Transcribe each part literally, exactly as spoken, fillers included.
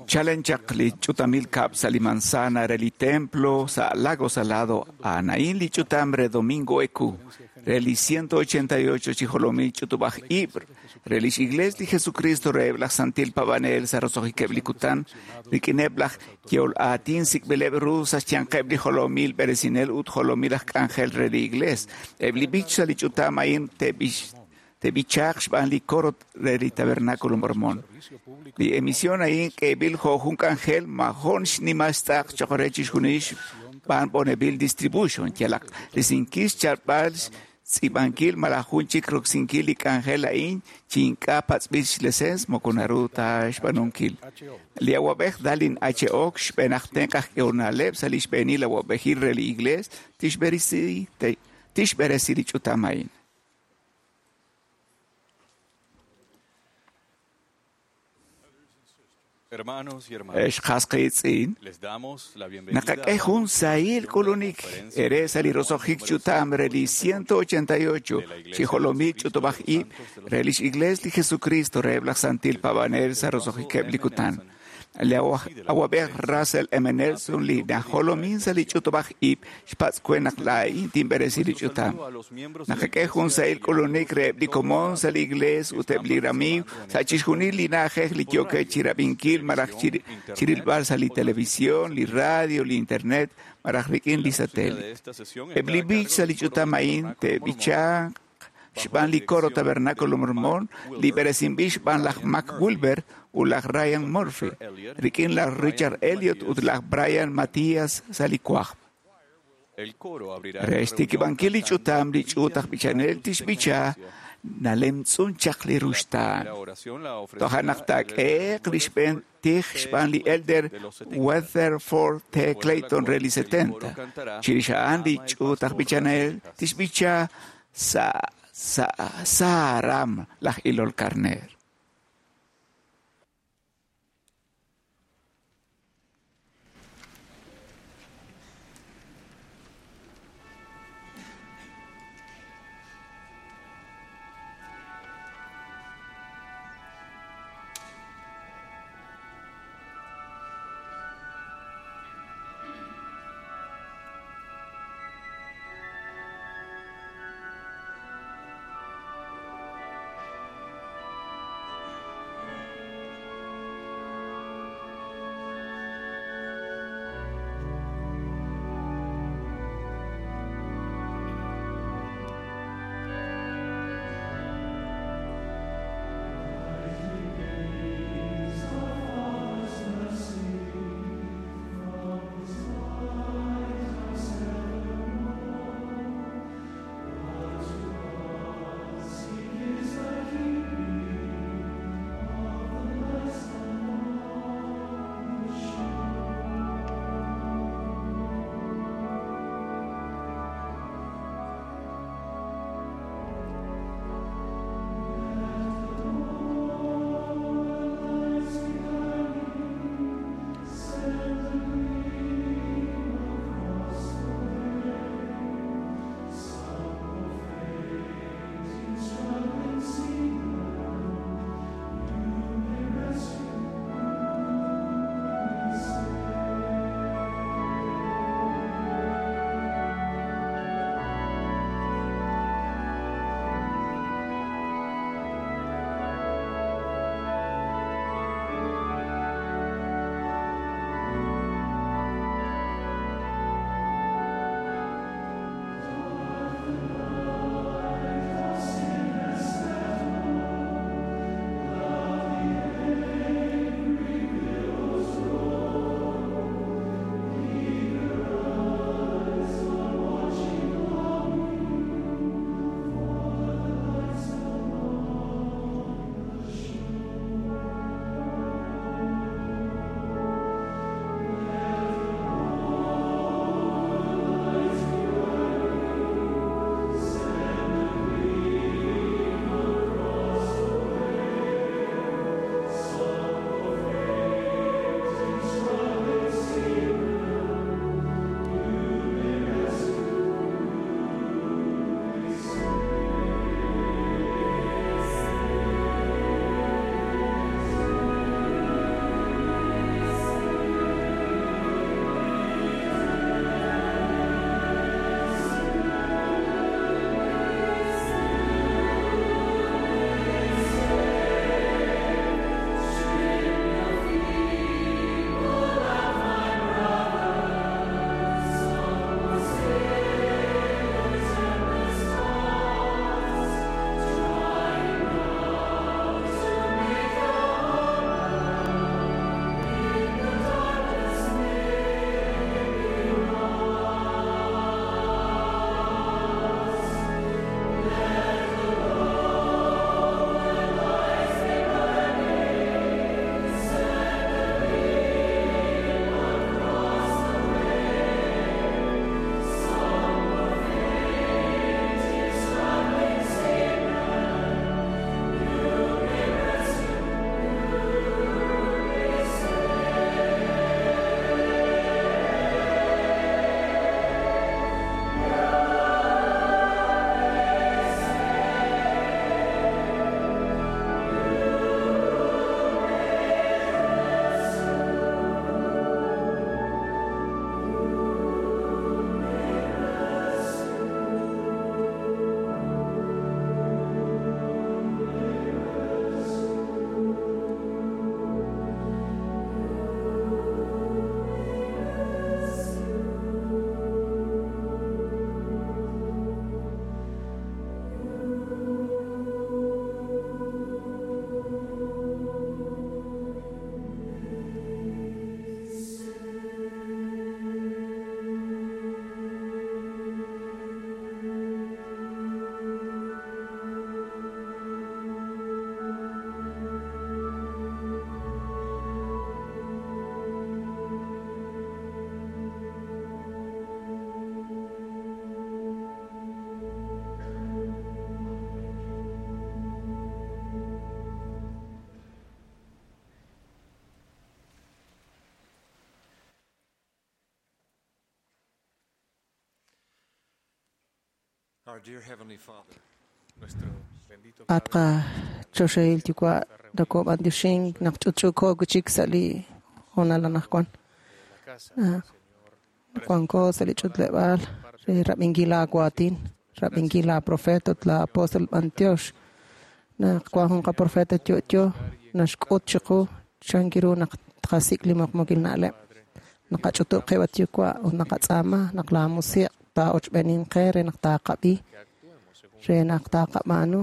Chalen chaq li ch'utamil kab' sa' li manzana re li templo sa' Lago Salado a'an li ch'utam re Domingo Eku re li ciento ochenta y ocho chi jolomil ch'utub'aj ib' re lix Iglesia li Jesucristo reheb' laj Santil Paab'anel sa' roso'jikeb' li kutan rik'ineb' laj yeol aatin sik'b'ileb' ru sa' xyanqeb' li jolomil b'eresinel ut jolomil aj k'anjel re li Iglesia. Eb' li b'ich sa' li ch'utam a'in te'b'ix te'b'ichaaq xb'aan li coro re li Tabernáculo Mormón. Li emisión a'in k'eeb'il jo' jun k'anjel majon xnimal xtz'aq choq' re chixjunil xb'aan Bonneville Distribution yalaq risinkil xchalb'al xtz'iib'ankil malaj jun chik roksinkil li k'anjel a'in chi ink'a' patz'b'il xlesens moko naru ta xb'aanunkil. Li awab'ej Dallin H. Ox xb'een aj tenq' aj k'ehonaleb' sa' li xb'eenil awab'ejil re li Iglesia tixb'eresi tixb'eresi li ch'utam a'in. Hermanos y hermanas, Ex qas qiitz'in, les damos la bienvenida naqak'e jun sahil k'ulunik ere sa' li roso'jik ch'utam re li ciento ochenta y ocho chi jolomil ch'utub'aj ib' re lix Iglesia li Jesucristo reheb' laj Santil Paab'anel sa' roso'jikeb' li kutan. Li awab'ej Russell M. Nelson li najolomin sa' li ch'utub'aj ib' xpatz' we naq laa'in tinb'eresi li ch'utam. Naqak'e jun sahil k'ulunik reheb' li komon sa' li Iglesia ut eb' li ramiiw sa' chixjunil li na'ajej li yookeb' chirab'inkil malaj chirilb'al sa' li televisión, li radio, li internet malaj rik'in li satélite. Eb' li b'ich sa' li ch'utam a'in te'b'ichanq xb'aan li coro Tabernáculo Mormón, li b'eresinb'il xb'aan laj Mac Wilber ut laj Ryan Murphy, rik'in laj Richard Elliot ut laj Brian Mathias sa' li kwajb'. El coro abrirá Re xtikib'ankil li ch'utam li ch'uut aj b'ichanel tixb'icha nalemtz'un chaq li ruxtaan. La oración la ofrecerá Toja' naq el taak'eeq li xb'een tij xb'aan li Elder Weatherford T. Clayton re li setenta. Chirix a'an li ch'uut aj b'ichanel tixb'icha sa' sa' Saaram laj ilol karner. Our dear Heavenly Father, Nuestro bendito At qachoxahil yuwa' nakob'antioxink naq ch'utch'uuko wichik sa' li hoonal anaqwan. de la casa, Ah. Señor, Wanko sa' li ch'utleb'aal re rab'inkil laawaatin, rab'inkil laaprofeta ut laapostol b'antiox. Naq wan jun qaprofeta yo'yo naxk'ut chiqu chan ru naq tqasik' li muqmukil na'leb'. Naqach'utub' qib' at yuwa' ut naqatz'aama naq laamusiq' taa'ochb'enin qe re naq taaqab'i, que actuemos según re naq taaqab'aanu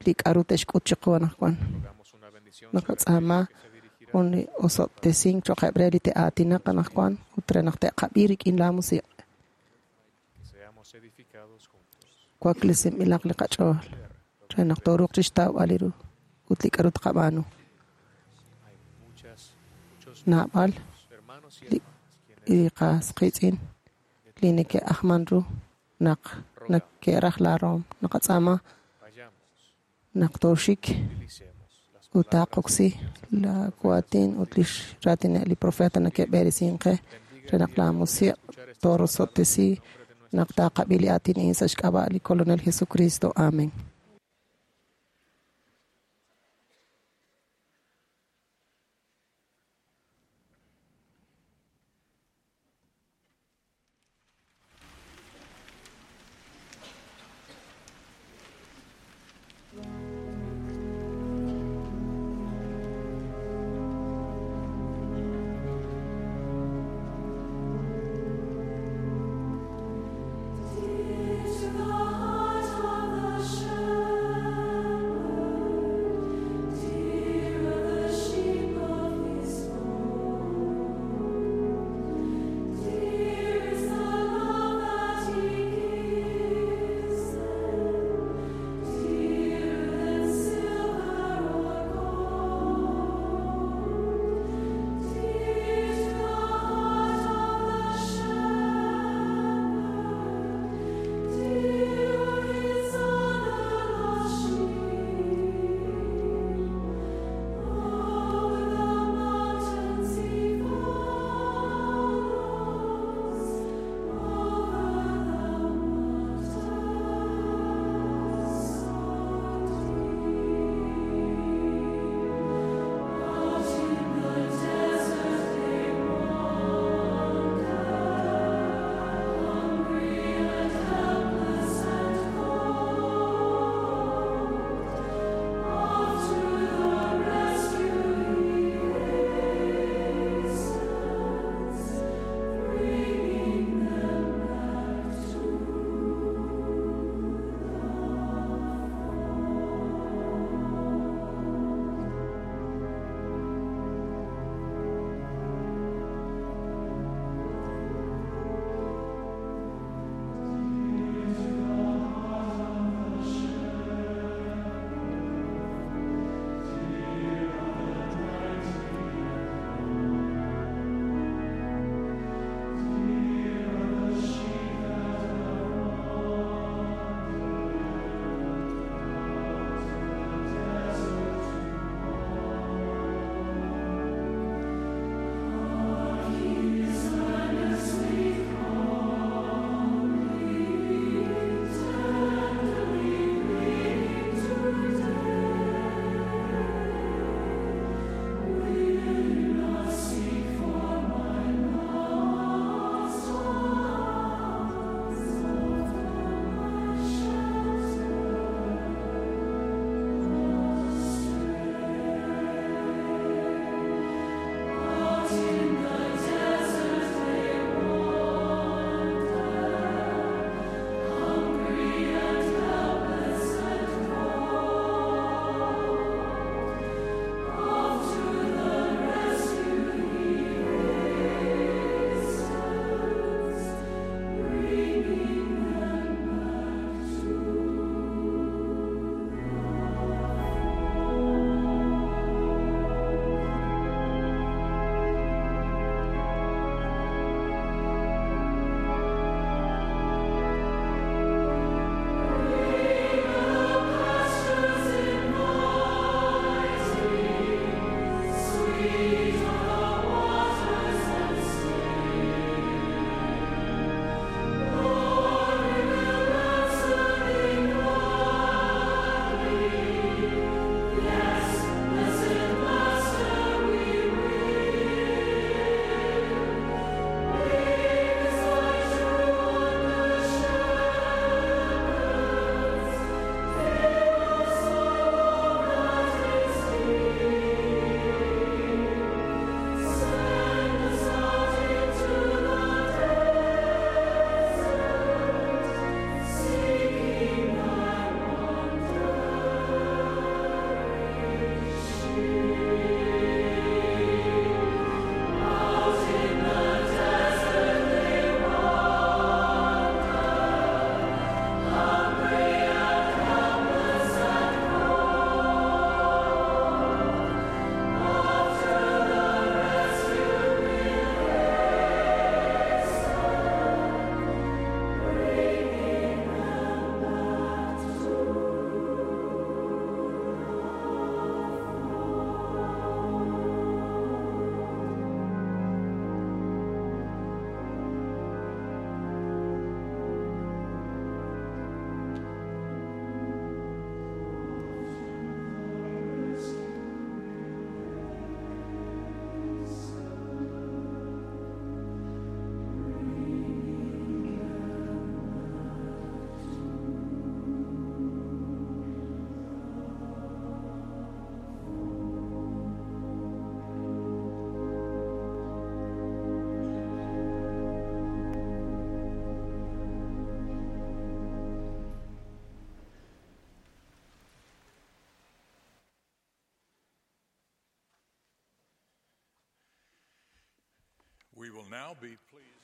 li k'a'ru te'xk'ut chiqu anaqwan. rogamos una bendición sobre Naqatz'aama aquellos que se dirigirán jun li osob'tesink cho'qeb' re li te'aatinaq anaqwan ut re naq te'qab'i rik'in laamusiq'. que seamos edificados juntos. Waklesinb'ilaq li qach'ool re naq tooruuq chixtawb'al li ru ut li k'a'ru tqab'aanu. Hay muchas, muchos Naab'al hermanos y li- hermanas quienes li qas qiitz'in li neke'ajman ru naq neke'raj laaroom. Naqatz'aama vayamos, naq tooxik utilicemos las ut palabras taaqoksi laawaatin ut lix raatineb' li profeta neke'b'eresink qe re naq laamusiq' toorosob'tesi naq taaqab'i li aatin a'in sa' xk'ab'a' li Kolonel Jesucristo. Amen. To the heart of the shepherd.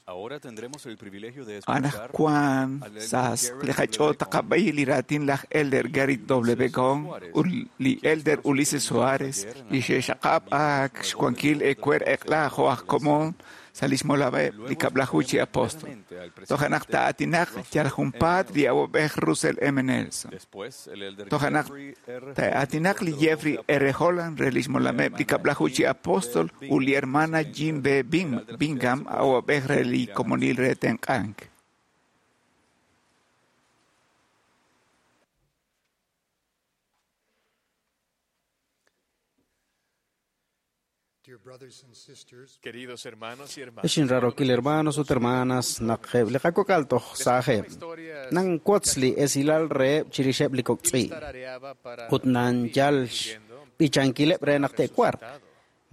Ahora tendremos el privilegio de escuchar Anajwan sa li qach'ool taqab'i li raatin laj Elder Gary W. Gong ut li Elder Ulises Soares li xe'xaqab' ak xwankil ewer eq'la jo' aj komon sa' lix molameb' li kab'laju chi apóstol. Toj naq ta'atinaq yal junpaat li awab'ej Russell M. Nelson. Después, el elder Toj naq Jeffrey R. ta'atinaq li Jeffrey R. Holland re lix molameb' li kab'laju chi apóstol ut li hermana Jean B. Bing- Bingham awab'ej re li komonil re tenq'ank. Dear brothers and sisters, Queridos hermanos y hermanas, Ixin rarokil hermanos ut hermanas naqeb li qakokal toj saajeb nan wotzli esilal reheb chirixeb li kok'tz'i tarareaba para ut nan yal b'ichankileb re naq te'kuar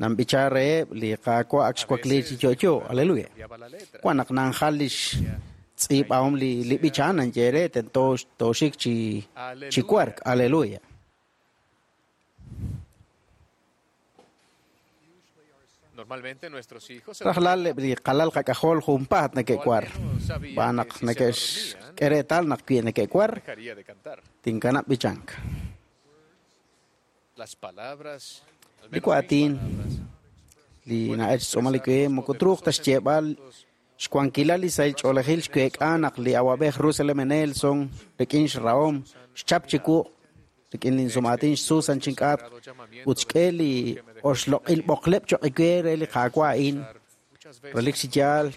nan b'icha reheb li qaawa' ak xwakli chi yo'yo aleluya cambiaba la letra. wan naq nanjal lix tz'iib'ahom li li b'ichan nan yere tento toxik chi chi kuark aleluya Normalmente nuestros hijos se rajlal eb' li qalal qak'ajol junpaat neke'kuar b'an naq neke'xk'e reetal naq wi neke'kuar dejaría de cantar. tinkanab' b'ichank Las palabras, al Li menos mis waatin palabras, li na'ech tz'uumal li kuem moko truuq ta xyeeb'al xwankilal li sahil ch'oolejil xweek'a naq li awab'ej Russell M. Nelson rik'in xrahom xchap chi wuq' rik'in linsumaatin xSusan chink'at ut xk'e li oxloq'il b'oqleb' choq' iwe re li qaawa' a'in muchas veces relik chi yaal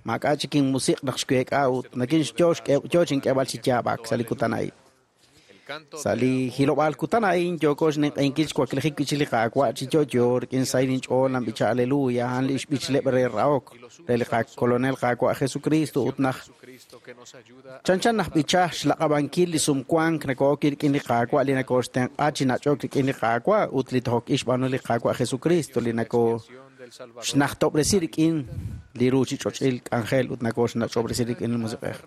maak'a' chik inmusiq' naq xweek'a ut nakin xyo xk'e- yo chink'eeb'al chi yaab'ak sa' li kutan a'in el canto sa' li hilob'aal kutan a'in yooko xninq'ehinkil xwaklijik wi' chik li qaawa' chi yo'yo rik'in sahil inch'ool nan b'icha aleluya a'an li xb'ichleb' re rahok re li qakolonel qaawa' Jesucristo ut naj Jesucristo que nos ayuda a chanchan naj b'icha xlaq'ab'ankil li sumwank nako'ok rik'in li qaawa' li nakooxtenq'a chi nach'ok rik'in li qaawa' ut li tojok ix b'aanu li qaawa' Jesucristo li nako del Salvador xnajtob'resi rik'in li ruuchich'och'il k'anjel ut nakooxnach'ob'resi rik'in li musiq'ej.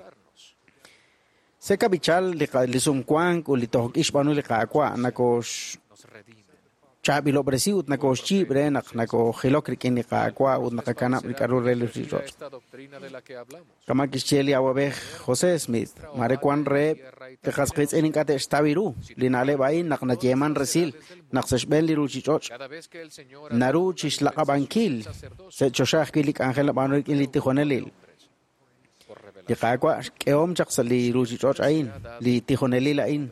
Seka b'ichal li qa- li sumwank ut li tojok ix b'aanu li qaawa' nakoox nos redime. chaab'ilob'resi ut nakooxyiib' re naq nakoojilok rik'in li qaawa' ut naqakanab' li k'a'ru re li ruuchich'och'. Esta doctrina de la que hablamos. Kama kixye li awab'ej José Smith, mare wan reheb' li qasqiitz'in ink'a' te'xtaw ru li na'leb' a'in naq nayeeman resil naq sa' xb'een li ruuchich'och' Cada vez que el Señor naru chi xlaq'ab'ankil sa' choxa ajwi' li k'anjel nab'aanu rik'in li tijonelil. por revelación Li qaawa' xk'ehom chaq sa' li ruuchich'och' a'in, li tijonelil a'in,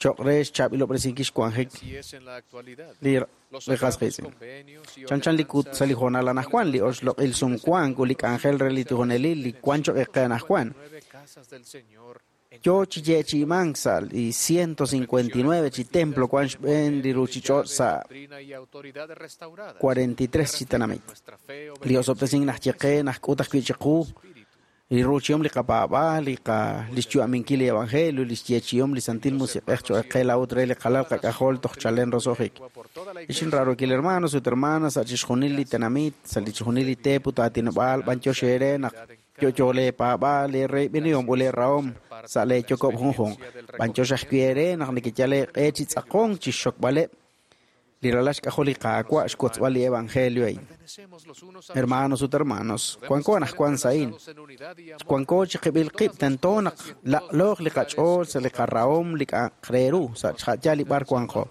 choq' re xchaab'ilob'resinkil xwanjik así es en la actualidad. li Los li sagrados qasqiitz'in. convenios y Chanchan li kut sa' li hoonal anajwan li oxloq'il sumwank ut li k'anjel re li tijonelil li wan choq' qe anajwan. nueve casas del Señor en Yo chi yeechi'imank sa' li ciento cincuenta y nueve chi templo wan xb'een li ruuchich'och' sa' doctrina y autoridad restaurada. cuarenta y tres chi tenamit. Nuestra fe, Li osob'tesink naj yeqe naj k'ut ajwi' chiqu li ruuchihom li qapaab'aal li qa li xyu'aminkil li evangelio li xyeechihom li santil musiq'ej choq' qe laa'ut re li qalal qak'ajol toj chalen roso'jik. por toda la Ixin rarokil hermanos ut hermanas sa' chixjunil li tenamit sa' li chixjunil li teep ut aatinob'aal b'antiox eere naq yo'yo leepaab'aal leereyb'inihom ut leerahom sa' leeyokob' junjunq. B'antiox ajwi' eere naq nekeyal eeq'e chi tz'aqonk chi xxokb'aleb' li ralal xk'ajol li qaawa' xwotzb'al li evangelio a'in. pertenecemos los unos a los Hermanos ut hermanos, wanko anajwan sa'in. otros en unidad y amor. Wanko chi qib'il qib' tento naq laq'looq li qach'ool sa' li qarahom li k'a'aq re ru sa' xja'yal li b'ar wanqo.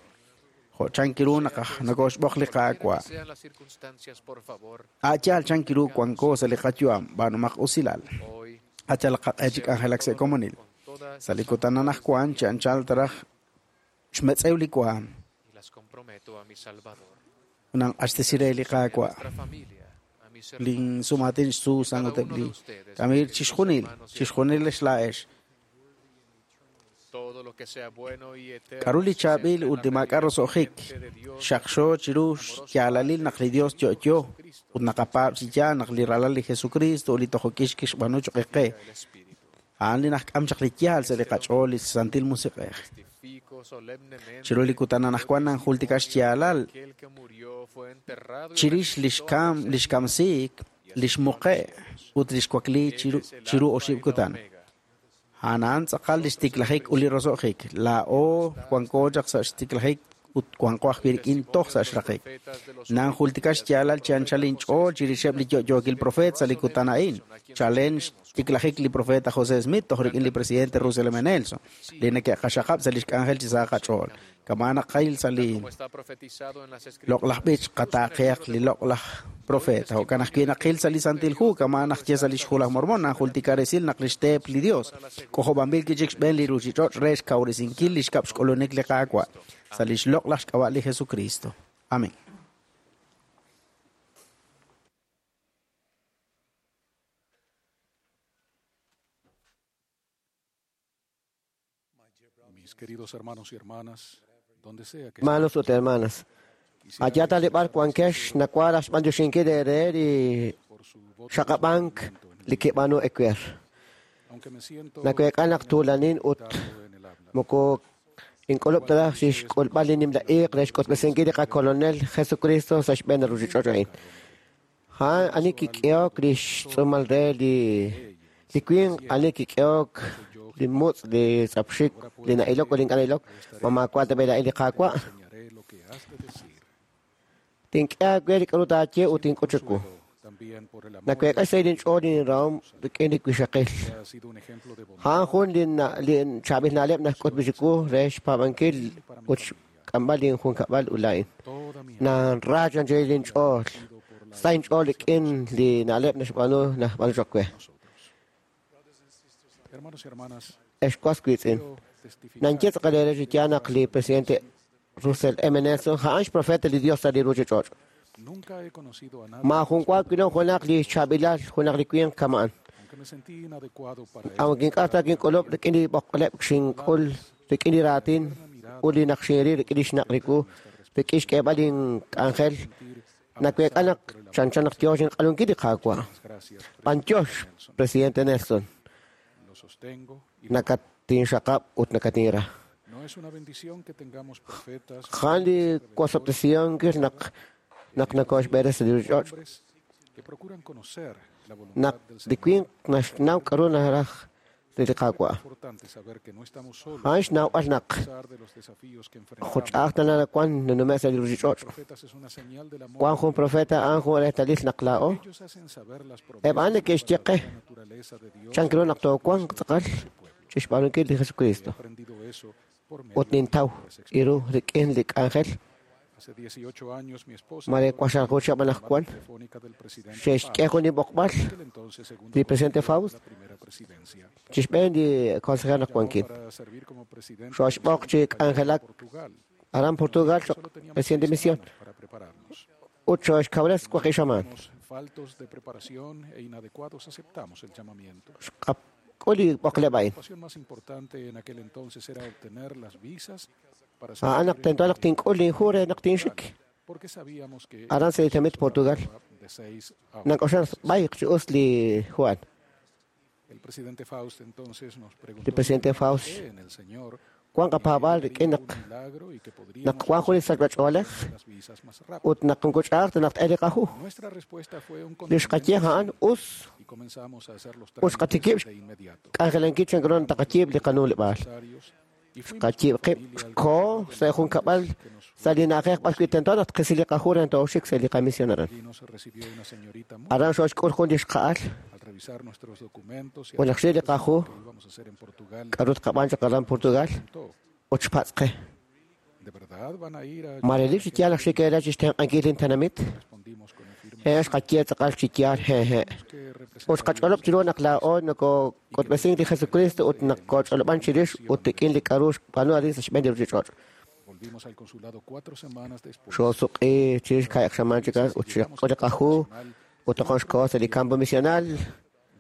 Jo' chankiru naq aj nakooxb'oq li qaawa'. Sean las circunstancias, por favor, A'yaal chankiru wanko sa' li qayu'am b'aanumaq usilal. hoy Achal qaq'e chi k'anjelak sa' komonil. con toda Sa' li kutan anajwan chi anchal taraj xmetz'ew li waam y las comprometo a mi Salvador, nan q'axtesire li qaawa'. nuestra familia, a mis hermanos, Lin sumatin Susan ut eb' li Kamil chixjunil, chixjunil xlaa'ex. todo lo que sea bueno y eterno. K'aru li chaab'il ut li maak'a' roso'jik xaqxo chiru xyaalalil naq li Dios yo'yo ut naqapaab' chi yaal naq li ralal li Jesucristo ut li tojok'ix kixb'aanu choq' qe. El Espíritu. A'an li najk'am chaq li yaal sa' li qach'ool li Santil Musiq'ej. Testifico solemnemente Chiru li kutan anajwan nanjultika xyaalal aquel que murió fue enterrado y chirix li xkam li xkamsiik li xmuqe' ut li xwakli chiru chiru oxib' kutan. Omega. A'an tz'aqal li xtiklajik ut li roso'jik. Laa'o wanko chaq sa' xtiklajik ut wanqo ajwi' rik'in toj sa' xraqik. Nanjultika xyaalal chi anchal inch'ool chirixeb' li yo'yookil profeet sa' li kutan a'in, chalen xtiklajik li profeta José Smith toj rik'in li presidente Russell M. Nelson, li neke'qaxaqab' sa' lix k'anjel chi sa qach'ool. Kama naqil sa' li loq'laj b'ich qataaqehaq li loq'laj profeta. Jo'kan ajwi' naqil sa' li Santil Hu, kama naqye sa' li xhu laj Mormon, nanjultika resil naq lix teep li Dios k'ojob'anb'il kichik xb'een li ruchich'och' re xkawresinkil li xkab' xk'ulunik li Qaawa' sa' lix loq'laj xk'ab'a' li Jesucristo. Amén. Mis queridos hermanos y hermanas, donde sea que Hermanos ut hermanas, allá talib'al wankex nakwara xb'anyoxinkil eere li xaqab'ank li kib'anu ewer. aunque me siento Nakuek'al naq tuulanin ut en el habla, moko ink'ulub' taraj xixk'ulb'al li nimla iiq re xk'utb'esinkil li qakolonel Jesucristo sa' xb'een ruchich'och' a'in. A'an ani kik'ehok li xtz'uumal re li li winq, ani kik'ehok li mutz', li tz'apxik, li na'ilok ut li ink'a' na'ilok, ma maawa' ta b'e la'in li Qaawa'. enseñaré lo que has de decir. Tink'e aawe li k'aru taaye ut tink'ut chiwu. También por el amor Nakuek'al xsahil inch'ool inrahom rik'in li wixaqil. que ha sido un ejemplo de bondad A'an jun li na- li chaab'il na'leb' naxk'utb'il chiwu re xpaab'ankil ut xk'amb'al linjunkab'al ut laa'in. toda mi Nanra chanchil inch'ool. Sa inch'ool rik'in li na'leb' naxb'aanu naxb'aanu choq we. Hermanos y hermanas, Ex was wiitz'in. quiero testificar Nanye tz'aqal eere chi yaal naq li presidente Russell M. Nelson a'an xprofeta li Dios sa' li ruchich'och'. nunca he conocido a nadie, Maajun wa wilom junaq li xchaab'ilal junaq li winq kama'an. aunque me sentí inadecuado para Aunque ink'a' ta kink'ulub' rik'in li b'oqleb' xink'ul rik'in li raatin ut li naq xinril rik'in li xnaq' riku rik'in xk'eeb'al link'anjel nakuek'al naq chanchan naq yoo xinq'alunkil li Qaawa'. Gracias, B'antiox, presidente Nelson, lo sostengo y nakatinxaqab' ut nakatinra. no es una bendición que tengamos profetas, Jan li wasob'tesiyonkil naq naq nakoxb'eres sa' li ruchich'och' hombres que procuran conocer la voluntad naq del li Señor. winq naxnaw k'aru naraj li Qaawa'. Importante saber que no estamos solos A'an xnawb'al naq a pesar de los desafíos que enfrentamos. juch'aj tana wan nanume' sa' li ruchich'och'. Profetas es una señal del amor. Wan jun profeta a'an jun reetalil naq laa'o Ellos hacen saber las Eb' promesas a'an neke'xye qe de la naturaleza de Dios. chan ru naq toowanq tz'aqal chi xb'aanunkil li Jesucristo He aprendido eso por medio ut nintaw de las iru rik'in li k'anjel Hace dieciocho años mi esposa mare waxalqu chab' anaqwan telefónica del presidente xe'xk'e jun li b'oqb'al aquel entonces segundo li presidente Faust la primera presidencia chi xb'een li consejero naq wankin para servir como presidente Xo'xb'oq chi k'anjelak Portugal aran Portugal choq Solo teníamos presidente seis misión semanas para prepararnos. ut xo'xkawres waqib' xamaan Éramos faltos de preparación e inadecuados aceptamos el llamamiento. Xqak'ul li b'oqleb' a'in La pasión más importante en aquel entonces era obtener las visas para a'an naq servir tento naq tink'ul linju re naq tinxik porque sabíamos que aran sa' li tenamit Portugal de seis a nank'oxan b'ayq chi us li Juan El presidente Faust entonces nos preguntó li presidente Faust fe en el Señor wan qapaab'al rik'in naq un milagro y que podríamos naq wan jun li sachb'ach'oolej las visas más rápido. ut naq nkuch'aaq naq t'el li qahu Nuestra respuesta fue un li xqaye a'an us y comenzamos a hacer los Ut xqatikib' trámites de inmediato. k'anjelankil chan ru taqayiib' li qanuuleb'aal Necesarios y fuimos xqayiib' qib' xkoo sa' jun kab'al sa' li na'ajej b'ar wi' tento naq tqisi li qahu re tooxik sa' li qamisión aran allí nos recibió una señorita muy aran xooxk'ul jun li xqa'al al revisar nuestros documentos y ut naq xril li qahu lo que íbamos a hacer en Portugal. k'aru tqab'an chaq aran Portugal Preguntó, ut xpatz' qe ¿de verdad van a ir a ma relik chi yaal naq xik eere chi xtenq'ankil lintenamit Respondimos con un firme he xqaye tz'aqal chi yaal he he que ut xqach'olob' chiru naq laa'o nokok'utb'esink li Jesucristo ut naq koch'olob'an chirix ut rik'in li k'aru xb'aanu arin sa' xb'een li ruchich'och' volvimos al consulado cuatro semanas después. xoosuq'i chirix ka'yaq xamaan chik ut xqak'ul li qahu ut toqon xkoo sa' li campo misional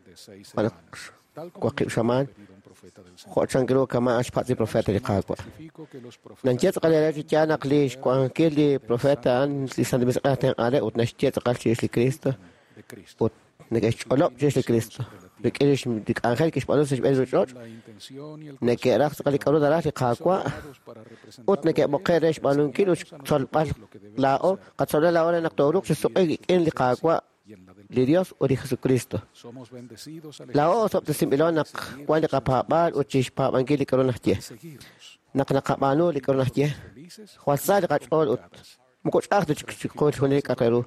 de seis Bueno, semanas. Tal como waqib' nos xamaan había pedido un profeta del Señor. jo' chan ru kama' xpatz' li profeta li Qaawa' Testifico que los profetas Nanche tz'aqal eere chi yaal naq li xwankiil li profeta a'an li Santo Musiq'ej tenq'ale ut naxye tz'aqal chirix li Cristo de Cristo. ut neke'xch'olob' chirix li Cristo rik'in lix- li k'anjel kixb'aanu sa' xb'een li ruchich'och' La intención y el neke'raj tz'aqal li k'aru naraj li Qaawa' llamados para representar ut neke'b'oqe' re xb'aanunkil ut xtzolb'al laa'o qatzolb'al laa'o re naq tooruuq chi suq'i rik'in li Qaawa' y en la del li Dios ut li Jesucristo Somos bendecidos al laa'o osob'tesinb'ilo naq wan li qapaab'aal ut chixpaab'ankil li k'aru naxye seguirlos. Naq naqab'aanu li k'aru naxye, jwal sa li qach'ool ut moko ch'a'aj ta chik chiqu chixjunil li k'a'aq re ru.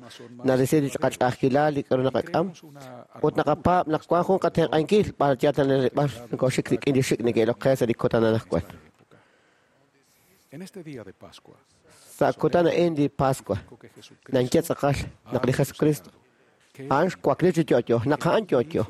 Narisi li qach'a'ajkilal li k'aru naqak'am ut naqapaab' naq wank jun qatenq'ankil b'ar yal ta b'ar nokoxik rik'in li xik' neke'ilok qe sa' li kutan anaqwan. En este día de Pascua, Sa' kutan a'in li Pascua, naxye tz'aqal naq li Jesucristo a'an xwakli chi yo'yo, naq a'an yo'yo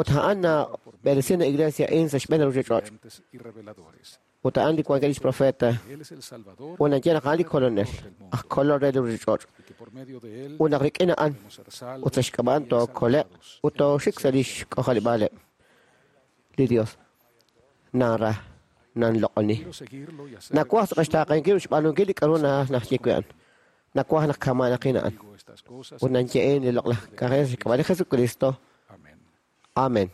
ut a'an nab'eresin la iglesia a'in sa' xb'een ruchich'och' videntes y reveladores. ut a'an li wankil lix profeta Él es el Salvador ut naxye naq a'an li Kolonel, aj Kolol re li ruchich'och' y que por medio de él ut naq rik'in a'an podemos ser salvos ut sa' xk'ab'a'an y tookole'q exaltados ut tooxik sa' lix k'ojarib'aaleb' li Dios. Nanra, nanloq'oni. Quiero seguirlo y hacer Nakuaj sa' qaxtaaqenkil ut xb'aanunkil li k'aru na- naxye wi' a'an. Nakuaj naq kama'naqin a'an. digo estas cosas. Ut nanye'in li loq'laj k'anjel sa' xk'ab'a' li Jesucristo. Amén. Amén.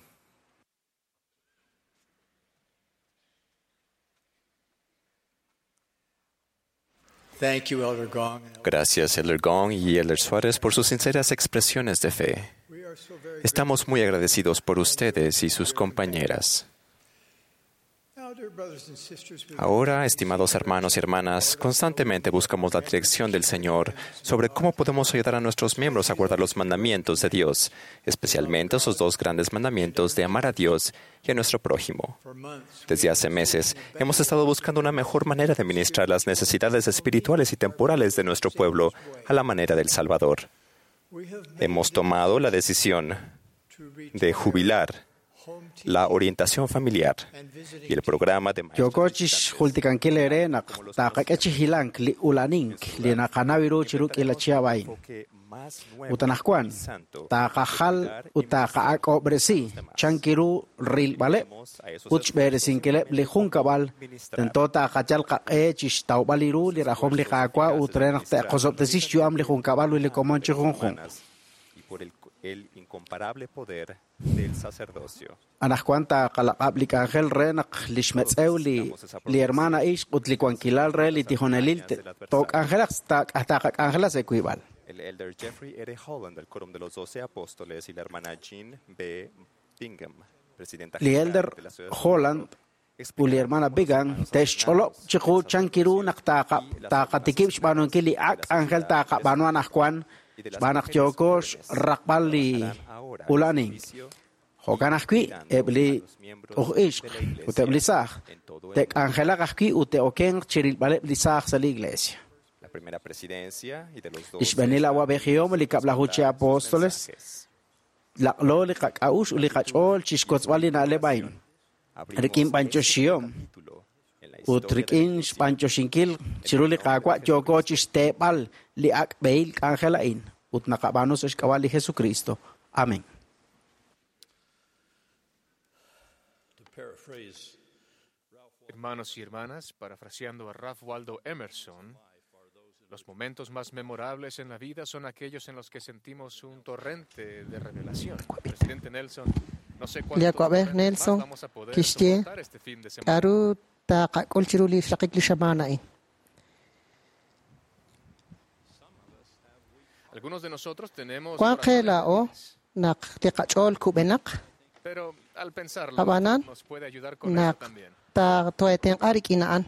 Thank you, Elder Gong. Gracias, Elder Gong y Elder Suárez, por sus sinceras expresiones de fe. We are so very Estamos muy agradecidos por ustedes y sus compañeras. Now, dear brothers and sisters, we Ahora, estimados hermanos y hermanas, constantemente buscamos la dirección del Señor sobre cómo podemos ayudar a nuestros miembros a guardar los mandamientos de Dios, especialmente esos dos grandes mandamientos de amar a Dios y a nuestro prójimo. for months Desde hace meses, hemos estado buscando una mejor manera de ministrar las necesidades espirituales y temporales de nuestro pueblo a la manera del Salvador. we have made Hemos tomado la decisión to retire de jubilar home teaching la orientación familiar and visiting y el programa de maestros Yooko chixjultikankil eere naq taqak'e chi hilank li ulanink li naqanaw ru chiru k'iila chihab' a'in. Ut anaqwan taqajal ut taqa'ak'ob'resi chankiru rilb'aleb' ut xb'eresinkileb' li junkab'al tento taqachal qaq'e chixtawb'al ru li rajom li Qaawa' ut re naq te'qosob'tesi xyu'am li junkab'al ut li komon chi junjunq. y por el, el incomparable poder del sacerdocio. Anaqwan taqalaq'ab' li k'anjel re naq li xmetz'ew li li hermana ixq ut li wankilal re li tijonelil te- took'anjelaq taqak'anjela sa' wiib'al. El elder Jeffrey R. Holland del Quórum de los Doce Apóstoles y la hermana Jean B. Bingham, presidenta Li general elder de la Sociedad Holland ut li hermana Bigan te'xch'olob' chiqu chankiru naq taqa- taqatikib' xb'aanunkil li ak' k'anjel taqab'aanu anaqwan xb'aan naq yooko xraqb'al li ulanink. Jo'kan ajwi' eb' li uj ixq ut eb' li saaj te'k'anjelaq ajwi' ut te'okenq chirilb'aleb' li saaj sa' li iglesia. La primera presidencia y de los Li xb'eenil awab'ejihom li kab'laju chi apóstoles laq'lo li qak'a'ux ut li qach'ool chixkotzb'al li na'leb' a'in. Rik'in b'anyoxihom ut rik'in xb'anyoxinkil chiru li Qaawa' yooko chixteeb'al li ak' b'ehil k'anjel a'in ut naqab'aanu sa' xk'ab'a' li Jesucristo. Amén. To paraphrase Hermanos y hermanas, parafraseando a Ralph Waldo Emerson, los momentos más memorables en la vida son aquellos en los que sentimos un torrente de revelación. Presidente Nelson, no sé Li cuántos awab'ej torrentes más Nelson vamos a poder kixye soportar este fin de semana. k'aru taqak'ul chiru li xraqik li xamaan a'in. Algunos de nosotros tenemos Wank qe corazones laa'o débiles, naq li qach'ool kub'enaq pero al pensarlo Ab'anan, nos puede ayudar con eso naq también. ta- tootenq'a rik'in a'an.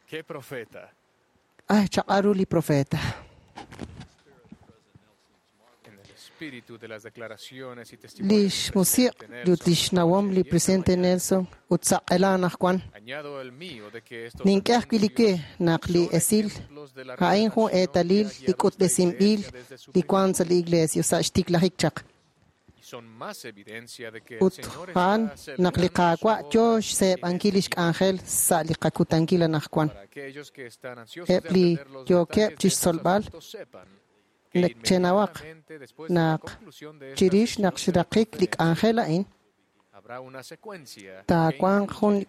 ¡Qué profeta! Ay, chaq'aru li profeta. En el espíritu de las declaraciones y testimonios Li del xmusiq presidente ut li Nelson, xnawom li y esta presidente mañana, Nelson ut saq'ela anaqwan. añado el mío de que estos Nink'e ajwi' li anuncios we naq li son esil ejemplos de la a'in jun revelación que eetalil ha li guiado esta k'utb'esinb'il iglesia desde su li wank sa' principio li iglesia sa' xtiklajik chaq. y son más evidencia de que el Ut Señor a'an está naq li acelerando su Qaawa' yoo obra en xseeb'ankil li este tiempo. xk'anjel sa' li qakutankil anaqwan. Para aquellos que están ansiosos de Eb' li aprender los yookeb' detalles de estos chixtzolb'al asuntos sepan que nek chenawaq inmediatamente después de la naq conclusión de esta chirix sesión naq de xraqik li conferencia k'anjel a'in habrá una secuencia que taawanq jun incluye,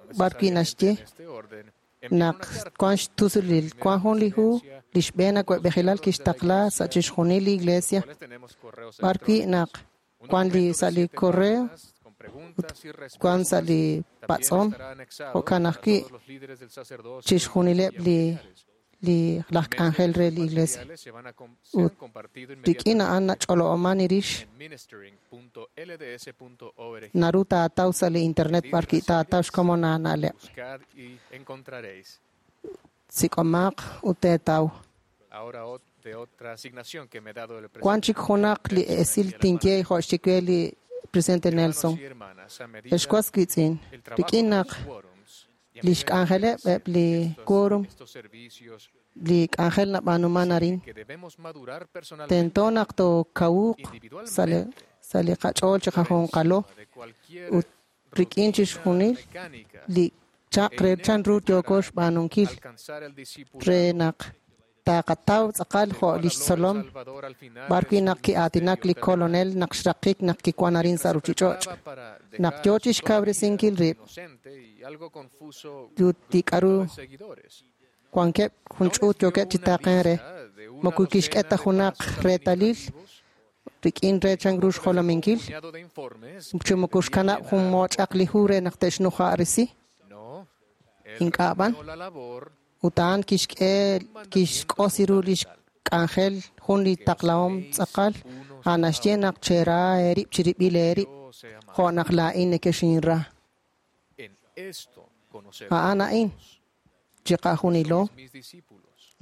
no b'ar wi' necesariamente naxye en este orden, enviar naq una carta wank xtusulil a la wank jun li hu presidencia li xb'een los awab'ejilal miembros de la kixtaqla sa' iglesia chixjunil li con los iglesia cuales tenemos correos b'ar wi' electrónicos. naq Un wank li documento de sa' li siete correo páginas con ut preguntas y wank sa' respuestas li también patz'om estará anexado jo'kan para ajwi' todos los líderes del sacerdocio y chixjunileb' li familiares. li laj En medio k'anjel de re estos li iglesia materiales se van a com- se han ut compartido rik'in a'an inmediatamente nach'olo'oman irix en Naru taataw sa li internet b'ar taataw xkomon aana'leb. Sik'omaq ut teetaw. Wan chik junaq li esil tinye jo' xye li presidente Nelson. Ex was wiitz'in, rik'in naq li xk'anjeleb' eb' li quórum, li k'anjel nab'aanuman arin, tento naq tookawuq sa' li sa' li qach'ool chi qajunqalo ut rik'in chixjunil li chaq re chanru yooko xb'aanunkil re naq taqataw tz'aqal jo' lix tzolom b'ar wi' naq ki'aatinak li kolonel naq xraqik naq kiwan arin sa' ruchich'och' naq yoo chixkawresinkil rib' ut li k'a'ru wankeb' jun ch'uut yookeb' chi taaqen re moko kixk'e ta junaq reetalil rik'in re chanru xjolominkil chi moko xkanab' jun mooch'aq li hu re naq te'xnuja'risi ink'a' b'an ut a'an kixk'e kixk'osi ru lix k'anjel jun li taqlahom tz'aqal a'an naxye naq chera eerib' chirib'il eerib' jo' naq laa'in nekexinra a'an a'in chiqajunilo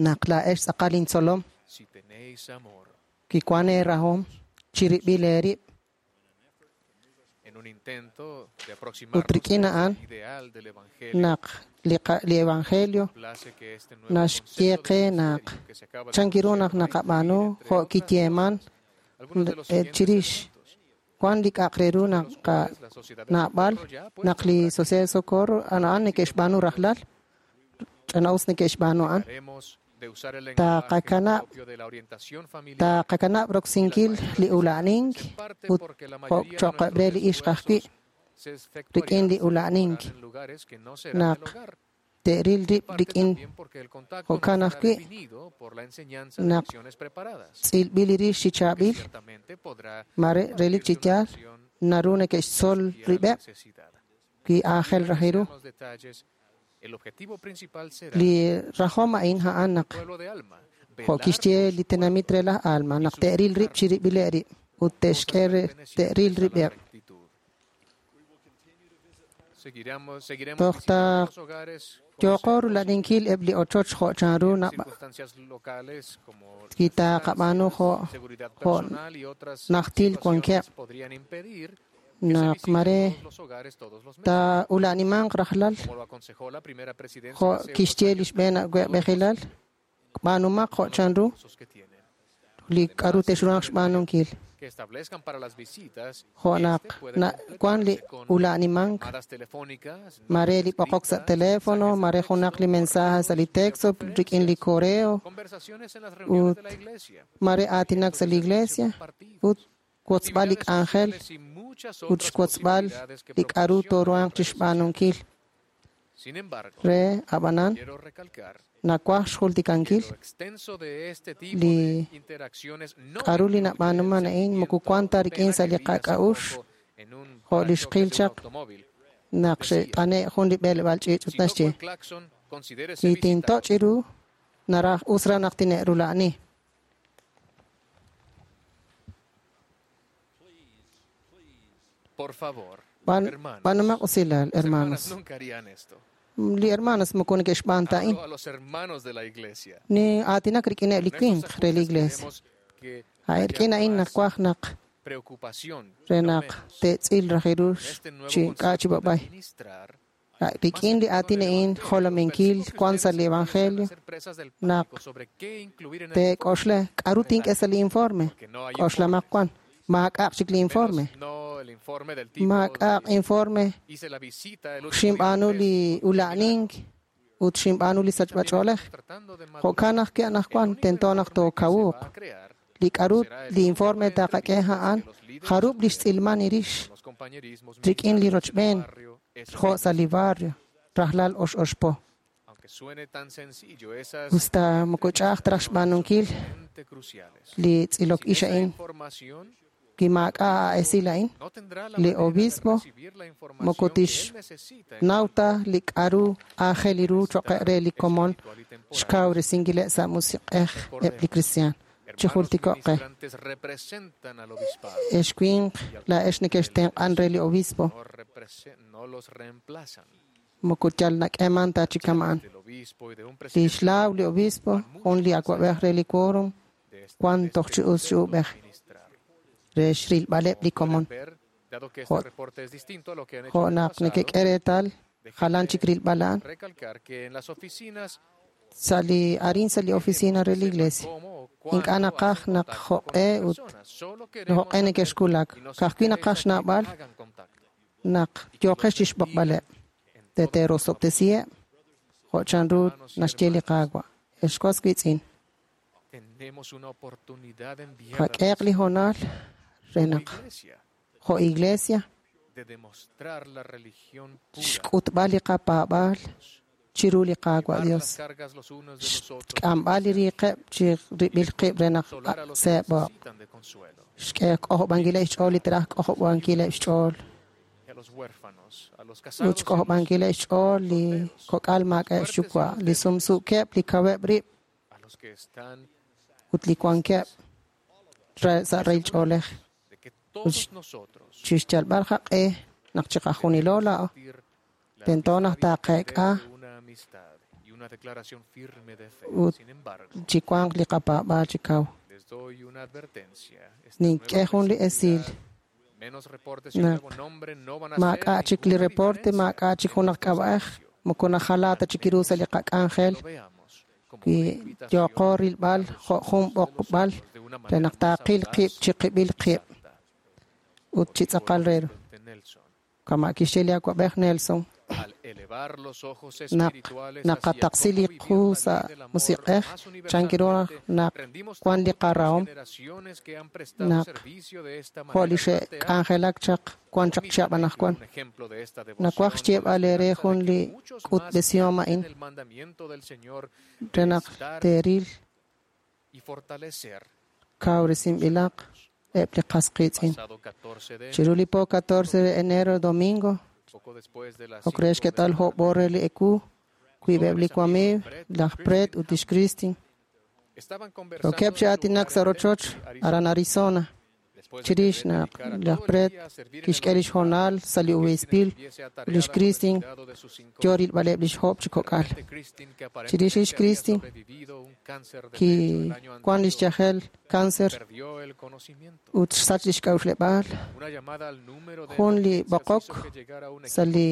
naq laa'ex tz'aqal intzolom kiwan eerahom chirib'il eerib' ut rik'in a'an naq li evangelio naxye qe naq chankiru naq naqab'aanu jo' kiyeeman chirix wan li k'a'aq re ru naq naab'al naq li Sociedad de Socorro a'an neke'xb'aanu rajlal ch'ana'us neke'xb'aanu a'an taqakanab' taqakanab' roksinkil li ula'nink ut jo' cho'qeb' re li ixq ajwi' rik'in li ula'nink naq te'ril rib' rik'in jo'kan ajwi' naq tz'ilb'il li rix chi chaab'il mare relik chi yaal naru neke'xtzol rib'eb' wi aajel raj ru li rajom a'in a'an naq jo' kixye li tenamit re laj Alma naq te'ril rib' chirib'ileb' rib' ut te'xk'e te'ril rib'eb' toj ta yooko rula'ninkil eb' li ochoch jo' chanru kitaqab'aanu jo' jo' najtil wankeb' naq mare ta ula'nimanq rajlal jo' kixye li xb'een awa'b'ejilal b'aanumaq jo' chanru li k'a'ru te'xruhanq xb'aanunkil jo' naq wan li ula'nimank mare li b'oqok sa' teléfono mare junaq li mensaje sa' li texto rik'in li correo ut mare aatinak sa' li iglesia ut wotzb'al li k'anjel ut xwotzb'al li k'a'ru tooruhanq chixb'aanunkil re ab'anan nawaj xjultikankil li k'a'ru li nab'aanuman a'in moko wan ta rik'in sa' li qak'a'uxl jo' li xqil chaq naq xe't'ane' jun li b'eleb'aal ch'iich' ut naxye wi tintoch' ru naraj us raj naq tine'rula'ani. B'aanumaq usilal, hermanos. Li hermanos moko neke'xb'aan ta a'in. Ni aatinak rik'ineb' li winq re li iglesia. A'in rik'in a'in nawaj naq re naq te'tz'il raj ru chi k'a' chi b'ab'ay. Rik'in li aatin a'in jolominkil wan sa' li evangelio naq teek'oxla k'a'ru tink'e sa' li informe. K'oxlamaq wan. Maak'a'aq chik li informe. Maak'a'aq informe xinb'aanu li ula'nink ut xinb'aanu li sachb'ach'oolej. Jo'kan ajwi' anaqwan tento naq tookawuq. Li k'a'ru li informe taqak'e a'an jarub' li xtz'ilman irix rik'in li rochb'een jo' sa' li barrio rajlal ox oxpo. Usta moko ch'a'aj ta raj xb'aanunkil li tz'ilok ix a'in wi maak'a' esil a'in li obispo moko tixnaw ta li k'a'ru aajel ru cho'q re li komon xkawresinkileb' sa' musiq'ej eb' li kristiaan. Chi jultiko'q qe. Ex winq, laa'ex nekextenq'an re li obispo. Moko yal nak'eeman ta chi kama'an. Lix laaw li obispo, jun li awa'b'ej re li quórum, wan toj chi us chi uub'ej re xrilb'aleb' li komon. Jo' naq nekek'e reetal jalan chik rilb'al a'an. Sa' li arin sa' li oficina re li iglesia. Ink'a' naqaj naq jo'q'e ut jo'q'e nekexkulak. Ka'ajwi' naqaj xnawb'al naq yooqex chixb'oqb'aleb'. Teterosob'tesiheb' jo' chanru naxye li Qaawa'. Ex was wiitz'in. Qak'ehaq li hoonal re naq jo' iglesia xk'utb'al li qapaab'aal chiru li Qaawa' Dios. Xk'amb'al li riiqeb' chi rib'il qib' re naq seeb'oq. Xk'e k'ojob'ankileb' xch'ool li teraj k'ojob'ankileb' xch'ool. Ut xk'ojob'ankileb' xch'ool li kok'al maak'a'eb' xyuwa', li sumsuukeb', li kaweb' rib' ut li wankeb' sa' rahil ch'oolej. Ut chixyalb'al qaq'e naq chiqajunilo laa'o tento naq taaqeek'a ut chi wanq li qapaab'aal chi kaw. Nink'e jun li esil naq maak'a' chik li reporte, maak'a' chik junaq k'ab'a'ej, moko najalaa ta chik ru sa' li qak'anjel wi yooqo rilb'al jo' jun b'oqb'al re naq taaqil qib' chi qib'il qib' ut chi tz'aqal re ru. Kama' kixye li awa'b'ej Nelson, naq naqataqsi li qu sa' musiq'ej chankiru naq wan li qarahom naq jo' li xe'k'anjelak chaq wan chaq chihab' anaqwan. Nawaj xyeeb'al eere jun li k'utb'esihom a'in re naq teeril kawresinb'ilaq eb' li qas qiitz'in. Chiru li po catorce de enero domingo, ok re xk'etal jo'b'o re li ewu, wiib'eb' li wamiiw, laj Brett ut lix Kristin. Rokeb' chi aatinak sa' rochoch aran Arizona. Chirix naq laj Brett kixk'e lix hoonal sa' li obiispil ut lix Kristin yo rilb'aleb' lix jo'b chi kok'al. Chirix lix Kristin kiwan lix yajel cáncer ut xsach lix k'a'uxleb'aal. Jun li b'oqok sa' li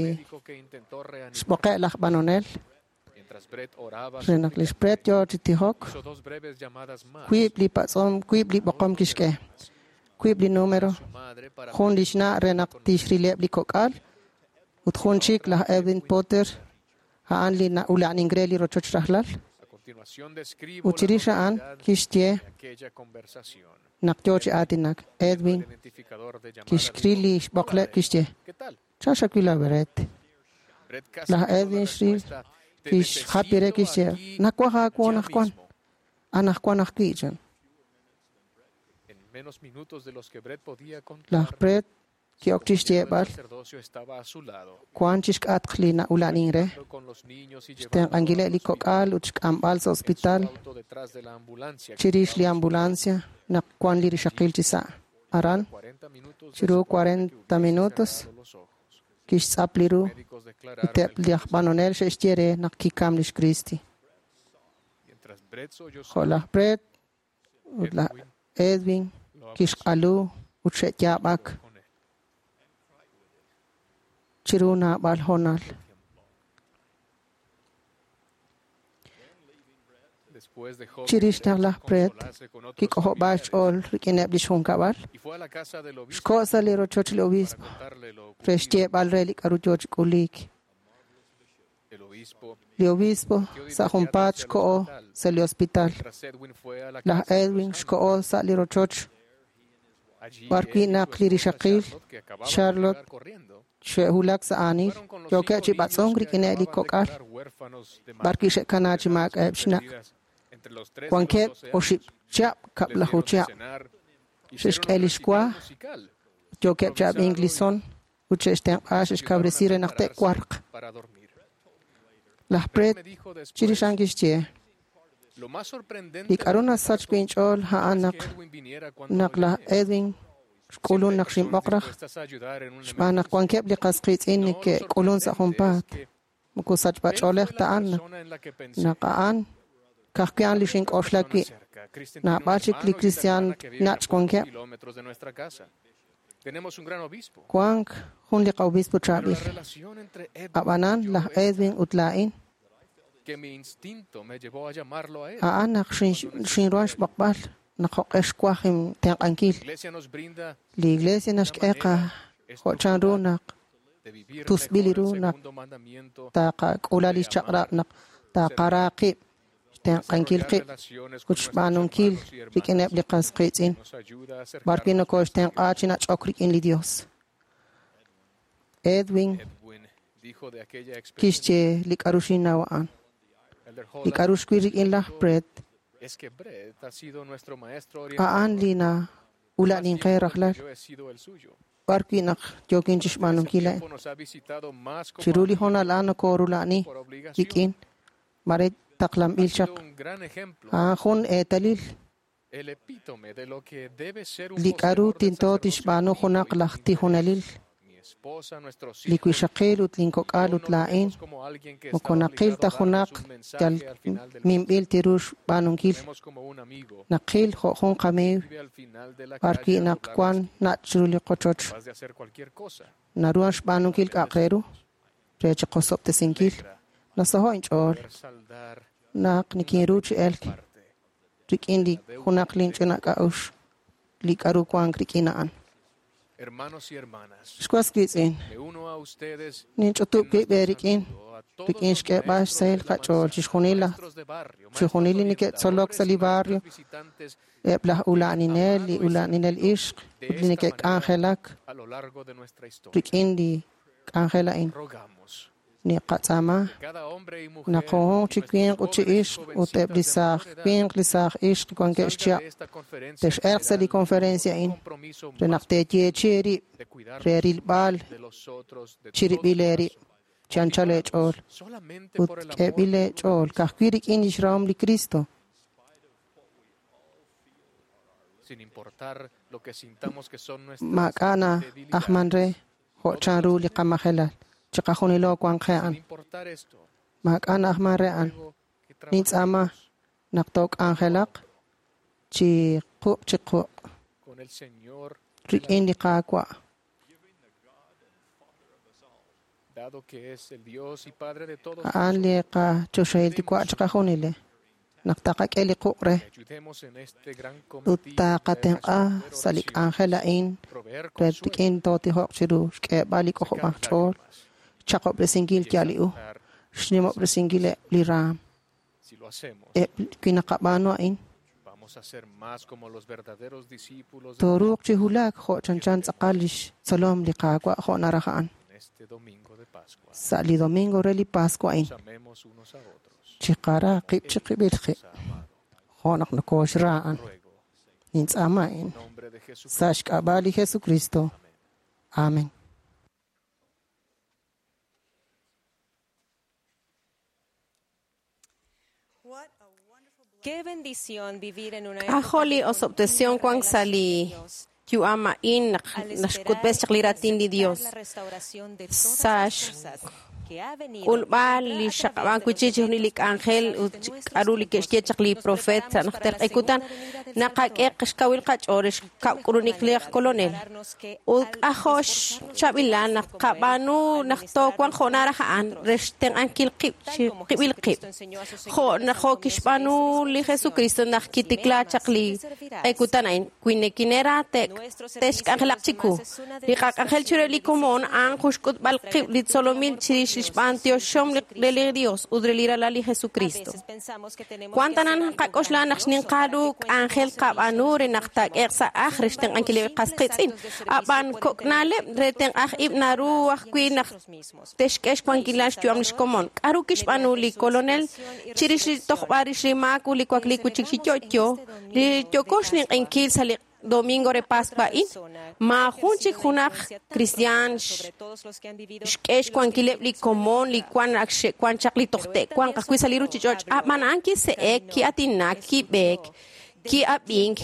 xb'oqe' laj b'anonel re naq lix Brett yo chi tijok, wiib' li patz'om, wiib' li b'oqom kixk'e. Wiib' li número, jun lix na' re naq tixrileb' li kok'al ut jun chik laj Edwin Potter, a'an li na'ula'nink re li rochoch rajlal. Ut chirix a'an kixye naq yo chi aatinak. Edwin kixril li xb'oqleb' kixye, chan xawil a Brett. Laj Edwin xril kixjapi re kixye, nawaj aawu anaqwan, anaqwan ajwi' chan. Laj Brett ki'ok chixyeeb'al wan chixk'atq li na'ula'nin re, xtenq'ankileb' li kok'al ut xk'amb'al sa' hospital chirix li ambulancia naq wan li rixaqil chi sa'. Aran, chiru cuarenta minutos, kixtz'ap li ru ut eb' laj b'anonel xe'xye re naq kikam lix Kristi. Jo' laj Brett ut laj Edwin kixq'alu ut xe'yaab'ak chiru naab'al hoonal. Chirix naq laj Brett kik'ojob'aal xch'ool rik'ineb' lix junkab'al, xko' sa' li rochoch li obispo re xyeeb'al re li k'a'ru yoo chi k'uliik. Li obispo sa' junpaat xko'o sa' li hospital. Laj Edwin xko'o sa' li rochoch b'arwi' naq li rixaqil Charlotte xe'wulak sa' aanil, yookeb' chi b'atz'unk rik'ineb' li kok'al b'arwi' xe'kana chi maak'a'eb' xna'. Wankeb' oxib' chihab' kab'laju chihab'. Xe'xk'e lix wa, yookeb' chi ab'ink li son ut xe'xtenq'a xe'xkawresi re naq te'warq. Laj Brett chirix a'an kixye, Li k'a'ru nasach wi' inch'ool a'an naq naq laj Edwin xk'ulun naq xinb'oq raj, xb'aan naq wankeb' li qas qiitz'in neke'k'ulun sa' junpaat. Moko sachb'ach'oolej ta a'an naq a'an ka'ajwi' a'an li xink'oxla wi'. Naab'al chik li kristiaan nach' wankeb'. Wank jun li qa'obispo chaab'il. Ab'anan laj Edwin ut laa'in a'an naq xinruhan xb'oqb'al naq jo'q'e xwaj intenq'ankil. Li Iglesia naxk'e qa jo' chanru naq tusb'il ru naq taqak'ula li xchaq'rab' naq taqara qib' xtenq'ankil qib' ut xb'aanunkil rik'ineb' li qas qiitz'in b'arwi' nokoxtenq'a chi nach'ok rik'in li Dios. Edwin kixye li k'a'ru xinnaw a'an. Li k'a'ru xwil rik'in laj Brett a'an li na'ula'ninqe rajlal b'arwi' naq yookin chixb'aanunkil a'in. Chiru li hoonal a'an nokorula'ani rik'in mare taqlanb'il chaq. A'an jun eetalil li k'a'ru tento tixb'aanu junaq laj tijunelil. Li wixaqil ut linkok'al ut laa'in moko naqil ta junaq yal minb'il tiru xb'aanunkil. Naqil jo' jun qamiiw b'arwi' naq wan nach' chiru li qochoch. Naruhan xb'aanunkil k'a'aq re ru re chiqosob'tesinkil. Nasaho' inch'ool naq nikinru chi elk rik'in li junaq linch'ina k'a'uxl li k'a'ru wank rik'in a'an. Xwas wiitz'in, ninch'utub' wib' eerik'in rik'in xk'eeb'al xsahil qach'ool chixjunil laj chixjunil li neke'tzolok sa' li barrio, eb' laj ula'aninel, li ula'aninel ixq ut li neke'k'anjelak rik'in li k'anjel a'in. Niqatz'aama naq junjunq chi winq ut chi ixq ut eb' li saaj winq li saaj ixq wankeb' xchihab' tex'elq sa' li conferencia a'in re naq teeyeechi eerib' re rilb'al chirib'il eerib' chi anchal eech'ool ut k'eeb'il eech'ool ka'ajwi' rik'in lix rahom li Cristo. Maak'a' na'ajman re jo' chanru li qamajelal. Chiqajunilo wank qe a'an. Maak'a' na'ajman re a'an. Nintz'aama naq took'anjelaq chi quq' chi quq' rik'in li Qaawa'. A'an li qachoxahil Yuwa' chiqajunile. Naq taqak'e li quq' re ut taqatenq'a sa' li k'anjel a'in re rik'in tootijoq chiru xk'eeb'al li k'ojob'aj ch'ool, xchaqob'resinkil yal li u, xnimob'resinkil eb' li raam. Eb' wi naqab'aanu a'in, tooruuq chi wulak jo' chanchan tz'aqal lix tzolom li Qaawa' jo' naraj a'an. Sa' li domingo re li Pascua a'in, chiqara qib' chiqib'il qib' jo' naq nokoxra a'an. Nintz'aama a'in sa' xk'ab'a' li Jesucristo. Amen. K'ajo' li osob'tesihom wank sa' li yu'am a'in naq naxk'utb'es chaq li raatin li Dios. Sa' xk'ulb'al li xaqab'ank wi' chik chixjunil li k'anjel ut k'a'ru li ke'xye chaq li profeet sa' najter q'e kutan, naqak'e xkawil qach'ool re xkab'k'ulunik li aj kolonel. Ut k'ajo' xchaab'ilal naq qab'aanu naq toowanq jo' naraj a'an re xtenq'ankil qib' chiqib'il qib'. Jo' naq jo' kixb'aanu li Jesucristo naq kitikla chaq li q'e kutan a'in, wi nekinera te'xk'anjelaq chiku. Li qak'anjel chiru li komon a'an jun xk'utb'al qib' li tzolomil chirix li xb'antioxom re li Dios ut re li ralal li Jesucristo. Cuantanan qak'oxla naq xninqaru k'anjel qab'aanu re naq taak'eq sa' aj re xtenq'ankil li qas qiitz'in. Ab'an kok'na'leb' re tenq'aj ib' naru ajwi' naq texk'e xwankilal xyu'am lix komon. K'aru kixb'aanu li kolonel chirix li tojb'al rix li maak ut li wakliik wi' chik chi yo'yo, li yooko xninq'enkil sa' li domingo re Pascua a'in maajun chik junaq kristiaan xk'e xwankileb' li komon li wan ak xe'wan chaq li toj te'wanq ajwi' sa' li ruchich'och' ab'an a'an kise'ek ki'atinak kib'eek ki'ab'ink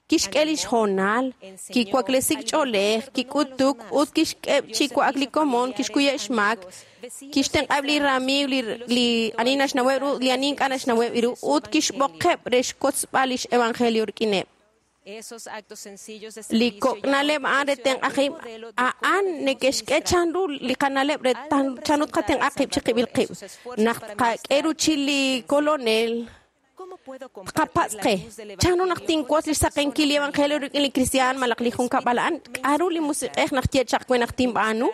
kixk'e lix hoonal kiwaklesik ch'oolej kik'utuk ut kixk'eb' chi wa'ak li komon kixkuyeb' xmaak kixtenq'ab' li ramiiw li li ani naxnaweb' ru li ani ink'a' naxnaweb' ru ut kixb'oqeb' re xkotzb'al lix evangelio rik'ineb'. Li kok'na'leb' a'an re tenq'aj ib' a'an neke'xk'e chanru li qana'leb' re chanru tqatenq'a qib' chiqib'il qib' naq tqak'e ruchil li kolonel tqapatz' qe chanru naq tinwotz li xsaqenkil li evangelio rik'in li kristiaan malaj li junkab'al a'an k'aru li musiq'ej naq ye chaq we naq tinb'aanu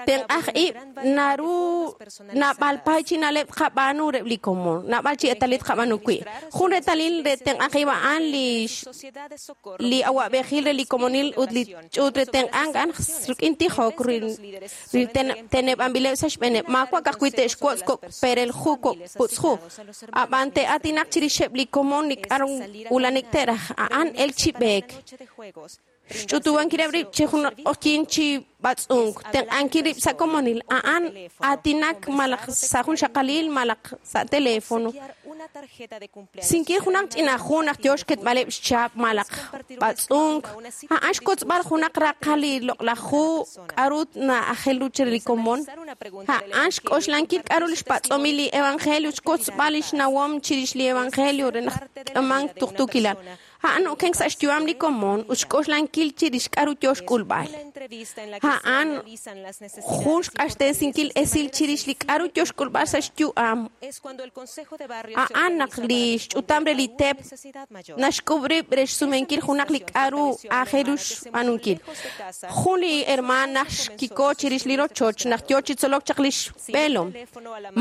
tenq'aj ib' naru naab'al pay chi na'leb' tqab'aanu reb' li komon naab'al chi eetalil tqab'aanu wi' jun reetalil re tenq'aj ib' a'an li li awa'b'ejil re li komonil ut li ch'uut re tenq'ank a'an rik'in tijok ri teneb'anb'ileb' sa' xb'eeneb' maawa' ka'ajwi' te'xwotz' kok' perel ju kok' putz'ju ab'an te'atinaq chirixeb' li komon li k'aru ulanik te'raj a'an el chi b'eek xch'utuwankileb' rib' chi jun q'oqyin chi b'atz'unk tenq'ankil rib' sa' komonil a'an aatinak malaj sa' jun xaqalil malaj sa' teléfono sinkil junaq ch'ina jun naq yo xketb'aleb' xchap malaj b'atz'unk a'an xkotzb'al junaq raqal li loq'laj ju k'aru na'ajel ru chire li komon a'an xk'oxlankil k'aru li xpatz'omil li evangelio xkotzb'al li xnawom chirix li evangelio re naq k'amank tuqtuukilal a'an okenk sa' xyu'am li komon ut xk'oxlankil chirix k'aru yo xk'ulb'al a'an jun xq'axtesinkil esil chirix li k'aru yo xk'ulb'al sa' xyu'am a'an naq li xch'utam re li teep naxk'ub' rib' re xsumenkil junaq li k'aru aajel ru xb'aanunkil jun li hermaan naq xkiko chirix li rochoch naq yo chi tzolok chaq li xb'eelom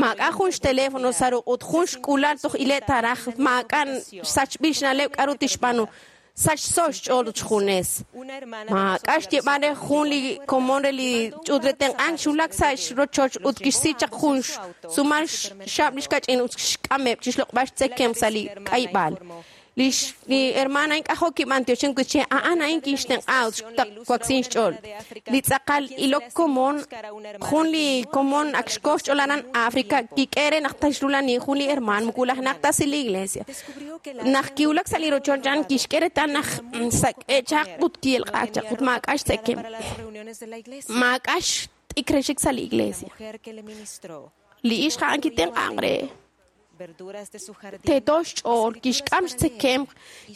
maak'a' jun xteléfono sa' ruq' ut jun xk'ulal toj ile' taraj maak'a' xsachb'il xna'leb' k'aru tixb'aanu sachso xch'ool ut xjunes maak'a' xyeeb'al re jun li komon re li ch'uut re tenq'ank xwulak sa' xrochoch ut kixsi chaq jun sumal xxab' li xkach'in ut xk'ameb' chi xloq'b'al xtzekemq sa' li k'ayb'al li li hermana ink'ajo' kib'antioxin kuche a'an a'in kixtenq'a ut xtaqwaksin xch'ool li tz'aqal ilok komon jun li komon ak xkoj xch'ool aran Africa kik'e re naq taxrulani jun li hermaan mukulaj naq ta sa' li iglesia naq kiwulak sa' li rochoch a'an kixk'e reetal naq sak'e chaq ut ki'elq'aak chaq ut maak'a' xtzekemq maak'a' xt'ik re xik sa' li iglesia li ixq a'an kitenq'anq re teeto xch'ool kixk'am xtzekemq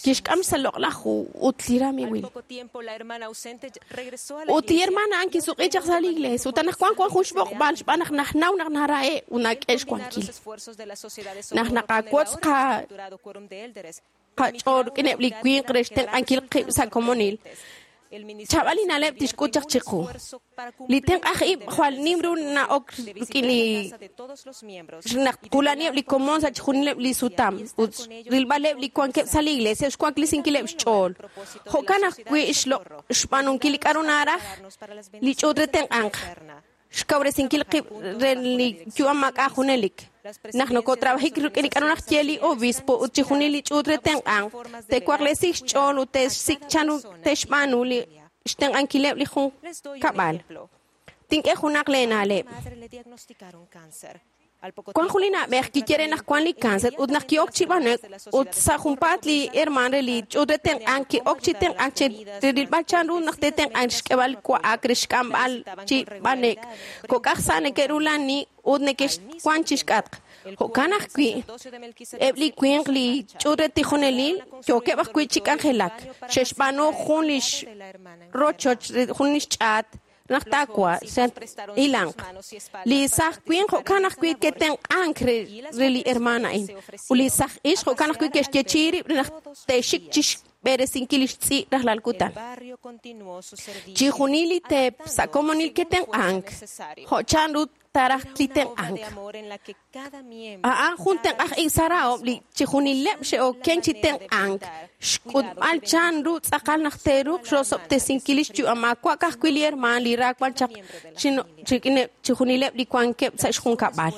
kixk'am sa' loq'laj ju ut li ramiiwil ut li hermana a'an kisuq'i chaq sa' li iglesia ut anaqwan wan jun xb'oqb'al xb'aan naq najnaw naq nara'e' ut nak'e xwankil naq naqawotz qa qach'ool rik'ineb' li winq re xtenq'ankil qib' sa' komonil chaab'al li na'leb' tixk'ut chaq chiqu li tenq'aj ib' jwal nim ru na'ok rik'in li naq qulaniheb' li komon sa' chixjunileb' li sutam ut rilb'aleb' li wankeb' sa' li iglesia xwaklesinkileb' xch'ool jo'kan ajwi' xloq' xb'aanunkil li k'aru naraj li ch'uut re tenq'anq xkawresinkil qib' re li yu'am maak'a' junelik naq nokotrabajik rik'in li k'aru naj ye li obispo ut chixjunil li ch'uut re tenq'anq te'waklesi xch'ool ut te'xsik' chanru te'xb'aanu li xtenq'ankileb' li junkab'al tink'e junaq leena'leb' wan jun li na'b'ej kiye re naq wan li cáncer ut naq ki'ok chi b'ane'k ut sa' junpaat li hermaan re li ch'uut re tenq'ank ki'ok chi tenq'ank chi rilb'al chanru naq te'tenq'ank xk'eb'al wa'ak re xk'amb'al chi b'ane'k kok'aj sa' neke'rulani ut neke'xwan chi xk'atq jo'kan ajwi' eb' li winq li ch'uut re tijonelil yookeb' ajwi' chi k'anjelak xe'xb'aanu jun li rochoch jun li xch'aat naq taawa ilanq li saj winq jo'kan ajwi' ke'tenq'ank re re li hermana a'in ut li saj ixq jo'kan ajwi' ke'xyeechi'i rib' naq te'xik chi xb'eresinkil li xtz'i' rajlal kutan chixjunil li teep sa' komonil ke'tenq'ank jo' chanru taraj li tenq'ank a'an jun tenq'aj ib' sa' rahom li chixjunileb' xe'oken chi tenq'ank xk'utb'al chanru tz'aqal naq te'ruuq xrosob'tesinkil li xyu'am maawa' ka'ajwi' li hermaan li ra wan chaq chik'ineb' chixjunileb' li wankeb' sa' xjunkab'al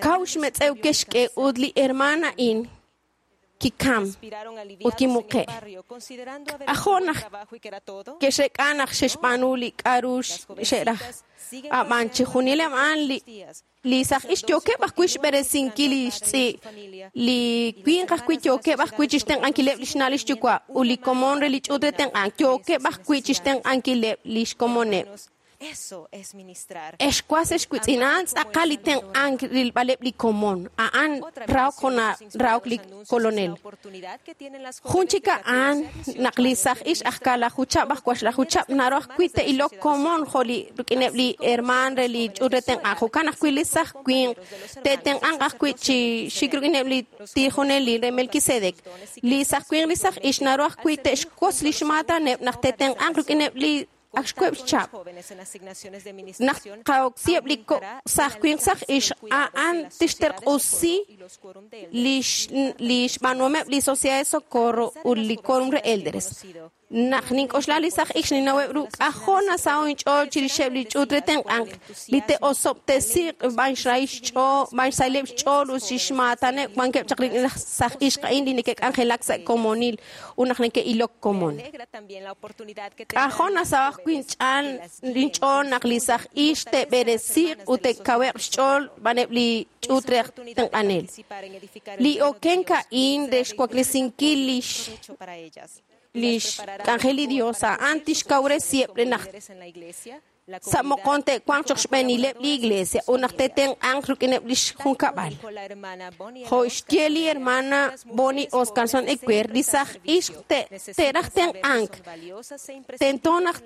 kaw xmetz'ew ke'xk'e ut li hermaan a'in Kikam ut kimuqe'. K'ajo' naq ke'xreek'a naq xe'xb'aanu li k'a'ru xe'raj. Ab'an chixjunileb' a'an li li saj ix yookeb' ajwi' xb'eresinkil li xtz'i', li winq ajwi' yookeb' ajwi' chixtenq'ankileb' li xna' li xyuwa' ut li komon re li ch'uut re tenq'ank yookeb' ajwi' chixtenq'ankileb' li xkomoneb'. Ex was ex witz'in, a'an tz'aqal li tenq'ank rilb'aleb' li komon. A'an rahok jo' rahok li kolonel. Jun chik a'an naq li saj ix aj kalajuchab' aj waxlajuchab' naru ajwi' te'ilok komon jo' li rik'ineb' li hermaan re li ch'uut re tenq'ank. Jo'kan ajwi' li saj winq te'tenq'anq ajwi' chi xik rik'ineb' li tijonelil re Melquisedec. Li saj winq li saj ix naru ajwi' te'xwotz li xmaataneb' naq te'tenq'anq rik'ineb' li ak xkueb' xchab'. Naq qaoksiheb' li saj winq saj ix a'an tixterq'usi li xb'aanuhomeb' li Sociedad de Socorro ut li Quórum re Elders. Naq nink'oxla li saj ix ninaweb' ru k'ajo' nasaho' inch'ool chirixeb' li ch'uut re tenq'ank li te'osob'tesiq b'an xrahil xch'ool b'an xsahileb' xch'ool ut xixmaataneb' wankeb' chaq rik'in laj saj ixq a'in li neke'k'anjelak sa' komonil ut naq neke'ilok komon. K'ajo' nasaho' ajwi' inch'ool naq li saj ix te'b'eresiq ut te'kaweq xch'ool b'aneb' li ch'uut re tenq'anel. Li okenk a'in re xwaklesinkil li li xk'anjel li Dios a'an tixkawresiheb' re naq sa' moqon te'wanq choq xb'eenileb' li iglesia ut naq te'tenq'anq rik'ineb' li xjunkab'al. Jo' xye li hermana Bonnie Oscarson Ecuer, li saj ixq te'raj tenq'ank, tento naq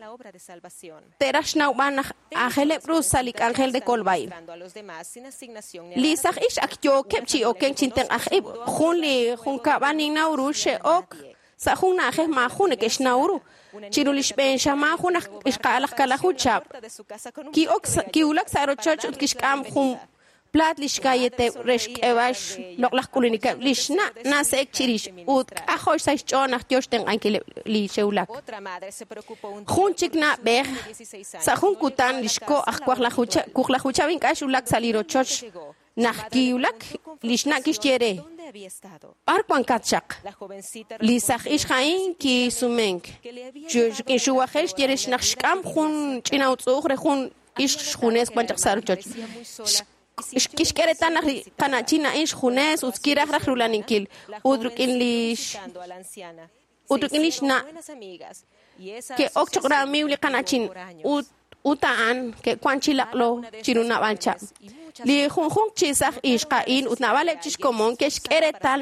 te'raj xnawb'al naq aajeleb' ru sa' li k'anjel re kolb'a'ib'. Li saj ixq ak yookeb' chi okenk chi tenq'aj ib', jun li junkab'al ninnaw ru xe'ok sa' jun na'ajej maajun neke'xnaw ru. Chiru li xb'een xamaan jun aj ixqa'al aj kalajuchab' ki'ok kiwulak sa' rochoch ut kixk'am jun plaat li xkayeteb' re xk'eb'al xloq'laj k'ulunikeb' li xna' nase'ek chirix ut k'ajo' sa' xch'ool naq yo xtenq'ankileb' li xe'wulak. Jun chik na'b'ej sa' jun kutan li xko' aj wuqlajuchab' ink'a' xwulak sa' li rochoch naq kiwulak li xna' kixye re b'ar wankat chaq. Li saj ixq a'in kisumenk. Rik'in xuwajel xye re naq xk'am jun ch'ina utz'u'uj re jun ixq xjunes wan chaq sa' rochoch. Kixk'e reetal naq li qana'chin a'in xjunes ut kiraj raj rulaninkil ut rik'in li ut rik'in li xna' ke'ok choq ramiiw li qana'chin ut ut a'an ke'wan chi laq'lo chiru nab'al chab'. Li junjunq chi saj ixq a'in ut nab'aleb' chi xkomon ke'xk'e reetal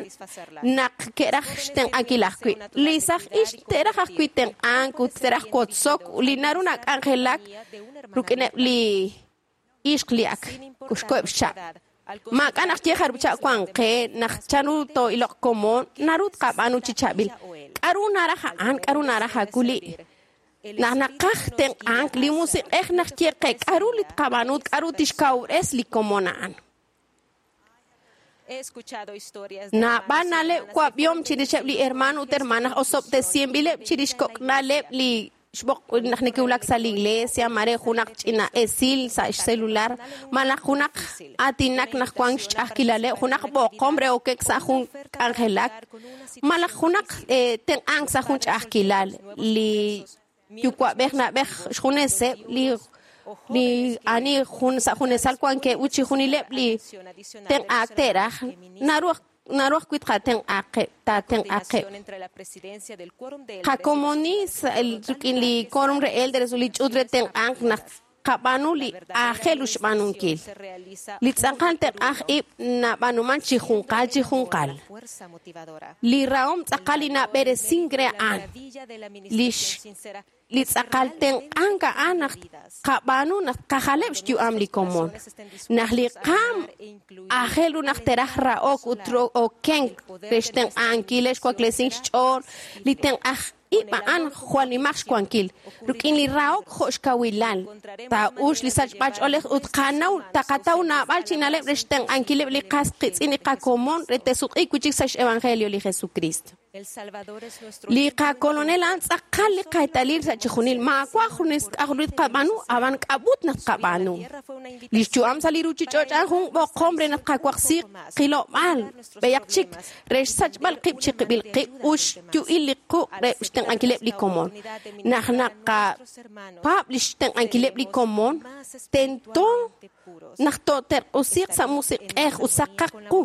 naq ke'raj xtenq'ankil ajwi'. Li saj ixq te'raj ajwi' tenq'ank ut te'raj wotzok li naru nak'anjelak rik'ineb' li ixq li ak xko'eb' xchab'. Maak'a' naq ye jarub' chab' wan qe naq chanru too'iloq komon naru tqab'aanu chi chaab'il. K'a'ru naraj a'an, k'a'ru naraj akuli'. Naq naqaj tenq'ank li musiq'ej naq ye qe k'a'ru li tqab'aanu k'a'ru tixkawres li komon a'an. Naab'al na'leb' wab'ihom chirixeb' li hermano ut hermanas osob'tesinb'ileb' chirix kok'na'leb' li xb'oq naq neke'wulak sa' li iglesia mare junaq ch'ina esil sa' xcelular malaj junaq aatinak naq wan xch'a'ajkilaleb' junaq b'oqom re okek sa' jun k'anjelak malaj junaq tenq'ank sa' jun ch'a'ajkilal li yuwa'b'ej na'b'ej xjuneseb' li li ani jun sa' junesal wankeb' ut chixjunileb' li tenq'aak te'raj naru naru ajwi' tqatenq'aqeb' taatenq'aqeb'. Qakomoni rik'in li quórum re elders ut li ch'uut re tenq'ank naq qab'aanu li aajel ru xb'aanunkil. Li tz'aqal tenq'aj ib' nab'aanuman chi junqal chi junqal. Li rahom tz'aqal li nab'eresink re a'an. Li li tz'aqal tenq'ank a'an naq qab'aanu naq qajaleb' xyu'am li komon. Naq li qaam aajel ru naq teraj ra'ok ut okenk re xtenq'ankil xwaklesink xch'ool li tenq'aj ib' a'an jwal nimaq xwankil. Rik'in li rahok jo' xkawilal taa'ux li sachb'al ch'oolej ut qanaw taqataw naab'al chi na'leb' re xtenq'ankileb' li qas qitz'in li qakomon re te'sutq'iik wi' chik sa' xevangelio li Jesucristo. Li qakolonel a'an tz'aqal li qaetalil sa' chixjunil maawa' junes k'a'ru tqab'aanu ab'an k'ab'ut naq tqab'aanu. Li xyu'am sa' li ruchich'och' a'an jun b'oqom re naq qawaqsi qilob'aal b'eyaq chik re xsachb'al qib' chi qib'il qib' ut xyu'il li quq' re xtenq'ankileb' li komon. Naq naqapaab' li xtenq'ankileb' li komon tento naq tooterq'usiq sa' musiq'ej ut saqaq qu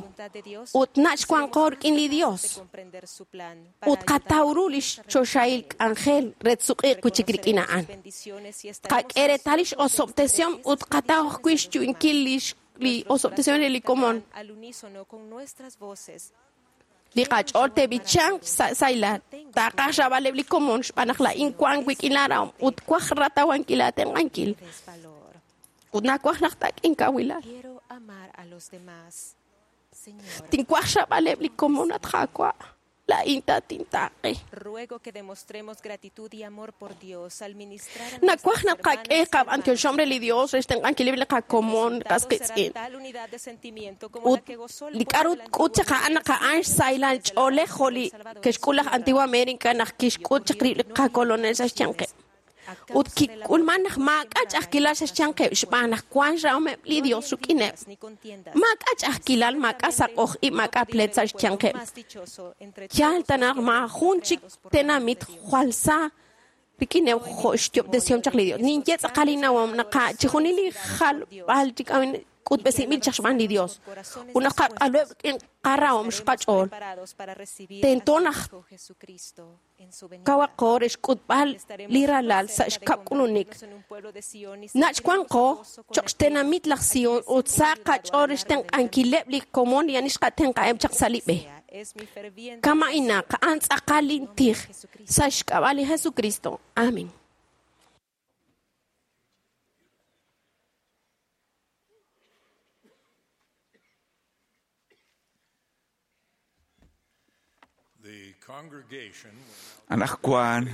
ut nach' wanqo rik'in li Dios ut qataw ru li xchoxahil k'anjel re tsuq'iq wi' chik rik'in a'an. Qak'e reetal li x'osob'tesihom ut qataw ajwi' xyu'inkil li osob'tesihom re li komon. Li qach'ool te'b'ichanq sa' sahilal taaqaj xraab'aleb' li komon xb'aan naq laa'in wank wik'in laarahom ut waj ratawankil aatenq'ankil. Ut nawaj naq taak'in kawilal. Tinwaj xraab'aleb' li komon at Qaawa'. Laa'in tatintaaqe. Nawaj naq qak'e qab'antioxom re li Dios re xtenq'ankileb' li qakomon qas qitz'in. Ut li k'a'ru k'ut chaq a'an naq a'an xsahilal ch'oolej jo' li ke'xk'ul laj Antigua América naq kixk'ut chaq rib' li qakolonel sa' xyanqeb'. Ut kik'ulman naq maak'a' ch'a'ajkilal sa' xyanqeb' xb'aan naq wan xrahomeb' li Dios rik'ineb'. Maak'a' ch'a'ajkilal, maak'a' saq'oj ib', maak'a' pleet sa' xyanqeb'. Yaal ta naq maajun chik tenamit jwal sa rik'ineb' jo' xyob'tesihom chaq li Dios. Ninye tz'aqal innawom naq chixjunil li jalb'al chik k'utb'esinb'il chaq xb'aan li Dios. Ut naq qaq'aluheb' rik'in qarahom xqach'ool. Tento naq kawaqo re xk'utb'al li ralal sa' xkab' k'ulunik. Nach' wanqo cho'q xtenamit laj Sion ut sa' qach'ool re xtenq'ankileb' li komon li ani xqatenq'aheb' chaq sa' li b'e. Kama'inaq a'an tz'aqal lintij sa' xk'ab'a' li Jesucristo. Amén. Anaqwan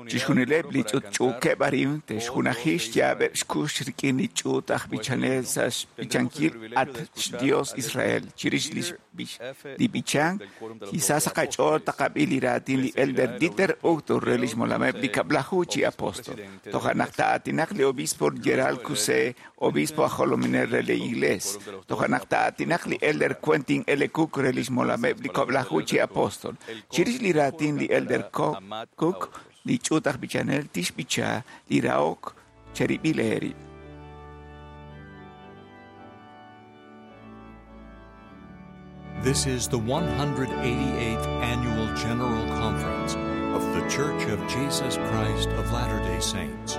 chixjunileb' li ch'utch'uukeb' arin te'xjunaji xyaab'eb' xkux rik'in li ch'uut aj b'ichanel sa' xb'ichankil at xDios Israel chirix li b'ichank quizá sa' qach'ool taqab'i li raatin li Elder Dieter Uchtdorf re li xmolameb' li kab'laju chi apóstol. Toja' naq taa'aatinaq li obispo Gerald Cusé, obispo aj jolominel re li Iglees. Toja' naq taa'aatinaq li Elder Quentin L. Cook re li xmolameb' li kab'laju chi apóstol. Chirix li raatin li Elder Cook, li ch'uut aj b'ichanel tixb'icha li rahok cherib'il eerib'. This is the one hundred eighty-eighth Annual General Conference of The Church of Jesus Christ of Latter-day Saints.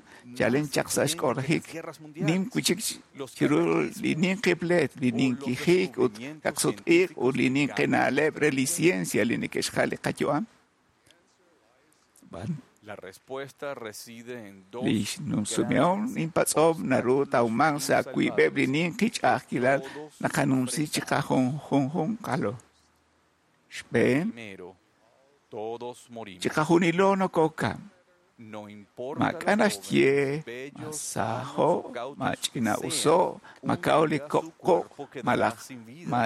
qayu'am chalen chaq sa' xk'orajik nim wichik chiru li ninqi pleet li ninqi jiik ut kaqsut-iq ut li ninqi na'leb' re li ciencia li neke'xjal li qayu'am. Lix numsumeon inpatz'om naru tawman sa' wiib'eb' li ninqi ch'a'ajkilal naqanumsi chiqajunjunqalo. Xb'een, chiqajunilo nokokam. Maak'a' naxye ma sajo, ma ch'ina'uso, ma kaw li ko'ko' malaj ma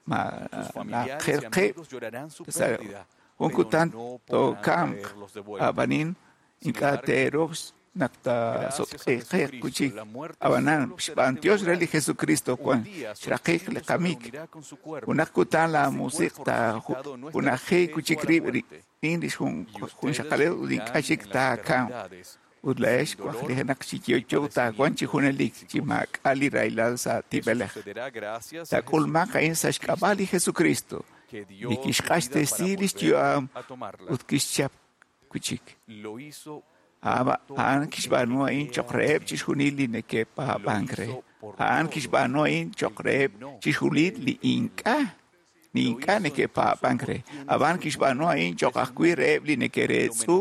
ma naqerqib' sa' jun kutan tookamq ab'anin ink'a' teeruuq naq taasutq'iiq kuchik ab'anan xb'antiox re li Jesucristo wan xraqik li qamik junaq kutan la musiq taajunaji kuchik rib' rik'in li junxaqalil ut ink'a' chik taakamq ut la'ex wajlijenaq chi yo'yo taawanq chi junelik chi maak'a' li rahilal sa' tib'elej. Taak'ulmanq a'in sa' xk'ab'a' li Jesucristo li kixq'axtesi lix yu'am ut kixchap kuchik. A'an kixb'aanu a'in cho'q reheb' chixjunil li neke'paab'ank re. A'an kixb'aanu a'in cho'q reheb' chixjunil li ink'a' li ink'a' neke'paab'ank re. Ab'an kixb'aanu a'in cho'q ajwi' reheb' li neke'reetz'u,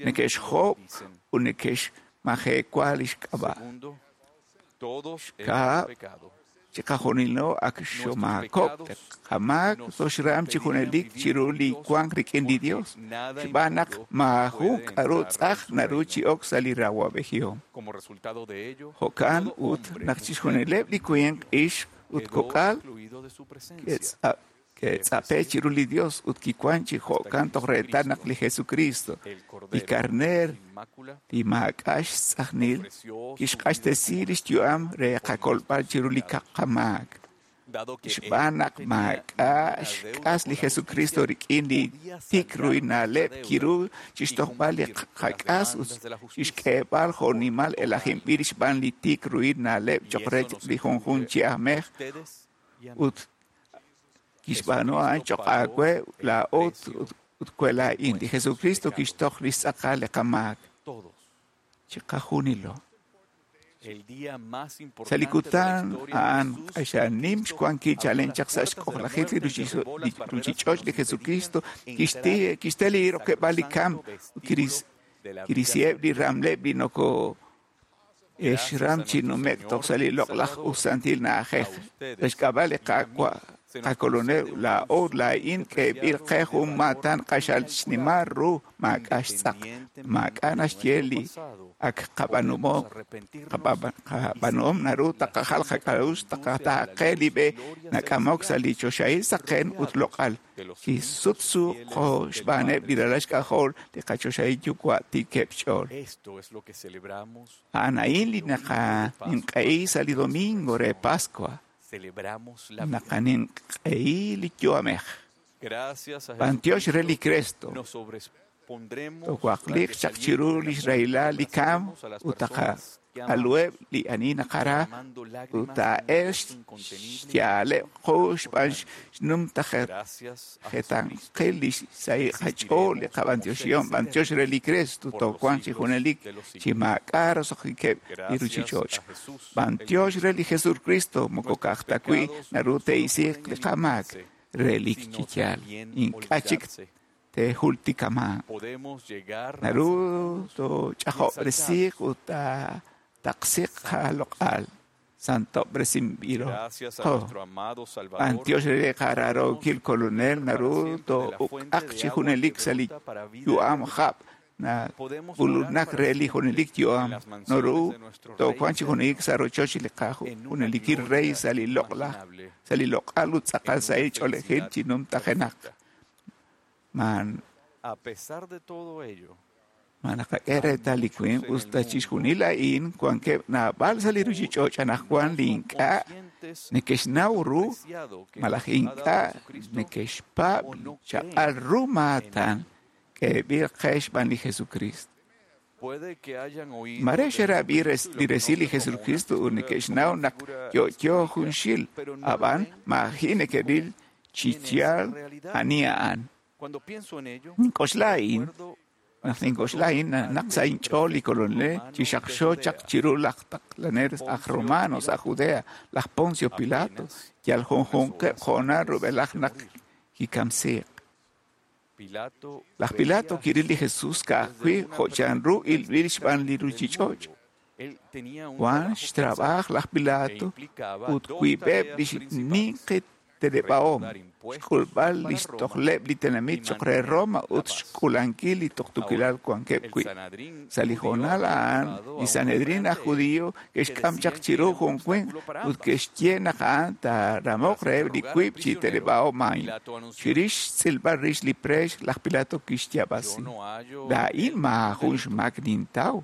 neke'xjob' ut neke'xmajewa lix k'ab'a'. Xkab', chiqajunilo ak xomaakok' qamaak toxram chi junelik chiru li wank rik'in li Dios. Xb'aan naq maajun k'aru tz'aj naru chi ok sa' li rawab'ejihom. Jo'kan ut naq chixjunileb' li winq, ixq ut kok'al ke'tz'ape' chiru li Dios ut kiwan chi jo'kan toj reetal naq li Jesucristo, li karneer, li maak'a' xtz'ajnil, kixq'axtesi lix yu'am re qakolb'al chiru li qamaak. Xb'aan naq maak'a' xk'as li Jesucristo rik'in li tik ruinaleb' kiru chixtojb'al li qak'as ut chixk'eeb'al jo'nimal elajinb'il xb'aan li tik ruinaleb' cho'q re li junjunq chi ajmej ut kixb'aanu a'an cho'q aawe laa'o ut we laa'in. Li Jesucristo kixtoj li xtz'aqal li qamaak. Chiqajunilo. Sa' li kutan a'an q'axal nim xwankil chalen chaq sa' xk'ojlajik li ruchich'och' li Jesucristo kixte li rokeb'aal li kamp ut kirisiheb' li ramleb' li noko exram chi nume'k toj sa' li loq'laj ut santil na'ajej. Sa' xk'ab'a' li Qaawa' qakolonel laa'o laa'in k'eeb'il qe jun maatan q'axal xnimal ru maak'a' xtz'aq. Maak'a' naxye li ak qab'aanuhom qab'aanuhom naru taqajal qak'a'uxl taqataaqe li b'e nak'amok sa' li choxahil saqen ut loq'al. Chi sutsu qo xb'aaneb' li ralal xk'ajol li qachoxahil yuwa' tiikeb' xch'ool. A'an a'in li naqaninq'ehi sa' li domingo re Pascua. Naqaninq'ehi li yu'amej. B'antiox re li Cristo. Towaqliq chaq chiru lix rahilal li kam ut taqaq'aluheb' li ani naqara ut taa'el xyaaleb' qu xb'aan xnumtajetanqil li sahil qach'ool li qab'antioxihom. B'antiox re li Cristo toowanq chi junelik chi maak'a' roso'jikeb' li ruchich'och'. B'antiox re li Jesucristo moko ka'aj ta wi' naru te'isiiq li qamaak re li chi yaal. Ink'a' chik tejultikaman. Naru tooch'ajob'resiiq ut taqsiq qaloq'al. Santob'resinb'ilo qo. B'antiox re li qaraarookil kolonel naru too'uk'aq chi junelik sa' li yu'am hab' nak'ulunak re li junelik yu'am. Naru toowanq chi junelik sa' rochoch li qajunelikil rey sa' li loq'laj sa' li loq'al ut tz'aqal sahil ch'oolejil chi numtajenaq. Man ma naqak'e reetal li winq usta chixjunil a'in wankeb' naab'al sa' li ruchich'och' anaqwan li ink'a' neke'xnaw ru malaj ink'a' neke'xpaab' chaq'al ru maatan k'eeb'il qe xb'aan li Jesucristo. Mare xerab'i li resil li Jesucristo ut neke'xnaw naq yo'yo junxil ab'an maaji' neke'ril chi yaal ani a'an. Nink'oxla a'in, naq nink'oxla a'in naq sa' inch'ool li kolonel chi xaqxo chaq chiru laj taqlanel aj Romano sa' Judea, laj Poncio Pilato, yal junjunqeb' hoonal rub'elaj naq kikamsiiq. Laj Pilato kiril li Jesús ka'ajwi' jo' chanru ilb'il xb'aan li ruchich'och'. Wan xtrab'aaj laj Pilato ut wiib'eb' lix ninqi teneb'ahom, xk'ulb'al lix tojleb' li tenamit choq' re Roma ut xk'ulankil li tuqtuukilal wankeb' wi'. Sa' li hoonal a'an, li Sanedrín aj judío ke'xk'am chaq chiru jun winq ut ke'xye naq a'an taaramoq reheb' li wiib' chi teneb'ahom a'in. Chirix xtz'ilb'al rix li preex, laj Pilato kixyaab'asi: Laa'in maajun xmaak nintaw.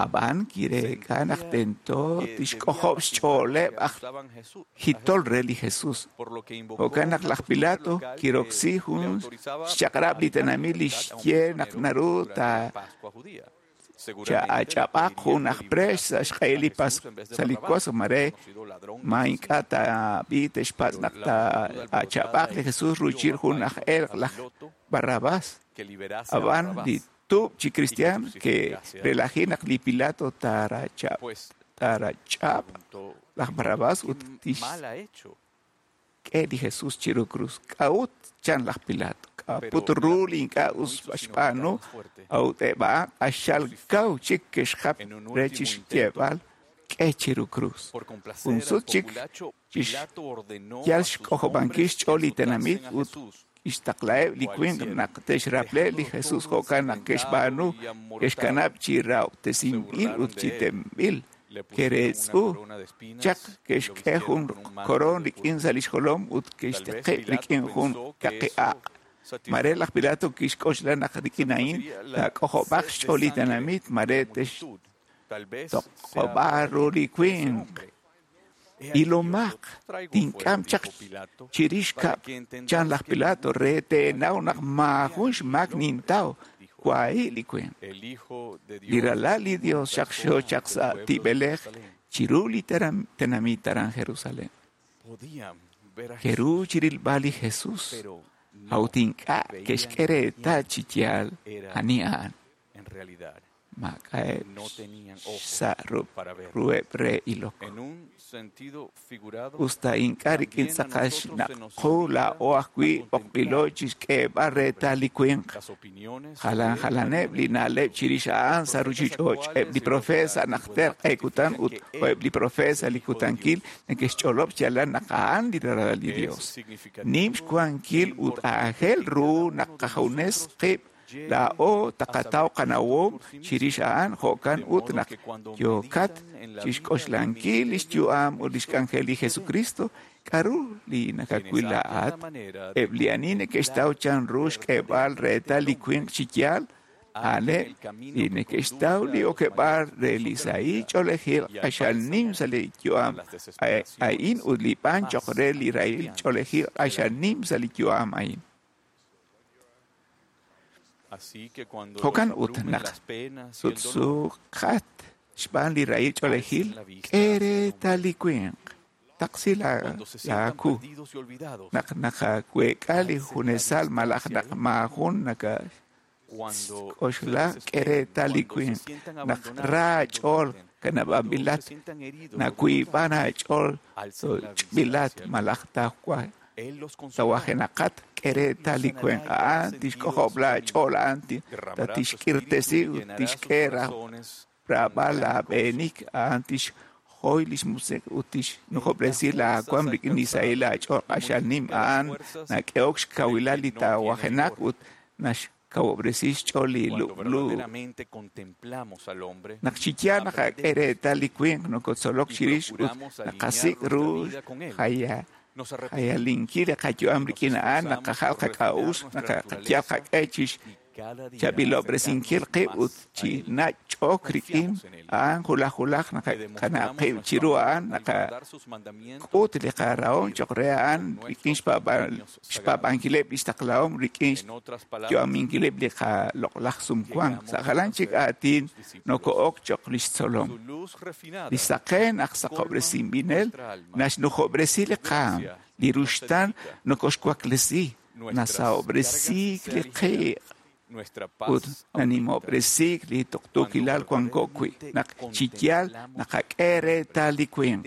Ab'an kireek'a naq tento tixk'ojob' xch'ooleb' aj jitol re li Jesús. Jo'kan naq laj Pilato kiroksi jun xchaq'rab' li tenamit li xye naq naru taach'ab'aq jun aj preex sa' xq'ehil li Paswa sa' li Paswa mare ma ink'a' taab'i te'xpatz' naq taach'ab'aq li Jesús ruuchil jun aj elq' laj Barrabás. Ab'an li tuub' chi cristian que relaji naq li Pilato tarach'ab' tarach'ab' laj Barrabás ut tixk'e li Jesús chiru cruz. K'a'ut chan laj Pilato? K'a'put ru li ink'a' us xb'aanu a'ut eb' a'an q'axal kaw chik ke'xjap re chixyeeb'al k'e chiru cruz. Jun sut chik yal xk'ojob'ankil xch'ool li tenamit ut ixtaqla'eb' li winq naq te'xraple li Jesús jo'kan naq ke'xb'aanu ke'xkanab' chi rahob'tesinb'il ut chi tenb'il. Ke'reetz'u chaq ke'xk'e jun koroon rik'in sa' lix jolom ut ke'xtiqib' rik'in jun kaqi aq'. Mare laj Pilato kixk'oxla naq rik'in a'in taak'ojob'aq xch'ool li tenamit mare te'xtoq'ob'a ru li winq. Ilomaq tink'am chaq chirix kab' chan laj Pilato re teenaw naq maajun xmaak nintaw wahi' li winq. Li ralal li Dios xaqxo chaq sa' tib'elej chiru li tenamit aran Jerusalén. Keru chirilb'al li Jesús a'ut ink'a' ke'xk'e reetal chi yaal ani a'an. Maak'a'eb' sa' ruheb' re ilok. Usta ink'a' rik'in tz'aqal xnaq'u laa'o ajwi' b'oqb'ilo chixk'eeb'al reetal li winq. Jalan jalaneb' li na'leb' chirix a'an sa' ruchich'och'. Eb' li profeet sa' najter q'e kutan ut eb' li profeet sa' li kutankil neke'xch'olob' xyaalal naq a'an li ralal li Dios. Nim xwankil ut aajel ru naq qajunes qib' laa'o taqataw qanawom chirix a'an jo'kan ut naq yookat chixk'oxlankil lix yu'am ut lix k'anjel li Jesucristo k'aru li nakawil laa'at. Eb' li ani neke'xtaw chanru xk'eeb'al reetal li winq chi yaal a'aneb' li neke'xtaw li okeb'aal re li sahil ch'oolejil q'axal nim sa' li yu'am a'in ut li b'an choq' re li rahil ch'oolejil q'axal nim sa' li yu'am a'in. Jo'kan ut naq sutsuqat xb'aan li rahil ch'oolejil k'e reetal li winq. Taqsi laaku naq nakaweek'a li junesal malaj naq maajun nakak'oxla k'e reetal li winq. Naq ra aach'ool kanab'anb'ilat nawiib'an aach'ool ch'b'ilat malaj tawa tawajenaqat k'e reetal li winq. A'an tixk'ojob' laach'ool a'an tatixk'irtesi ut tixk'e raab'al laab'eenik a'an tixjoy lix musiq' ut tixnujob'resi laawaam rik'in li sahil aach'ool q'axal nim. A'an nak'ehok xkawilal li tawajenaq ut naxkawob'resi xch'ool li lub'lu. Naq chi yaal naqak'e reetal li winq nokotzolok chirix ut naqasik' ru jaya jayalinkil li qayu'am rik'in a'an naqajal qak'a'uxl naqayal qaq'e chix chaab'ilob'resinkil qib' ut chi nach'ok rik'in a'an julaj julaj naqakanab' qib' chiru a'an naqak'ut li qarahom choq' re a'an rik'in xpaab'ankileb' lix taqlahom rik'in xyu'aminkileb' li qaloq'laj sumwank. Sa' jalan chik aatin noko'ok choq' lix tzolom. Li saqen aj saqob'resinb'inel naxnujob'resi li qaam, li ruxtaan nokoxwaklesi, nasahob'resiik li qiiq Ut nanimob'resik li tuqtuukilal wanko wi' naq chi yaal naqak'e reetal li winq.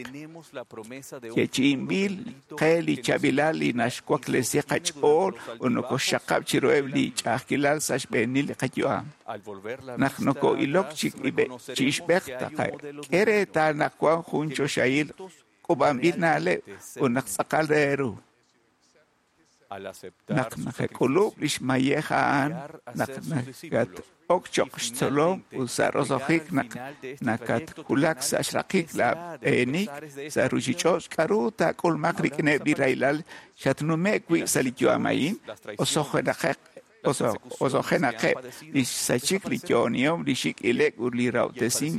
Yeechi'inb'il qe li chaab'ilal li naxwaklesi qach'ool ut nokoxxaqab' chiruheb' li ch'a'ajkilal sa' xb'eenil li qayu'am. Naq noko'ilok chi ixb'ej taqak'e reetal naq wan jun choxahil k'uub'anb'il na'leb' ut naq tz'aqal re ru. Naq naqak'ulub' lix mayej a'an, naq nakat-ok choq' xtzolom ut sa' roso'jik naq nakatwulak sa' xraqik laa b'eenik sa' ruchich'och', k'a'ru taak'ulmaq rik'ineb' li rahilal xatnume' wi' sa' li yu'am a'in? Oso'jenaqeb' li xsachik li yo'onihom, li xik' ilek ut li rahob'tesink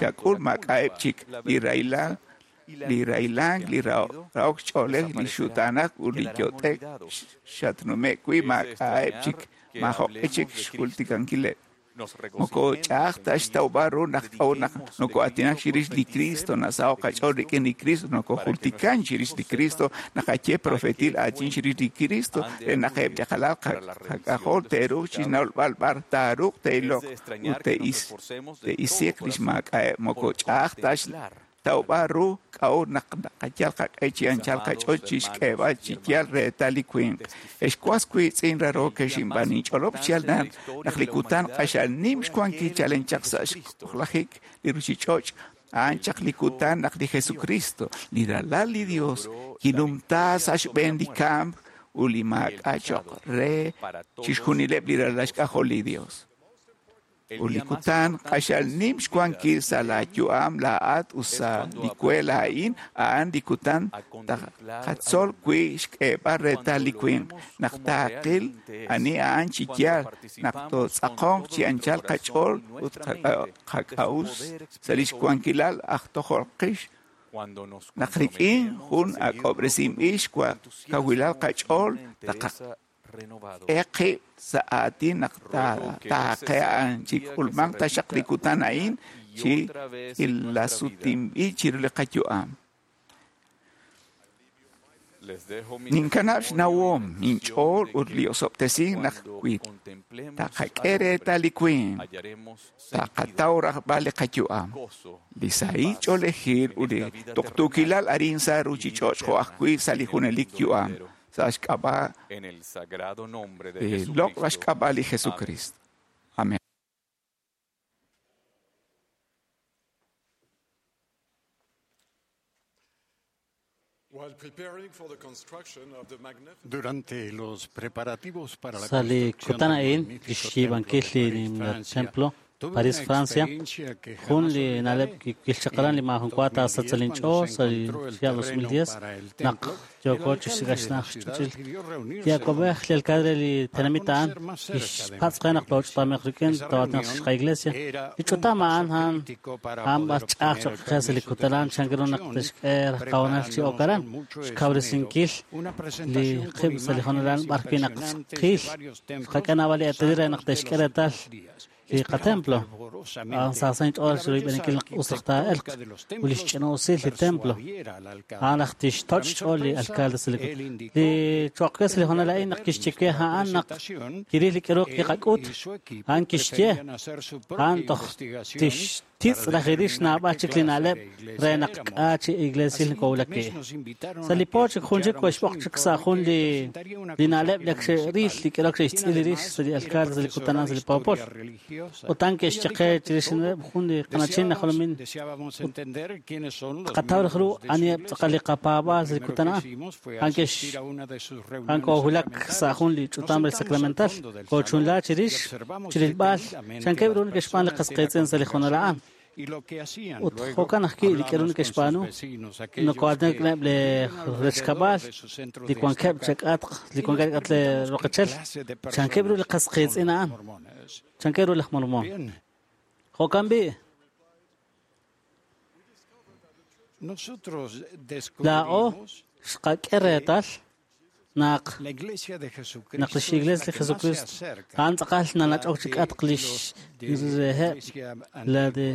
xak'ul maak'a'eb' chik li rahilal, li rahilank, li rahok ch'oolej, li xutaanak ut li yot'ek xatnume' wi' maak'a'eb' chik maajoq'e chik xjultikankileb'. Moko ch'a'aj ta xtawb'al ru naq k'a'ut naq noko'aatinak chirix li Cristo, nasaho' qach'ool rik'in li Cristo, nokojultikan chirix li Cristo, naqaye profetil aatin chirix li Cristo, re naq eb' li qalal qak'ajol te'ruuq chixnawb'al b'ar taaruuq te'iloq ut te'isiq lix maak'a'eb'. Moko ch'a'aj ta xtawb'al ru k'a'ut naq naqayal qaq'e chi anchal qach'ool chixk'eeb'al chi yaal reetal li winq. Ex was wiitz'in rarookex inb'aan inch'olob' xyaal naq li kutan q'axal nim xwankil chalen chaq sa' xk'ojlajik li ruchich'och' a'an chaq li kutan naq li Jesucristo, li Ralal li Dios, kinumta sa' xb'een li kamk ut li maak'a' choq' re chixjunileb' li ralal xk'ajol li Dios. Ut li kutan q'axal nim xwankil sa' laa yu'am laa'at ut sa' li we laa'in, a'an li kutan taqatzol wi' xk'eeb'al reetal li winq, naq taaqil ani a'an chi yaal, naq tootz'aqonq chi anchal qach'ool ut qak'a'uxl sa' lix wankilal aj tojol qix, naq rik'in jun ak'ob'resinb'il xkawilal qach'ool taqak'e qib' sa' aatin naq taaqe a'an chi k'ulmanq taxaq li kutan a'in chi ilasutinb'il chiru li qayu'am. Ninkanab' xnawom inch'ool ut li osob'tesink naq wi taqak'e reetal li winq, taqataw rajb'al li qayu'am, li sahil ch'oolejil ut li tuqtuukilal arin sa' ruchich'och' jo' ajwi' sa' li junelik yu'am. Sa' xk'ab'a' loq' xk'ab'a' li Jesucristo. Amén. Durante los preparativos para la Sa' li construcción kutan del a'in, magnífico li xyiib'ankil templo li de París, nimla Francia, templo tuve París, una Francia, experiencia que jun jamás li olvidaré. na'leb' kixchaqalan li En maajun wa dos mil diez, taasatzal inch'ool cuando se sa' li encontró el chihab' dos mil terreno diez, para el naq templo, el yooko alcalde de la chixsik'axnaj ciudad xch'och'il. pidió reunirse Li awab'ej li alcalde li para tenamit a'an conocer más cerca de nuestra kixpatz' qe naq iglesia. tooch'utameq rik'in Esa too'aatinaq reunión xqa iglesia. era Li un ch'utam paso a'an a'an crítico para a'an poder b'ar ch'a'aj obtener choq' el qe sa' li permiso de kutan a'an chan ru naq construcción, tixk'e rajqawanal chi preparándonos okaran, con mucho esmero xkawresinkil una li presentación con qib' sa' li jonalal imágenes b'ar wi' naq impresionantes de qil varios templos xqak'e naab'al li eetalil re naq santos de tixk'e los reetal últimos días. li Esperaba qatemplo. A'an fervorosamente sa' sa' que inch'ool la chiru belleza rib'enikil naq us raj taa'elq arquitectónica de los ut li templos xch'ina'usil li templo. persuadiera al A'an alcalde. naq Para tixtoch' mi xch'ool li sorpresa, alcalde sa' li él li indicó que choq' qe sa' li jonal tendría a'in que naq ver kixye nuestra a'an naq presentación, kiril li k'aru él kiqak'ut, y su equipo a'an kixye preferían hacer su propia a'an toj investigación tixtitz' para raj irix determinar naab'al qué chik li clase na'leb' de re iglesia naq éramos. k'a' chi iglesil Al siguiente kowulak mes wi'. nos invitaron Sa' a li que po chik jun chik escucháramos xb'oq un chik sa' informe jun que li presentaría una li na'leb' consejera li ak xe'ril municipal, li k'aru quien xe'xtz'il irix además sa' li era alcalde sa' li profesora kutan de sa' li poopol. historia religiosa. Ut a'an Ella kixye dijo qe ante chirix todo, jun li qanachin deseábamos, najolomin deseábamos ut entender quiénes son los qataw raj ru miembros de su aniheb' tz'aqal li iglesia. Lo qapaab'aal sa' li primero kutan que a'an. hicimos fue A'an kex asistir a una de sus a'an reuniones koowulak sa' sacramentales. jun li Nos ch'utam re sentamos al sacramental, fondo del koochunla salón y chirix observamos chirilb'al detenidamente a chankeb' ru las neke'xb'aan li personas de la qasqiitz'in sa' li jonal a'an. congregación y lo que hacían. Ut Luego jo'kan ajwi' li k'aru hablamos con sus neke'xb'aanu, vecinos, aquellos nokoo'aatinak que neb' li viven alrededor rechkab'al, de su centro li de wankeb' estaca, chak'atq, li y nos wankeb' k'at li preguntamos qué roqechel, clase de chankeb' ru li personas son qasqiitz'in los a'an, mormones. chankeb' ru laj mormón. Bien, Jo'kan b'i', nosotros laa'o descubrimos xqak'e reetal naq la iglesia de naq Jesucristo lix es la iglesia li que más se Jesucristo acerca a'an tz'aqal a la nanach'ok de chik'atq lix los de la reheb' iglesia la antigua. de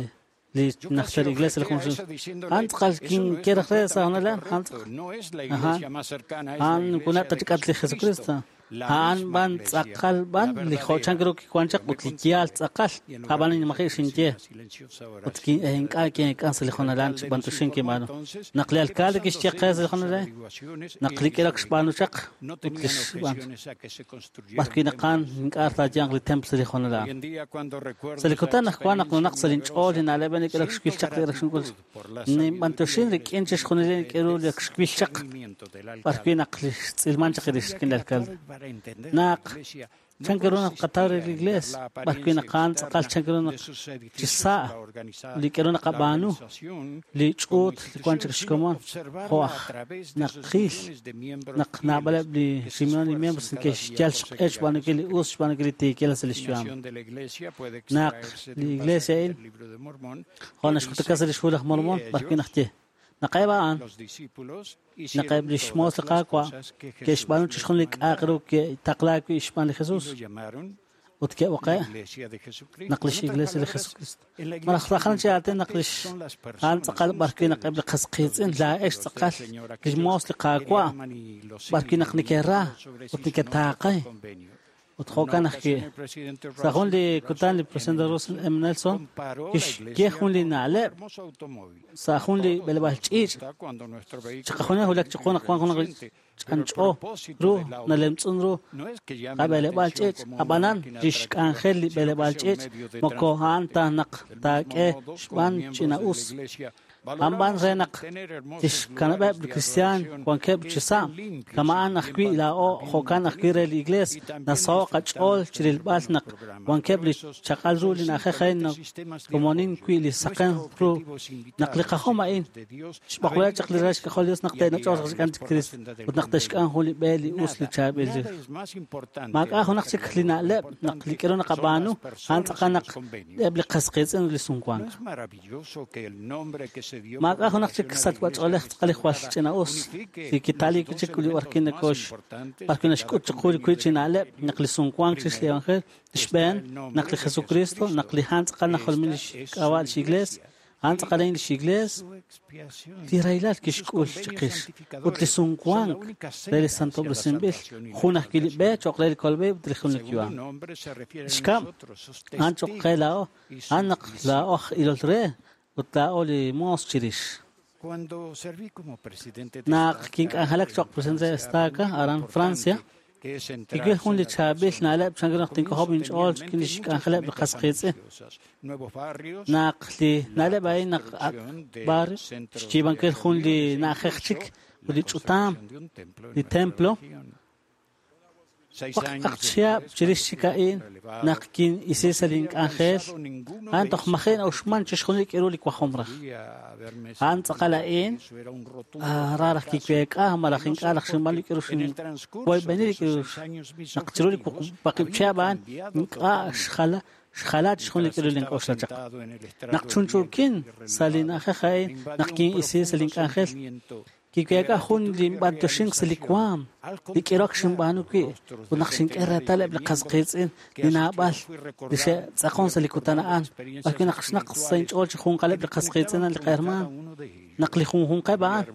li Yo casi najter iglesia li objeté a junxil. eso A'an diciéndole, tz'aqal eso no es kinkeraj re sa' completamente jonal a'an, a'an correcto, no es la Ajá. iglesia más cercana, es la A'an iglesia kunat de chik'atq li Jesucristo. Jesucristo. A'an b'an tz'aqal b'an li jo' chan ru kiwan chaq ut li yaal tz'aqal ab'an maji' xinye ut ink'a' kink'an sa' li jonalan chi b'antuxin kinb'aanu naq li alcalde kixye qe sa' li jonalan naq li k'ilok xb'aanu chaq ut li xb'aan b'arwi' naqan ink'a' taayanq li templo sa' li jonalan sa' li kutan naq wan naq nunaq sa' linch'ool li na'leb' li k'ilok xwil chaq li xk'ul ninb'antuxin rik'in chixjunil li k'iru li xwil chaq b'arwi' naq li xtz'ilman chaq li xk'in li alcalde naq chan ru naq qataw re li iglesia b'arwi' naqan tz'aqal chan ru naq chisa' li k'eru naqab'aanu li ch'uut li wan chik xkomon jo' aj naqil naq naab'aleb' li ximion li miembros neke'xyal xq'e xb'aanunkil li us xb'aanunkil li tiikil sa' li xyu'am naq li iglesia a'in jo' naxk'utaka sa' li xhu laj Mormon b'arwi' naq ye naqeb' a'an naqeb' li xmoos li Qaawa' ke'xb'aanu chixjunil li k'a'aq ru ke'taqlaak wi' xb'aan li Jesus ut ke'b'oqe' naq lix iglesia li Jesucristo malaj rajan chi aatin naq lix a'an tz'aqal b'arwi' naq eb' li qas qiitz'in laa'ex tz'aqal li xmoos li Qaawa' b'arwi' naq neke'ra ut neke'taaqe ut jo'kan ajwi' sa' jun li kutan li presidente Russell M. Nelson kixye jun li na'leb' sa' jun li b'eleb'aal ch'iich' chiqajunil wulak chiqu naq wan jun ch'anch'o ru nalemtz'un ru qab'eleb'aal ch'iich' ab'anan li xk'anjel li b'eleb'aal ch'iich' moko a'an ta naq taak'e xb'aan ch'ina'us Amb'an re naq tixkanab'eb' li cristian wankeb' chi sa' kama'an ajwi' laa'o jo'kan ajwi' re li iglesia nasaho' qach'ool chirilb'al naq wankeb' li chaq'al ru li na'ajej a'in komonin wi' li saqen ru naq li qajom a'in xb'oqleb' chaq li ralal xk'ajol Dios naq te'nach'oq xk'an chi Cristo ut naq te'xk'an jun li b'e li us li chaab'il maak'a' junaq chik li na'leb' naq li k'eru naqab'aanu a'an tz'aqal naq eb' li qas qiitz'in li sumwank maak'a' junaq chik sachb'ach'oolej tz'aqal li jwal ch'ina'us li kitalik chik li b'arwi' nakox b'arwi' naxk'ut chiqu li wi' chi na'leb' naq li sumwank chix li evangelio xb'een naq li Jesucristo naq li a'an tz'aqal najolomil li xk'ab'a' lix iglesia a'an tz'aqal a'in lix iglesia li rahilal kixk'ul chiqix ut li sumwank re li santob'resinb'il jun ajwi' li b'e cho'q re li kolb'il ut li jun li yu'am xkab' a'an cho'q qe laa'o a'an naq laa'o aj ilol re ut laa'o li moos chirix naq kink'anjelak cho'q presidente de estaca aran Francia kiwil jun li chaab'il na'leb' chan ru naq tink'ojob' inch'ool rik'in li xk'anjeleb' li qas qiitz'in naq li na'leb' a'in naq ak' barrio xyiib'ankil jun li na'ajej chik ut li ch'utam li templo waqaq chihab' chirix chik a'in naq kin'isi sa' link'anjel a'an toj maji' na'uxman chixjunil li k'iru li wajom raj a'an tz'aqal a'in ra raj kiweek'a malaj ink'a' raj xinb'aan li k'iru xinwoyb'eni li k'iru naq chiru li waqib' chihab' a'an ink'a' xjala xjala chixjunil li k'iru link'oxla chaq naq chunchuukin sa' li na'ajej a'in naq kin'isi sa' link'anjel kiweek'a jun li b'antuxink sa' li waam li k'irok xinb'aanu wi' ut naq xink'e reetal eb' li qas qiitz'in li naab'al li xe'tz'aqon sa' li kutan a'an b'arwi' naq xnaq sa' inch'ool chi junqaleb' li qas qiitz'in li qahermaan naq li junjunqeb' a'an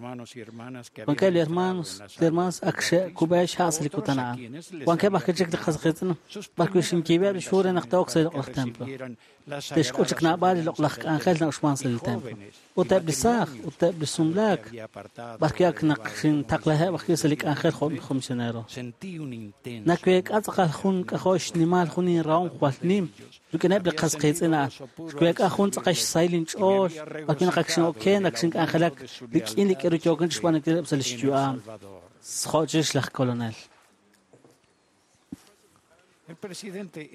wankeb' li hermanos li hermanas ak xe'kub'e xha' sa' li kutan a'an wankeb' ajwi' chik li qas qiitz'in b'arwi' xinkiib'eb' li xhu re naq te'ok sa' li loq'laj templo te'xk'ul chik naab'al li loq'laj k'anjel na'uxman sa' li templo ut eb' li saaj ut eb' li sumlaak b'arwi' ak naq xintaqlaheb' ajwi' sa' li k'anjel jo' misionero naweek'a tz'aqal jun k'ajo' xnimal jun inrahom jwal nim rik'ineb' li qas qiitz'in a'an xweek'a jun tz'aqal xsahil inch'ool b'arwi' naq ak xin'oken ak xink'anjelak rik'in li k'eru yookin chixb'aanunkileb' sa' li xyu'am jo' chirix laj kolonel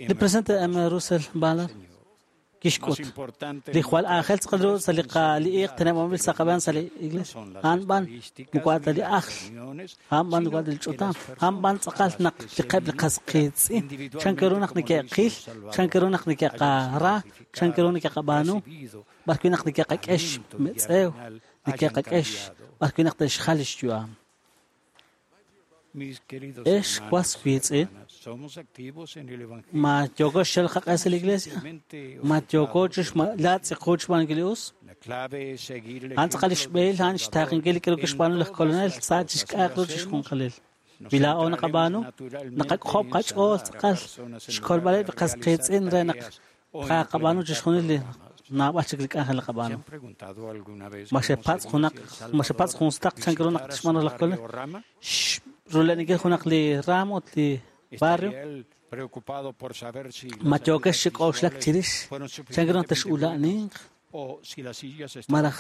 li presidente M. Russell Ballard kixk'ut li jwal aajel tz'aqal ru sa' li iiq teneb'anb'il sa' qab'een sa' li iglesia a'an b'an moko ta li ajl a'an b'an moko ta li ch'utam a'an b'an tz'aqal naq li qeb' li qas qiitz'in chan ru naq neke'qil chan ru naq neke'qara chan ru neke'qab'aanu b'arwi' naq neke'qak'ex metz'ew neke'qak'ex b'arwi' naq te'xjal li xyu'am ex was wiitz'in ma yooko xxel qaq'e sa' li iglesia ma yooko latz'iqu xb'aanunkil li us a'an tz'aqal li xb'ehil a'an xtaaqenkil li k'eru kixb'aanu laj kolonel sa' chixk'a'aq ru chixjunqalil Wi laa'o naqab'aanu, naqak'ojob' qach'ool tz'aqal xkolb'aleb' li qas qiitz'in re naq tqaqab'aanu chixjunil li naab'al chik li k'anjel naqab'aanu. Ma xepatz' junaq ma xepatz' jun sutaq chan ru naq tixb'aanu laj Kolonel rulenikil junaq li raam ut li barrio ma yookex chi k'oxlak chirix chan ru naq texula'ninq malaj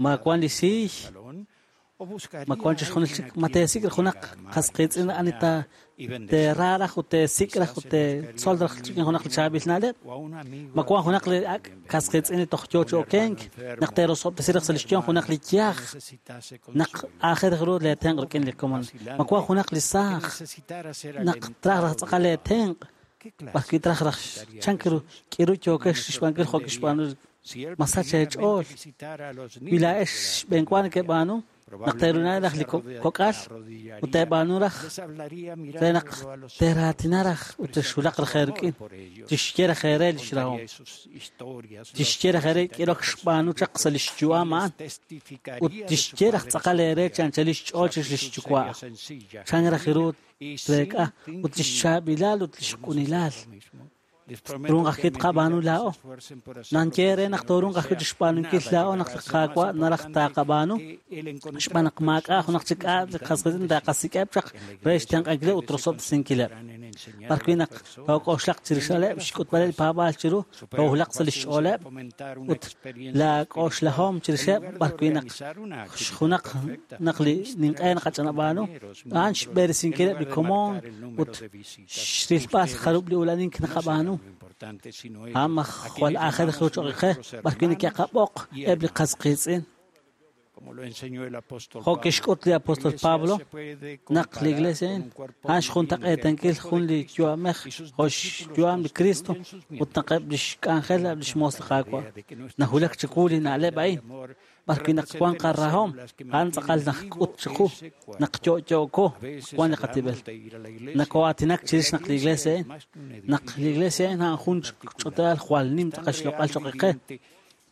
ma wan li siiy ma wan chixjunil chik ma teesik' junaq qas qiitz'in ani ta teera raj ut teesik' raj ut teetzol raj rik'in junaq li chaab'il na'leb' ma wan junaq li ak' qas qiitz'in li toj yoo chi okenk naq teerosob'tesi raj sa' li xyom junaq li yaj naq aajel ru leetenq' rik'in li komon ma wan junaq li saaj naq traj raj tz'aqal leetenq' b'arwi traj raj chan ru k'iru yookex xb'aankil jo' kixb'aanu ma sach eech'ool wi laa'ex xb'eenwa nekeb'aanu naq teerunani raj li kok'al ut teeb'aanu raj re naq teeraatina raj ut texwulaq raj eerik'in tixye raj eere li xrahom tixye raj eere k'irok xb'aanu chaq sa' li xyu'am a'an ut tixye raj tz'aqal eere chi anchal li xch'ool chix li xyuwa' chan raj ru treek'a ut li xchaab'ilal ut li xq'unilal Turunq ajwi' tqab'aanu laa'o. Nanye re naq torunq ajwi' chixb'aanunkil laa'o naq li Qaawa' naraj taaqab'aanu xb'aan naq maak'a' junaq chik k'a' li qas qiitz'in taaqasik'eb' chaq re xtenq'ankileb' ut rosob'tesinkileb'. B'arwi' naq took'oxlaq chirixaleb' xk'utb'aleb' li paab'aal chiru toowulaq sa' li xch'ooleb' ut laak'oxlahom chirixeb' b'arwi' naq junaq naq li ninq'e naqach'anab'aanu a'an xb'eresinkileb' li komon ut xrilb'al jarub' li ulanink naqab'aanu. Ama jwal aajel ru cho'q qe b'arwi' neke'qab'oq eb' li qas qiitz'in. Jo' kixk'ut li apóstol Pablo naq li iglesia a'in a'an xjuntaq'eetankil jun li yu'amej jo' xyu'am li Cristo ut naq eb' li xk'anjel eb' li xmoos li Qaawa' nawulak chiqu li na'leb' a'in b'arwi' naq wan qarahom a'an tz'aqal naqk'ut chiqu naq yo'yo'ko wan li qatib'el nakoo'aatinak chirix naq li iglesia a'in naq li iglesia a'in a'an jun ch'otal jwal nim tz'aqal xloq'al cho'q qe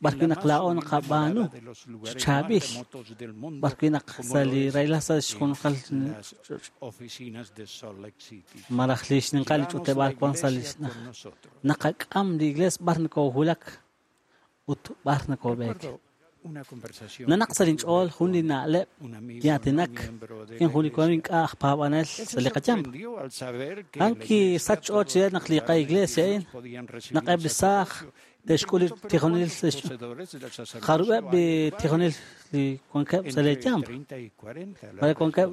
b'arwi' naq laa'o naqab'aanu xchaab'il b'arwi' naq sa' li rahilal sa' xjunqal malaj li xninqal li ch'uteb'aal wan sa' li naqak'am li iglesia b'ar nakoowulak ut b'ar nakoob'eek. Nanaq sa' linch'ool jun li na'leb' ki'aatinak rik'in jun li komon ink'a' aj paab'anel sa' li qayamp. A'an kisach xch'ool chire naq li qa'iglesia a'in naq eb' li saaj te'xk'ul li tijonil jarub'eb' li tijonil li wankeb' sa' leeyamp mare wankeb'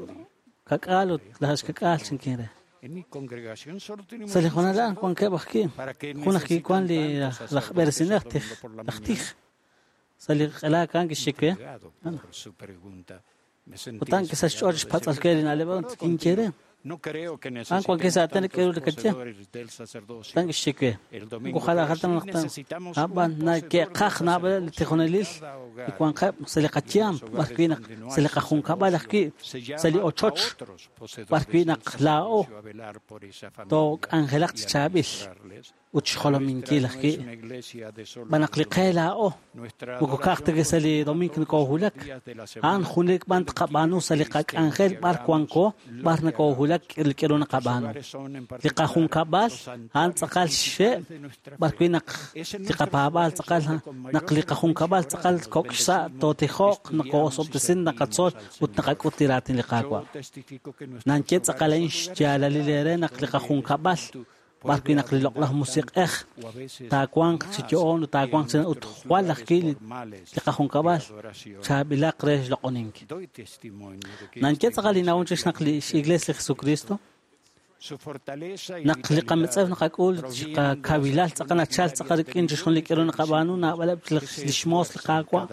kak'aal ut laj xkak'aal chinkin re. Sa' li jonal a'an wankeb' ajwi' jun ajwi' wan li laj b'eresinel tij laj tij sa' li q'elaak a'an kixye we ut a'an kisach xch'ool xpatz'alke li na'leb' a'an kinye re a'an wankeb' sa' aatin k'eru li kaye a'an kixye we moko jalajal ta naq ab'an nake'qaj naab'aleb' li tijonelil li wanqeb' sa' li qayamp b'arwi' naq sa' li qajunkab'al ajwi' sa' li ochoch b'arwi' naq laa'o took'anjelaq chi chaab'il ut xjolominkil ajwi' b'an naq li qe laa'o moko ka'aj ta sa' li domingo nakoowulak a'an junelik b'an tqab'aanu sa' li qak'anjel b'ar wanko b'ar nakoowulak li k'eru naqab'aanu li qajunkab'al a'an tz'aqal xxe' b'arwi' naq li qapaab'aal tz'aqal naq li qajunkab'al tz'aqal kok' xsa' tootijo'q nakoosob'tesin naqatzol ut naqak'ut li raatin li Qaawa' nanye tz'aqal a'in xyaalalil eere naq li qajunkab'al b'arwi' naq li loq'laj musiq'ej taawanq chi yo'oon ut taawanq chi ut jwal ajwi' li qajunkab'al chaab'ilaq re xloq'onink. Nanye tz'aqal li nawom chirix naq li x'iglesia li Jesucristo naq li qametz'ew naqak'ul qakawilal tz'aqal nachal tz'aqal rik'in chixjunil li k'eru naqab'aanu naab'aleb' li xmoos li Qaawa'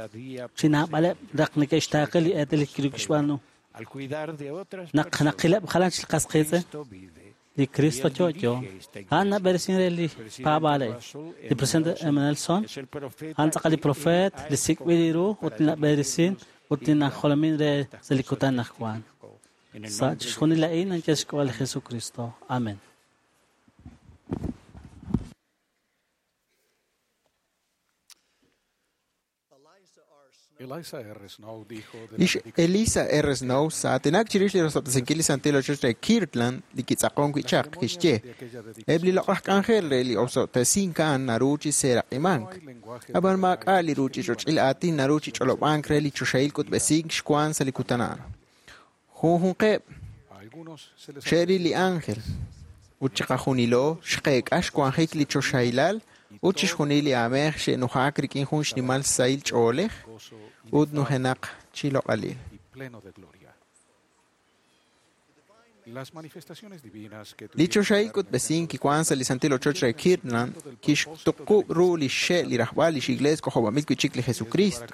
chi naab'aleb' raq neke'xtaaqe li eetalil kiru kixb'aanu naq naqileb' jalan chi li qas qiitz'in li Cristo yo'yo a'an nab'eresin re li paab'aal a'in li presidente M. Nelson a'an tz'aqal li profeet li sik'b'il ru ut li nab'eresin ut li najolomin re sa' li kutan najwan sa' chixjunil a'in nanye xk'ab'a' li Jesucristo. Amen. Eliza R. Snow dijo de la Lix Elisa R. Snow sa'aatinak chirix li rosob'tesinkil li santil ochoch re Kirtland li kitz'aqon wi' chaq kixye eb' li loq'laj k'anjel re li osob'tesink a'an naru chi seeraq'imank ab'an maak'a' li ruuchich'och'il aatin naru chi ch'olob'ank re li choxahil k'utb'esink xwan sa' li kutan a'an. Junjunqeb' A algunos se les xe'ril li ángel ut chiqajunilo xqeek'a xwanjik li choxahilal ut chixjunil li aamej xe'nujak rik'in jun xnimal sahil ch'oolej ut nujenaq chi loq'alil. y pleno de gloria. Las manifestaciones divinas que Li tuvieron choxahil lugar en el k'utb'esink kiwan sa' li santil ochoch re Kirtland kixtuqub' ru li xxe' li rajb'al lix iglees k'ojob'anb'il wi' chik li Jesucristo.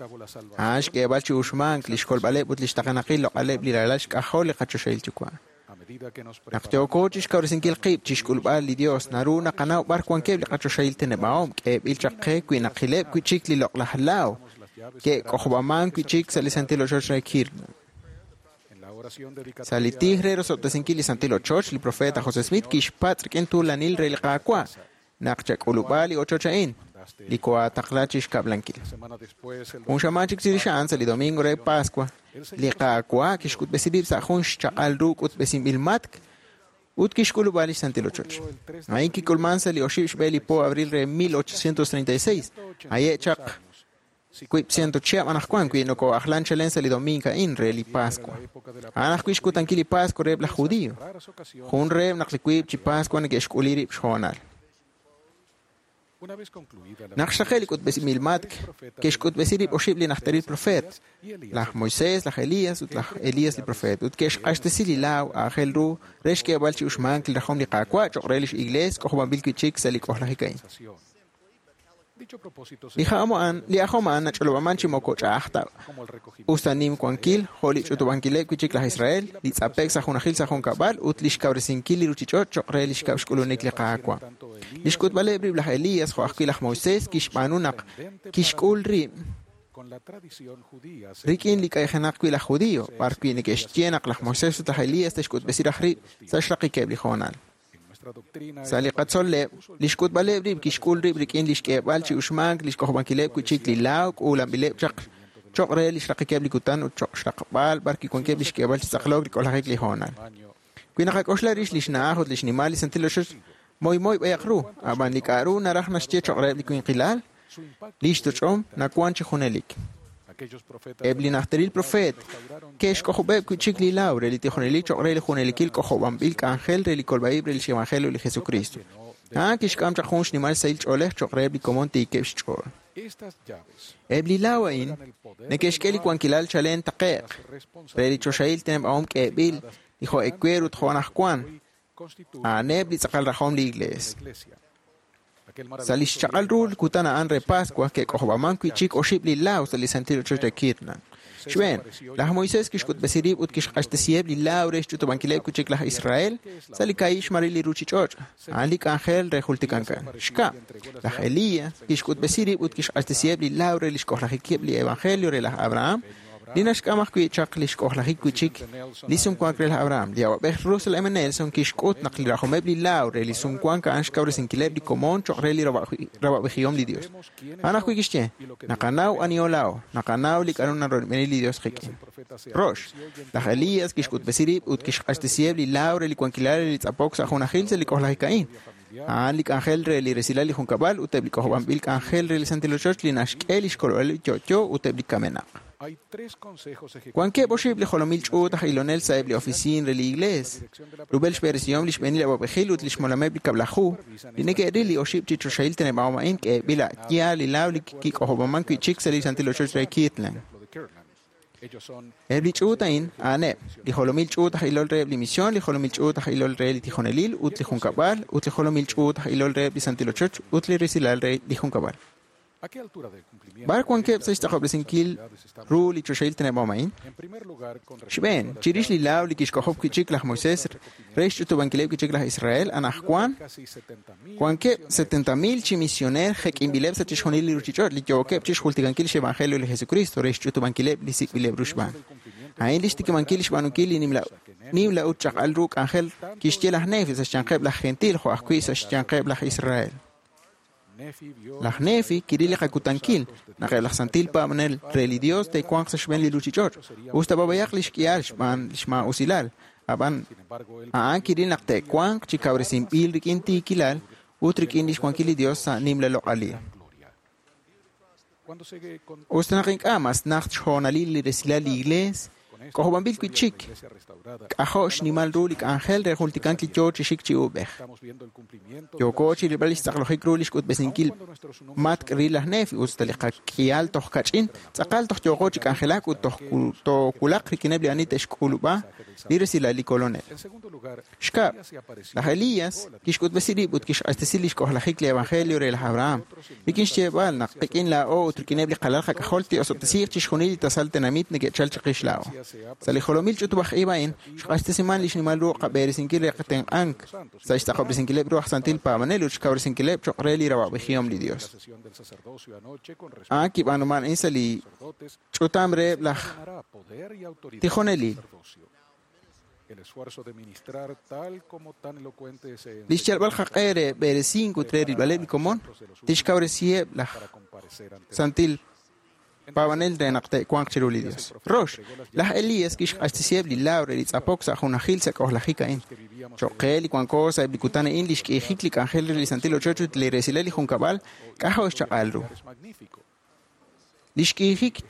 A'an xk'eeb'al chi uxmank li xkolb'aleb' ut li xtaqenaqil loq'aleb' li ralal xk'ajol li qachoxahil yuwa'. a medida que nos Naq yooko chixkawresinkil qib' chixk'ulb'al li Dios naru naqanaw b'ar wankeb' li qachoxahil teneb'ahom k'eeb'il chaq qe wi naqileb' wi' chik li loq'laj laaw ke'k'ojob'aman wi' chik sa' li santil ochoch re Kirtland. en la oración dedicatoria Sa' li tij re rosob'tesinkil li santil ochoch, li profeta José Smith kixpatz' rik'in tuulanil re li Qaawa' naq chak'ulub'a li ochoch a'in, li koataqla chixkab'lankil. semana después el Jun xamaan chik chirix a'an sa' li domingo re Pascua, li Qaawa' kixk'utb'esi rib' sa' jun xchaq'al ru k'utb'esinb'il matk ut kixk'ulub'a li santil ochoch. A'in kik'ulman sa' li oxib' xb'e li po abril re mil ochocientos treinta y seis, aye' chaq wiib' ciento chihab' anaqwan wi noko'ajlan chalen sa' li domingo a'in re li Pascua. A'an ajwi' xkutankil li Pascua reheb' laj Judío. Jun reheb' naq li wiib' chi Pascua neke'xk'uli rib' xhoonal. Una vez concluida la Naq xraqe' li k'utb'esinb'il matk ke'xk'utb'esi rib' oxib' li najteril profeet, laj Moisés, laj Elías ut laj Elías li profeet, ut ke'xq'axtesi li laaw aajel ru re xk'eeb'al chi uxmank li rajom li Qaawa' cho'q re lix iglees k'ojob'anb'il wi' chik sa' li k'ojlajik a'in. dicho propósito se Li ja'om a'an, li ajom a'an nach'olob'aman chi moko ch'a'aj ta como el recogimiento us ta nim wankil jo' li ch'utub'ankileb' wi' chik laj Israel, li tz'ape'k sa' junajil sa' junkab'al ut li xkawresinkil li ruuchich'och' cho'q re li xkab' xk'ulunik li Qaawa'. Li xk'utb'aleb' rib' laj Elías jo' ajwi' laj Moisés kixb'aanu naq kixk'ul rib' con la tradición judía rik'in li k'ayjenaq wi' laj Judío, b'ar wi' neke'xye naq laj Moisés ut laj Elías te'xk'utb'esi raj rib' sa' xraqikeb' li hoonal. nuestra doctrina Sa' li qatzol'leb', li xk'utb'aleb' rib' kixk'ul rib' rik'in li xk'eeb'al chi uxmank li xk'ojob'ankileb' wi' chik li laaw k'uulanb'ileb' chaq cho'q re li xraqikeb' li kutan ut cho'q xraqb'al b'ar kiwankeb' li xk'eeb'al chi tz'aqlok li k'ojlajik li hoonal. Wi naqak'oxla rix li xna'aj ut li xnimal li santil ochoch moymoy b'ayaq ru, ab'an li k'a'ru naraj naxye cho'q reheb' li winqilal, li xtoch'om nawan chi junelik. aquellos profetas Eb' li najteril profeet ke'xk'ojob'eb' wi' chik li laaw re li tijonelil cho'q re li junelikil k'ojob'anb'il k'anjel re li kolb'a'ib' re lix evangelio li Jesucristo. A'an kixk'am chaq jun xnimal sahil ch'oolej cho'q reheb' li komon tiikeb' xch'ool. estas llaves Eb' li laaw a'in neke'xk'e li wankilal chalen taqe'q re li choxahil teneb'ahom k'eeb'il li jo' ewer ut jo' anaqwan constituyen a'aneb' li tz'aqal rajom li iglees. la iglesia. Aquel Sa' li xchaq'al ru li kutan a'an re Pascua ke'k'ojob'aman wi' chik oxib' li laaw sa' li santil ochoch re Kirtland. Xb'een, laj Moisés kixk'utb'esi rib' ut kixq'axtesiheb' li laaw re xch'utub'ankileb' wi' chik laj Israel sa' li kaahib' xmaril li ruuchich'och', a'an li k'anjel re jultikankan. Xkab', laj Elías kixk'utb'esi rib' ut kixq'axtesiheb' li laaw re li xk'ojlajikeb' li evangelio re laj Abraham, li naxk'am ajwi' chaq li xk'ojlajik wi' chik li sumwank re laj Abraham. Li awab'ej Russell M. Nelson kixk'ut naq li rajomeb' li laaw re li sumwank a'an xkawresinkileb' li komon cho'q re li rab'ab'ejihom li Dios. A'an ajwi' kixye, naqanaw aniho laa'o, naqanaw li k'a'ru naroyb'eni li Dios qik'in. Rox, laj Elías kixk'utb'esi rib' ut kixq'axtesiheb' li laaw re li wankilal re li tz'apok sa' junajil sa' li k'ojlajik a'in. A'an li k'anjel re li resilal li junkab'al ut eb' li k'ojob'anb'il k'anjel re li santil ochoch li naxk'e li xkolb'al li yo'yo ut eb' li kamenaq. Hay tres consejos Wankeb' oxib' li jolomil ch'uut aj ilonel sa' eb' li ofisiin re li iglees. Rub'el xb'eresihom li xb'eenil awab'ejil ut li xmolameb' li kab'laju, li neke'ril li oxib' chi choxahil teneb'ahom a'in k'eeb'il a' yaal li laaw li kik'ojob'aman wi' chik sa' li santil ochoch re Kirtland. de Kirtland. Ellos son Eb' li ch'uut a'in a'aneb' li jolomil ch'uut aj ilol reheb' li mision, li jolomil ch'uut aj ilol re li tijonelil ut li junkab'al, ut li jolomil ch'uut aj ilol reheb' li santil ochoch ut li resilal re li junkab'al. ¿A qué altura del cumplimiento? B'ar wankeb' sa' xtz'aqob'resinkil ru li choxahil teneb'ahom a'in? En primer lugar, con respecto Xb'een, chirix li laaw li kixk'ojob' wi' chik laj Moisés re xch'utub'ankileb' wi' chik laj Israel, anaqwan casi setenta mil wankeb' setenta mil chi misioneer jek'inb'ileb' sa' chixjunil li ruuchich'och' li yookeb' chixjultikankil xevangelio li Jesucristo re xch'utub'ankileb' li sik'b'ileb' ru xb'aan. A'in li xtikib'ankil xb'aanunkil li nimla nimla ut chaq'al ru k'anjel kixye laj Nefi sa' xyanqeb' laj Gentil jo' ajwi' sa' xyanqeb' laj Israel. Laj Nefi kiril li qakutankil naq eb' laj santil paab'anel re li Dios te'wanq sa' xb'een li ruuchich'och' us ta b'ab'ayaq li xk'ihal xb'aan li xmaa'usilal. Ab'an a'an kiril naq te'wanq chi kawresinb'il rik'in tiikilal ut rik'in lix wankil li Dios sa' nimla loq'alil. Us ta naq ink'a' mas najt xhoonalil li resilal li Iglees, k'ojob'anb'il wi' chik k'ajo' xnimal ru li k'anjel re jultikank li yoo chi xik chi uub'ej. Yooko chi rilb'al li xtz'aqlojik ru li xk'utb'esinkil matk' ril laj Nefi us ta li qak'ihal toj kach'in, tz'aqal toj yooqo chi k'anjelak ut toj toowulaq rik'ineb' li ani te'xk'ulub'a li resilal li Kolonel. Xkab', laj Elías kixk'utb'esi rib' ut kixq'axtesi li xk'ojlajik li Evangelio re laj Abraham, rik'in xyeeb'al naq qik'in laa'o ut rik'ineb' li qalal qak'ajol te'osob'tesiiq chixjunil li tasal tenamit neke'chal chiqix laa'o. Sa' li jolomil ch'utub'aj ib' a'in, xq'axtesiman li xnimal ru qab'eresinkil re qatenq'ank sa' xtz'aqob'resinkileb' ru aj santil paab'anel ut xkawresinkileb' cho'q re li rawa'b'ejihom li Dios. A'an kib'aanuman a'in sa' li ch'utam reheb' laj tijonelil. Li xyalb'al qaq'e re b'eresink ut re rilb'aleb' li komon tixkawresiheb' laj santil paab'anel re naq te'wanq chiru li Dios. Rox, laj Elías kixq'axtesiheb' li laaw re li tz'apok sa' junajil sa' k'ojlajik a'in. Cho'q qe li wanko sa'eb' li kutan a'in li xk'iijik li k'anjel re li santil ochoch ut li resilal li junkab'al k'ajo' xchaq'al ru. Li xk'iijik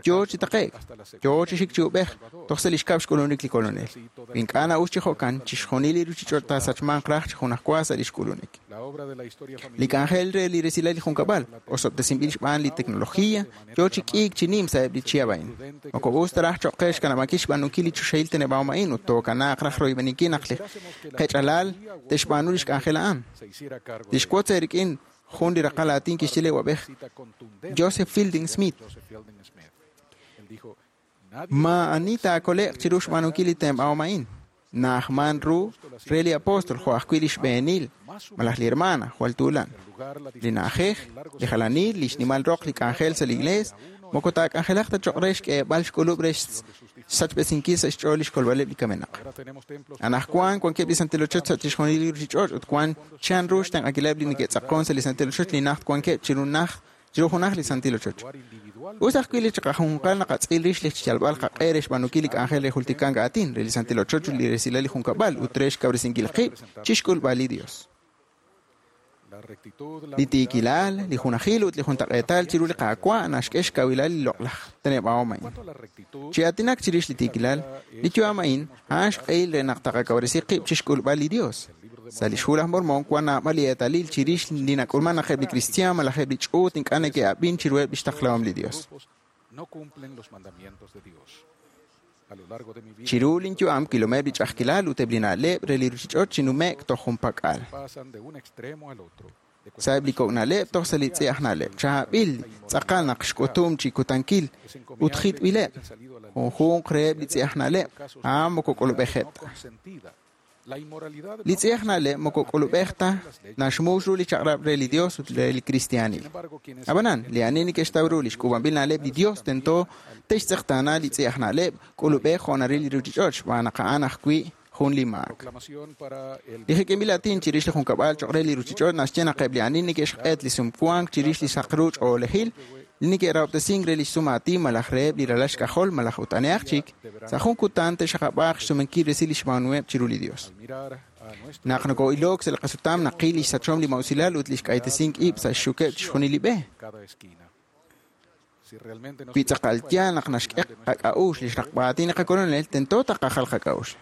yoo chi taqe'k, yoo chi xik chi ub'ej, toj sa' li xkab' xk'ulunik li Kolonel. Ink'a' na'us chi jo'kan, chixjunil li ruuchich'och' taasachmanq raj chi junajwa sa' li xk'ulunik. Li k'anjel re li resilal li junkab'al, osob'tesinb'il xb'aan li teknología, yoo chi k'iik chi nim sa'eb' li chihab' a'in. Moko us ta raj cho'q qe xkanab'ankil xb'aanunkil li choxahil teneb'ahom a'in ut tookanaaq raj royb'eninkil naq li qech'alal te'xb'aanu li xk'anjel a'an. Li xwotz eerik'in jun li raqal aatin kixye li wab'ej Joseph Fielding Smith. Ma ani taakole'q chiru xb'aanunkil li teneb'ahom a'in. Na'ajman ru re li apóstol jo' ajwi' li xb'eenil malaj li hermana jwal tuulan. Li na'ajej, li jalanil, li xnimal roq li k'anjel sa' li iglees, moko taak'anjelaq ta cho'q re xk'eeb'al xk'ulub' re xsachb'esinkil sa' xch'ool li xkolb'aleb' li kamenaq. Anajwan wankeb' li santil ochoch sa' chixjunil li ruuchich'och' ut wan chan ru xtenq'ankileb' li neke'tz'aqon sa' li santil ochoch li najt wankeb' chiru naj chiru junaj li santil ochoch. Us ajwi' li chiqajunqal naqatz'il rix li xyalb'al qaq'e re xb'aanunkil li k'anjel re jultikank aatin re li santil ochoch ut li resilal li junkab'al ut re xkawresinkil qib' chixk'ulb'al li Dios. Li tiikilal, li junajil ut li juntaq'eetal chiru li Qaawa' naxk'e xkawilal li loq'laj teneb'ahom a'in. Chi aatinak chirix li tiikilal, li yu'am a'in a'an xq'ehil re naq taqakawresi qib' chixk'ulb'al li Dios. Sa' li xhu laj Mormon wan naab'al li eetalil chirix li nak'ulman naq eb' li kristiaan malaj eb' li ch'uut ink'a' neke'ab'in chiruheb' lix taqlahom li Dios. Chiru linyu'am kilomeb' li ch'a'ajkilal ut eb' li na'leb' re li ruuchich'och' chi nume'k toj junpak'al. Sa'eb' li kok' na'leb' toj sa' li tz'i aj na'leb'. Chaab'il tz'aqal naq xk'utum chi kutankil ut jitb'ileb' junjunq reheb' li tz'i aj na'leb' a'an moko k'ulub'ejeb' ta. Li tz'i aj na'leb' moko k'ulub'ej ta naxmux ru li chaq'rab' re li Dios ut re li kristiaanil. Ab'anan, li ani neke'xtaw ru li xk'uub'anb'il na'leb' li Dios tento te'xtz'eqtaana li tz'i aj na'leb' k'ulub'ej jo' naril li ruuchich'och' xb'aan naq a'an ajwi' jun li maak. Li jek'inb'il aatin chirix li junkab'al cho'q re li ruuchich'och' naxye naq eb' li ani neke'xq'et li sumwank chirix li saq ru ch'oolejil li neke'rahob'tesink re li xsum aatin malaj reheb' li ralal xk'ajol malaj ut anehaq chik, sa' jun kutan te'xaqab'aaq xsumenkil resil li xb'aanuheb' chiru li Dios. Naq noko'ilok sa' li qasutam naqil li xsachom li mausilal ut li xk'aytesink ib' sa' xxukeb' chixjunil li b'e. Wi tz'aqal yaal naq naxk'e qak'a'uxl li xraqb'aatin li qakolonel, tento taqajal qak'a'uxl.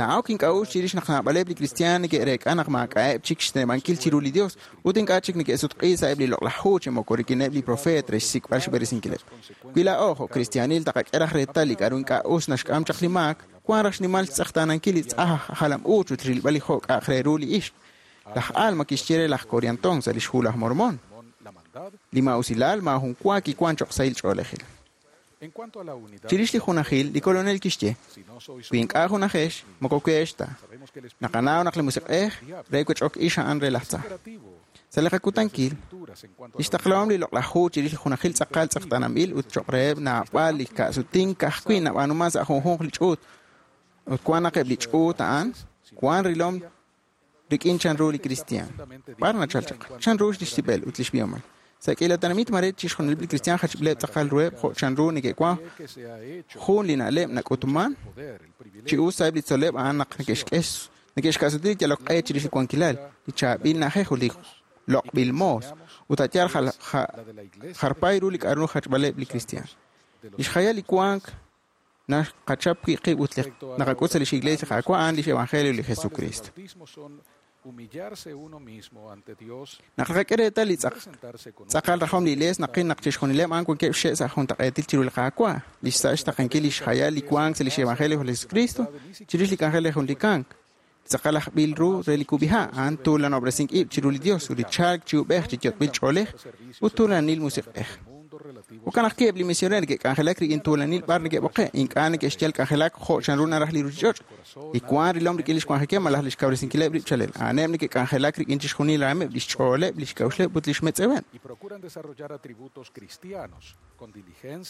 Na'awk ink'a'uxl chirix naq naab'aleb' li kristiaan neke'reek'a naq maak'a'eb' chik xteneb'ankil chiru li Dios ut ink'a' chik neke'sutq'i sa'eb' li loq'laj hu chi moko rik'ineb' li profeet re xsik'b'al xb'eresinkileb'. Wi laa'o jo' kristiaanil taqak'e raj reetal li k'a'ru ink'a' us naxk'am chaq li maak, wan raj xnimal xtz'eqtaanankil li tz'aj jalam-uuch ut rilb'al li jo' k'a'aq re ru li ixq. Laj Alma kixye re laj Coriantón sa' li xhu laj Mormón. Li ma'usilal maajun wa kiwan cho'q sahil ch'oolejil. Chirix li junajil, li kolonel kixye, wi ink'a' junajex, moko weex ta. Naqanaw naq li musiq'ej re wech'ok ix a'an re laj tza. Sa' li qakutankil, li xtaqlahom li loq'laj hu chirix li junajil tz'aqal tz'eqtaananb'il ut cho'q reheb' naab'al li ka'sutink ka'ajwi' nab'aanuman sa' junjunq li ch'uut. Ut wan naq eb' li ch'uut a'an wan rilom rik'in chanru li kristiaan. B'ar nachal chaq, chanru lix tib'el ut lix b'ihomal. Sa' k'iila tenamit mare chixjunileb' li kristiaan jachb'ileb' tz'aqal ruheb' jo' chanru neke'wan jun li na'leb' nak'utman chi us sa'eb' li tzol'leb' a'an naq neke'xk'e neke'xka'suti li yalok q'e chirix li wankilal, li chaab'il na'ajej ut li loq'b'il moos, ut a' yaal jarpay ru li k'a'ru jachb'aleb' li kristiaan. Lix jayal li wank naqachap wi' qib' ut naqak'ut sa' lix Iglesia li Qaawa' a'an lix Evangelio li Jesucristo. Naq naqak'e reetal li tz'aqal rajom li Iglees naqil naq chixjunileb' a'an wankeb' xe' sa' juntaq'eetil chiru li Qaawa', lix sa' xtaqenkil lix jayal li wank sa' lix Evangelio li Jesucristo chirix li k'anjel re jun li kamk. Tz'aqal ajb'il ru re li kub'iha' a'an tuulanob'resink ib' chiru li Dios ut li chalk chi ub'ej chi yot'b'il ch'oolej ut tuulanil musiq'ej. Jo'kan ajwi' eb' li misioneer neke'k'anjelak rik'in tuulanil b'ar neke'b'oqe', ink'a' neke'xyal k'anjelak jo' chanru naraj li ruuchich'och', li wank rilom rik'in lix wanjikeb' malaj lix kawresinkileb' rib' chalel. A'aneb' neke'k'anjelak rik'in chixjunil raameb', lix ch'ooleb', lix k'a'uxleb' ut lix metz'eweb'.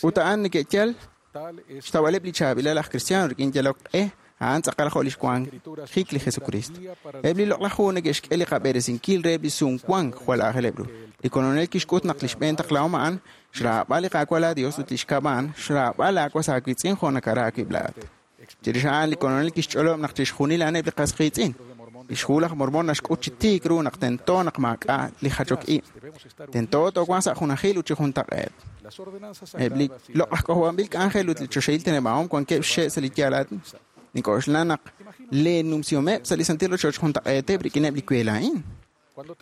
Ut a'an neke'yal xtawb'aleb' li chaab'ilal aj kristiano rik'in yalok q'e, a'an tz'aqal jo' lix wanjik li Jesucristo. Eb' li loq'laj hu neke'xk'e li qab'eresinkil reheb' li sumwank jwal aajeleb' ru. Li Kolonel kixk'ut naq li xb'een taqlahom a'an xraab'al li Qaawa' laa Dios ut li xkab' a'an xraab'al laawas aawiitz'in jo' nakara aawib' laa'at. Chirix a'an li Kolonel kixch'olob' naq chixjunil a'aneb' li qas qiitz'in. Lix hu laj Mormon naxk'ut chi tiik ru naq tento naq maak'a' li jachok ib'. Tento toowanq sa' junajil ut chi juntaq'eet. Eb' li loq'laj k'ojob'anb'il k'anjel ut li choxahil teneb'ahom wankeb' xe' sa' li yaal Nik'oxla naq leenumsihomeb' sa' li santil ochoch juntaq'eeteb' rik'ineb' li kweel a'in.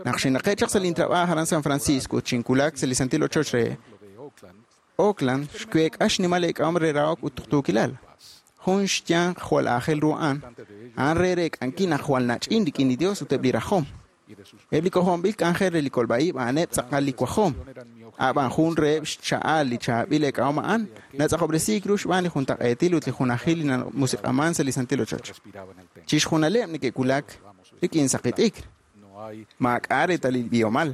Naq xinaqe' chaq sa' lintrab'aaj aran San Francisco ut xinwulak sa' li santil ochoch re Oakland, xweek'a xnimal eek'ahom re rahok ut tuqtuukilal. Jun xyanq jwal aajel ru a'an, a'an re reek'ankil naq jwal nach'in rik'in li Dios ut eb' li rajom. Eb' li k'ojob'anb'il k'anjel re li kolb'a'ib' a'aneb' tz'aqal li wajom. A'b'an jun reheb' xcha'al li chaab'il eek'ahom a'an natz'aqob'resiik ru xb'aan li juntaq'eetil ut li junajil li namusiq'aman sa' li santil ochoch. Chixjunaleb' neke'wulak rik'in saqi t'ikr. Maak'a' reetalil b'ihomal,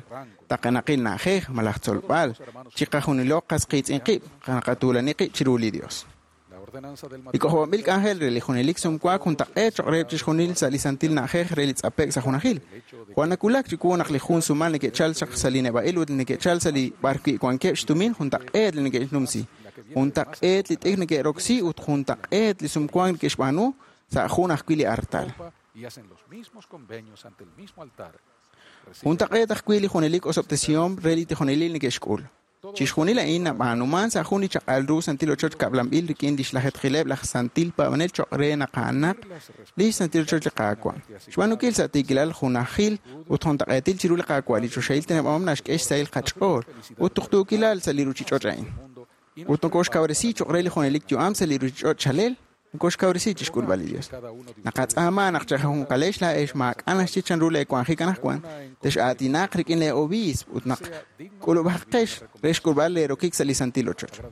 taqenaqil na'ajej malaj tzolb'al, chiqajunilo qas qiitz'in qib', naqatuulani qib' chiru li Dios. Li k'ojob'anb'il k'anjel re li junelik sumwank juntaq'eet cho'q reheb' chixjunil sa' li santil na'ajej re li tz'ape'k sa' junajil. Jwal nawulak chiwu naq li jun sumal neke'chal chaq sa' li neb'a'il ut neke'chal sa' li b'arwi' wankeb' xtumin juntaq'eet li neke'xnumsi. Juntaq'eet li t'ikr neke'roksi ut juntaq'eet li sumwank neke'xb'aanu sa' jun ajwi' li artal. Juntaq'eet ajwi' li junelik osob'tesihom re li tijonelil neke'xk'ul. Chixjunil a'in nab'aanuman sa' jun li chaq'al ru santil ochoch kab'lanb'il rik'in lix lajetqileb' laj santil paab'anel cho'q re naq a'anaq li santil ochoch li Qaawa'. Xb'aanunkil sa' tiikilal junajil ut juntaq'eetil chiru li Qaawa' li choxahil teneb'ahom naxk'e xsahil qach'ool ut tuqtuukilal sa' li ruuchich'och' a'in. Ut nokoxkawresi cho'q re li junelik yu'am sa' li ruuchich'och' chalel, nokoxkawresi chixk'ulb'al li Dios. Naqatz'aama naq chajunqalex laa'ex maak'a' naxye chanru leewanjik anaqwan, tex'aatinaq rik'in lee obiisp ut naq k'ulub'aqex re xk'ulb'al leerokik sa' li santil ochoch.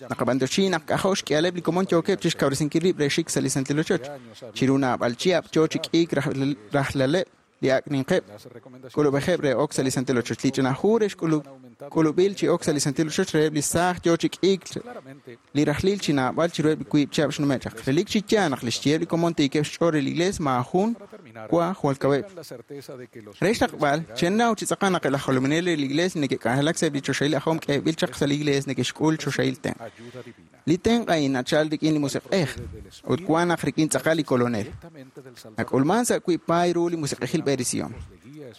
Naqab'anyoxi naq k'ajo' xk'ihaleb' li komon yookeb' chixkawresinkil rib' re xik sa' li santil ochoch. Chiru naab'al chihab' yoo chi k'iik rajlaleb' li ak' ninqeb' k'ulub'ejeb' re ok sa' li santil ochoch. Li ch'ina hu re xk'ulub'il chi ok sa' li santil ochoch reheb' li saaj yoo chi k'iik li rajlil chi naab'al chiruheb' li wiib' chihab' xnume' chaq. Relik chi yaal naq li xyeheb' li komon tiikeb' xch'ool re li Iglees maajun wa jwal kaweb'. Re xtaqb'al, chennaw chi tz'aqal naq laj jolominel re li Iglees neke'k'anjelak sa'eb' li choxahil ajom k'eeb'il chaq sa' li Iglees neke'xk'ul choxahil tenq'. Li tenq' a'in nachal rik'in li musiq'ej ut wan naq rik'in tz'aqal li Kolonel. Nak'ulman sa' wiib' paay ru li musiq'ejil b'eresihom.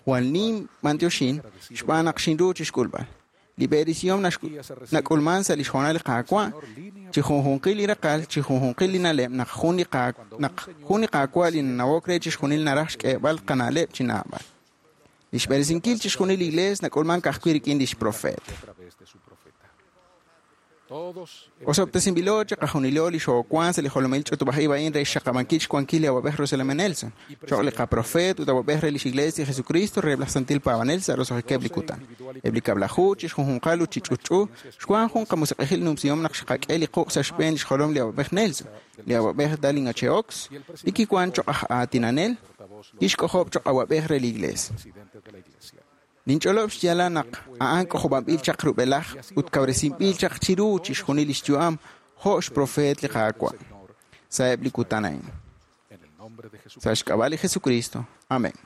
Jwal nim b'antioxin xb'aan naq xinru chixk'ulb'al. Li b'eresihom nak'ulman sa' li xhoonal li Qaawa' chi junjunqil li raqal, chi junjunqil li na'leb' naq jun li naq jun li Qaawa' li nanawok re chixjunil naraj xk'eeb'al qana'leb' chi naab'al. Li xb'eresinkil chixjunil li Iglees nak'ulman ka'ajwi' rik'in lix profeet. Osob'tesinb'ilo chiqajunilo li xoowank sa' li jolomil ch'utub'aj ib' a'in re xxaqab'ankil xwankil li awab'ej Russell M. Nelson, cho'q li qaprofeet ut awab'ej re lix Iglees li Jesucristo reheb' laj santil paab'anel sa' roso'jikeb' li kutan. Eb' li kab'laju chixjunjunqal ut chi ch'utch'u xwank jun qamusiq'ejil numsihom naq xqak'e li quq' sa' xb'een li xjolom li awab'ej Nelson, li awab'ej Dallin H. Oaks, li kiwank cho'q aj aatinanel, kixk'ojob' cho'q awab'ej re li Iglees. Ninch'olob' xyaalal naq a'an k'ojob'anb'il chaq rub'elaj ut kawresinb'il chaq chiru chixjunil lix yu'am jo' xprofeet li Qaawa' sa'eb' li kutan a'in. Sa' xk'ab'a' li Jesucristo. Amén.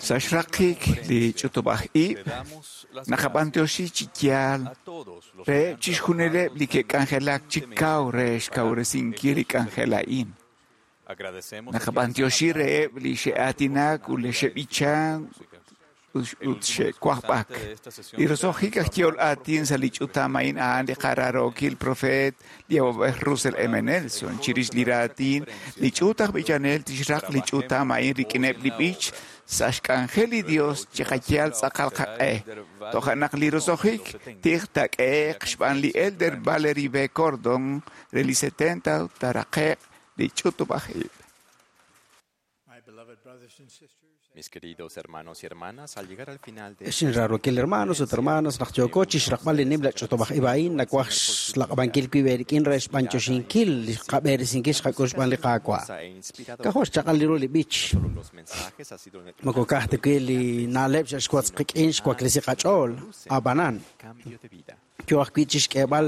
Sa' xraqik li ch'utub'aj ib', naqab'antioxi chi yaal reheb' chixjunileb' li ke'k'anjelak chi kaw re xkawresinkil li k'anjel a'in. Naqab'antioxi reheb' li xe'aatinak ut li xe'b'ichan ut xe'wajb'ak. Li roso'jik aj yehol aatin sa' li ch'utam a'in a'an li qararookil profeet li awab'ej Russell M. Nelson. Chirix li raatin, li ch'uut aj b'ichanel tixraq li ch'utam a'in rik'ineb' li b'ich sa' xk'anjel li Dios chiqayal tz'aqal qaq'e. Toja' naq li roso'jik tij taak'ehe'q xb'aan li Elder Valerie B. Cordon re li setenta taaraqe'q li ch'utub'aj ib'. Mis queridos hermanos y hermanas, al llegar al final de Ex inrarokil hermanos ut hermanas, naq yooko chixraqb'al li nimla ch'utub'aj ib' a'in nawaj xlaq'ab'ankil wib' eerik'in re xb'antioxinkil li qab'eresinkil xqak'ul xb'aan li Qaawa'. K'ajo' xchaq'al ru li b'ich. Moko ka'aj ta wi' li na'leb' xe'xwotz qik'in xwaklesi qach'ool, ab'anan yo ajwi' chixk'eeb'al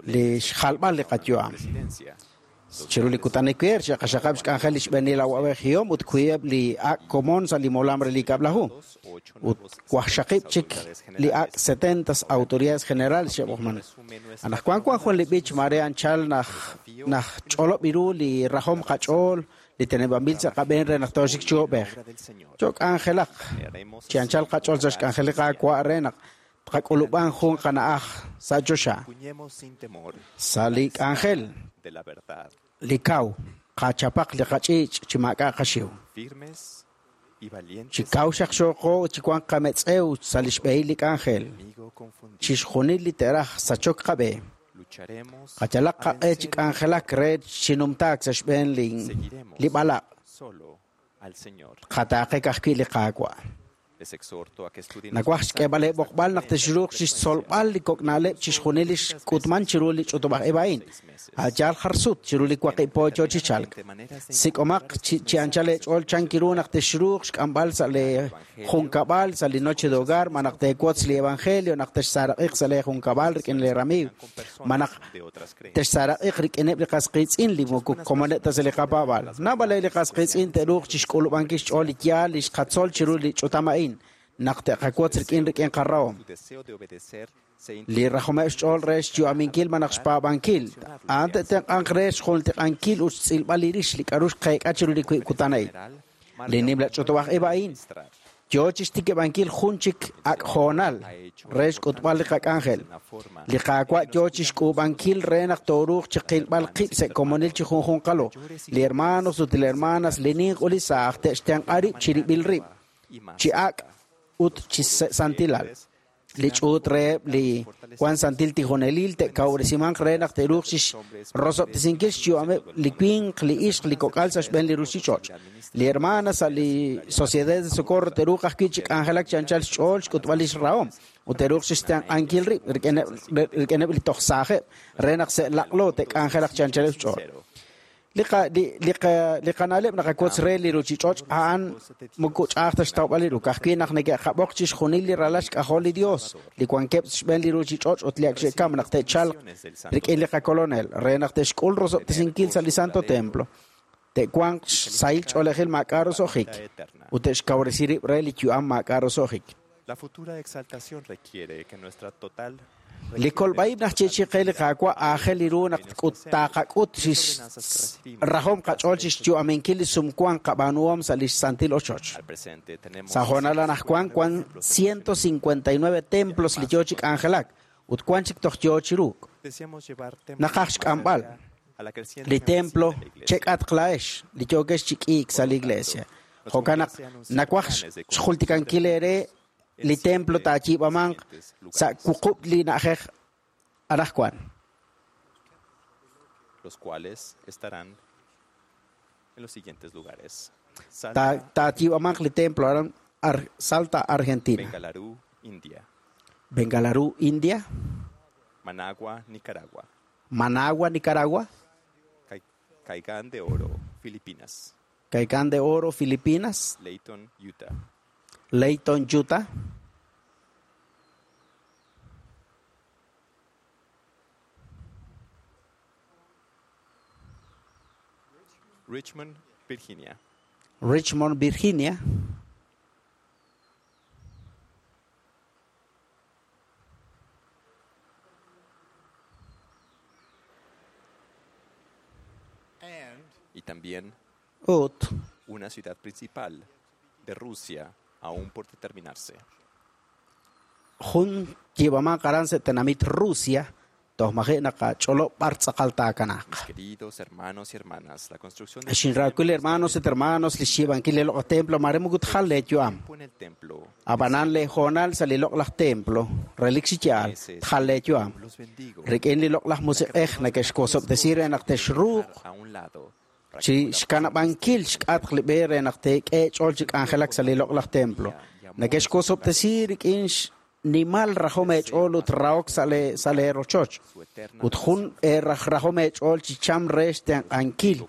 li xjalb'al li qayu'am. Chiru li kutan ewer xe'qaxaqab' xk'anjel li xb'eenil awab'ejihom ut wiib' li ak' komon sa' li molam re li kab'laju ut wajxaqib' chik li ak' setentas autoridades generales xe'b'ojman. Anaqwan wan jun li b'ich mare anchal naj naj ch'olob' ru li rajom qach'ool li teneb'anb'il sa' qab'een re naq tooxik chi ob'ej. Cho k'anjelaq chi anchal qach'ool sa' xk'anjel li Qaawa' re naq tqak'ulub'an jun qana'aj sa' choxa. Sa' li k'anjel li kaw qachapaq li qach'ich' chi maak'a' qaxiw. Chi kaw xaqxoqo chi wan qametz'ew sa' li xb'ehil li k'anjel. Chixjunil li te'raj sachok qab'e. Qachalaq qaq'e chi k'anjelak re chinumtaak sa' xb'een li li b'alaq'. Qataaqek ajwi' li Qaawa'. Nawaj xk'eeb'al b'oqb'al naq texruuq chixtzolb'al li kok' na'leb' chixjunil li xk'utman chiru li ch'utub'aj ib' a'in. A'yaal jar sut chiru li waqib' po yo chi chalk. Sik'omaq chi anchal eech'ool chankiru naq texruuq xk'amb'al sa' lee junkab'al sa' li noche de hogar, ma naq teewotz li evangelio naq texsaaraqiq sa' lee junkab'al rik'in lee ramiiw, ma naq texsaaraqiq rik'ineb' li qas qiitz'in li moko komoneb' ta sa' li qapaab'al. Naab'al li qas qiitz'in te'ruuq chixk'ulub'ankil xch'ool li yaal li xqatzol chiru li ch'utam a'in naq te'qawotz rik'in rik'in qarahom. Li rajomeb' xch'ool re xyu'aminkil ma naq xpaab'ankil. A'an te'tenq'anq re xjuntiq'ankil ut xtz'ilb'al li rix li k'a'ru xqeek'a chiru li wiib' kutan a'in. Li nimla ch'utub'aj ib' a'in yo chixtikib'ankil jun chik ak' hoonal re xk'utb'al li qak'anjel. Li Qaawa' yo chixk'uub'ankil re naq tooruuq chiqilb'al qib' sa' komonil chi junjunqalo. Li hermanos ut li hermanas li ninq ut li saaj te'xtenq'a rib' chirib'il rib' chi ak' ut chi santilal. Li ch'uut reheb' li wan santil tijonelil te'kawresimanq re naq te'ruuq chixrosob'tesinkil xyu'ameb' li winq, li ixq, li kok'al sa' xb'een li ruuchich'och'. Li hermana sa' li Sociedad de Socorro te'ruuq ajwi' chi k'anjelak chi anchal xch'ool xk'utb'al li xrahom ut te'ruuq chixtenq'ankil rib' rik'ineb' li toj saajeb' re naq se'laq'lo te'k'anjelaq chi anchaleb' xch'ool. Li li qana'leb' naqawotz re li ruuchich'och' a'an moko ch'a'aj ta xtawb'al li ru. Ka'ajwi' naq neke'qab'oq chixjunil li ralal xk'ajol li Dios li wankeb' xb'een li ruuchich'och' ut li ak xe'kam naq te'chalq rik'in li qakolonel re naq te'xk'ul rosob'tesinkil sa' li Santo Templo. Te'wanq xsahil ch'oolejil maak'a' roso'jik ut te'xkawresi rib' re li yu'am maak'a' roso'jik. La futura exaltación requiere que nuestra total Li kolb'aib' naq chichiqe li Qaawa' aajel li ru naq taqak'ut rajom qach'ool chixyu'aminkil li sumwank qab'aanuhom sa' li santil ochoch. Sa' hoonal anaqwan wan ciento cincuenta y nueve templos li yo chi k'anjelak ut wan chik toj yo chi ruuk. Naqaj xk'amb'al li templo chek'atq la'ex li yookex chi k'iik sa' li iglesia. Jo'kan naq nawaj xjultikankil eere li templo taayiib'amanq sa' wuqub' li na'ajej anaqwan. Los cuales estarán en los siguientes lugares. Taayiib'amanq li templo aran Salta, Argentina. Bengaluru, India. Bengaluru, India. Managua, Nicaragua. Managua, Nicaragua. Caigán de Oro, Filipinas. Caigán de Oro, Filipinas. Layton, Utah. Layton, Utah. Richmond, Virginia. Richmond, Virginia. Y también Ut una ciudad principal de Rusia aún por determinarse. Jun yiib'aman aran sa' tenamit Rusia toj maji' naqach'olob' b'ar tz'aqal taakanaq. Mis queridos hermanos y hermanas, la construcción del Xinraawil hermanos ut hermanos li xyiib'ankil li loq'laj templo mare moko tjal leeyu'am. tiempo en el templo Ab'anan leejoonal sa' li loq'laj templo relik chi yaal tjal leeyu'am. los bendigo Rik'in li loq'laj musiq'ej nake'xkosob'tesi re naq texruuq a un lado chi xkanab'ankil xk'atq li b'e re naq teek'e ch'ool chi k'anjelak sa' li loq'laj templo. Nake'xkosob'tesi rik'in xnimal rajom eech'ool ut rahok sa' le sa' leerochoch. Ut jun rajom eech'ool chi cham re xtenq'ankil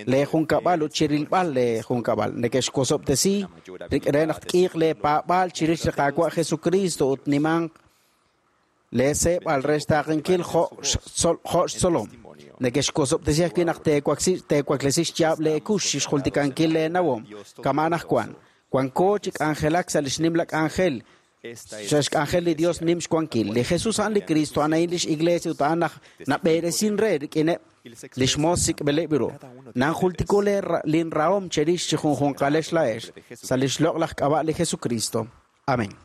leejunkab'al ut chirilb'al leejunkab'al. Nake'xkosob'tesi rik'in re naq tk'iiq leepaab'aal chirix li Qaawa' Jesucristo ut nimanq leeseeb'al re xtaaqenkil jo' jo' xtzolom. Nake'xkosob'tesi ajwi' naq teewaksi teewaklesi xyaab' leekux xjultikankil leenawom kama'an ajwan. Wanko chi k'anjelak sa' li xnimla k'anjel sa' xk'anjel li Dios nim xwankil. Li Jesús a'an li Cristo a'an a'in lix iglesia ut a'an naj nab'eresin re rik'ineb' li xmoos sik'b'ileb' ru. Nanjultiko linrahom cherix chi junjunqalex la'ex sa' li xloq'laj k'ab'a' li Jesucristo. Amén.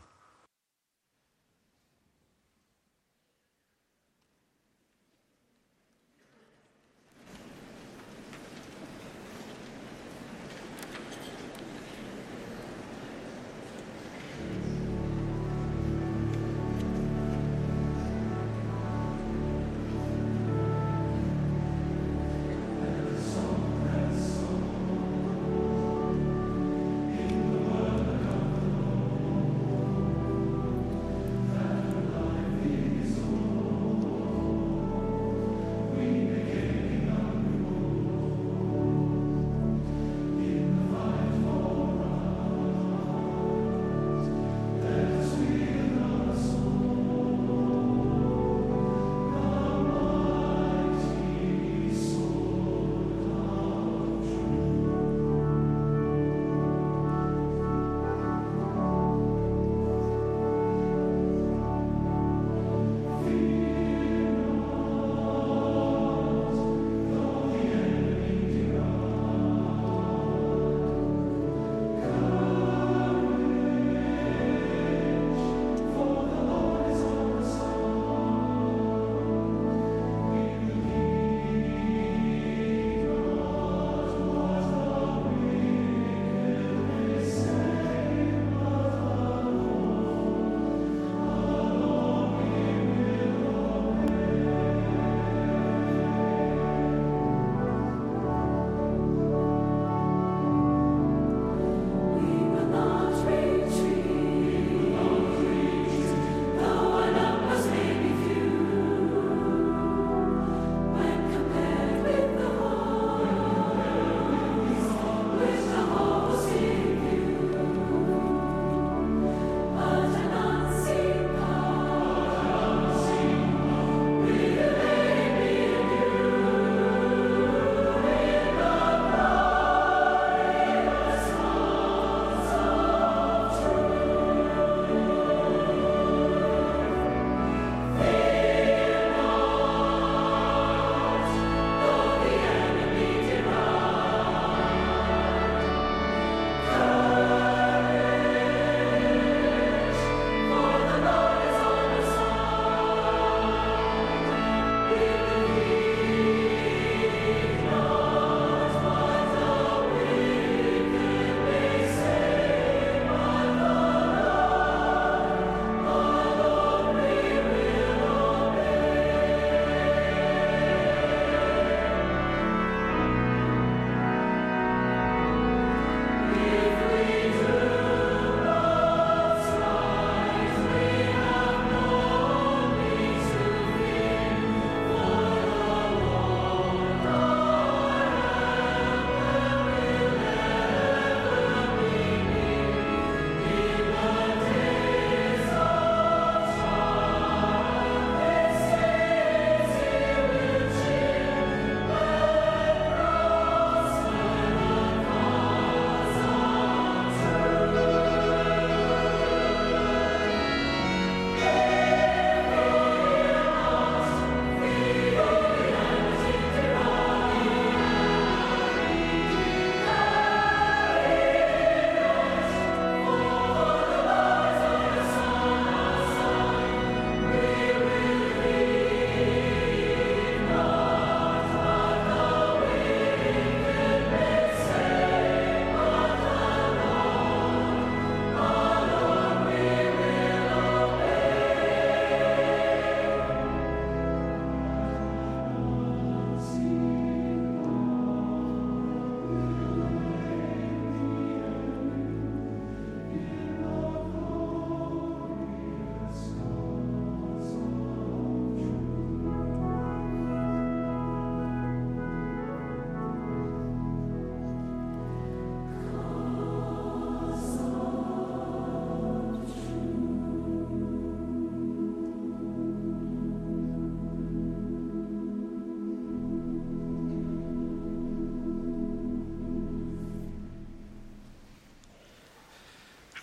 In the work of the Lord.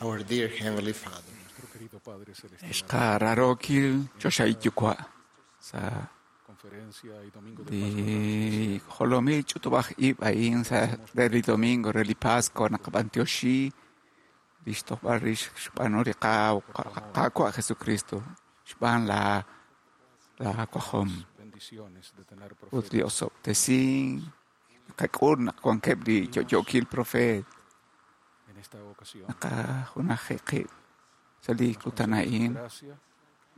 Our dear Heavenly Father, Xqararokil choxahil yuwa' sa' li jolomil ch'utub'aj ib' a'in sa' re li domingo re li Pascua naqab'antioxi lix tojb'al rix xb'aanu li Qaawa' Jesucristo xb'aan la la wajom ut li osob'tesink naqak'ul naq wankeb' li yo'yookil profeet naqajunaji qib' sa' li kutan a'in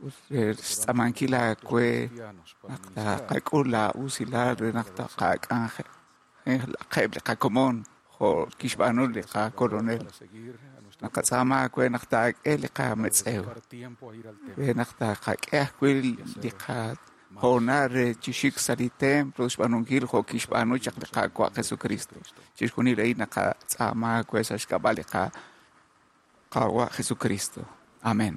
ut xtz'amankil aawe naq taqak'ul la usilal re naq taqak'anjelaqeb' li qakomon jo' kixb'aanu li qakolonel naqatz'aama aawe naq taak'e li qametz'ew re naq taqak'e ajwi' li qahoonal re chi xik sa' li templo xb'aanunkil jo' kixb'aanu chaq li Qaawa' Jesucristo. Chixjunil a'in naqatz'aama aawe sa' xk'ab'a' li Qaawa' Jesucristo. Amén.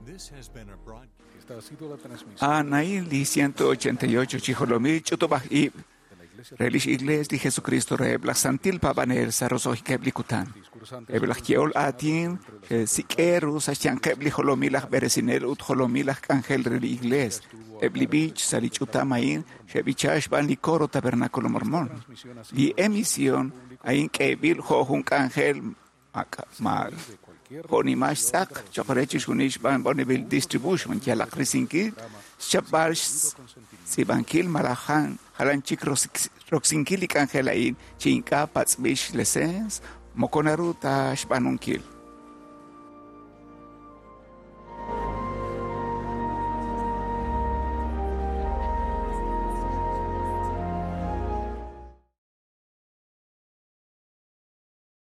This has been a broadcast. Esta ha sido la transmisión. Anaí li ciento ochenta y ocho chijolomil ch'utub'aj ib' re lix iglesia li Jesucristo reheb' laj santil paab'anel sa' roso'jikeb' li kutan. Eb' laj ye'ol aatin sik'eru sa' xyanqeb' li jolomil aj b'eresinel ut jolomil aj k'anjel re li iglesia. Eb' li b'ich sa' li ch'utam a'in xe'b'icha xb'aan li coro Tabernáculo Mormón. Li emisión a'in k'eeb'il jo' jun k'anjel ma jo'nimal xtz'aq cho'q re chixjunil xb'aan Bonneville Distribution yalaq risinkil xchapb'al xtz'iib'ankil malaj jalan chik roksinkil li k'anjel a'in chi ink'a' patz'b'il xlesens moko naru ta xb'aanunkil.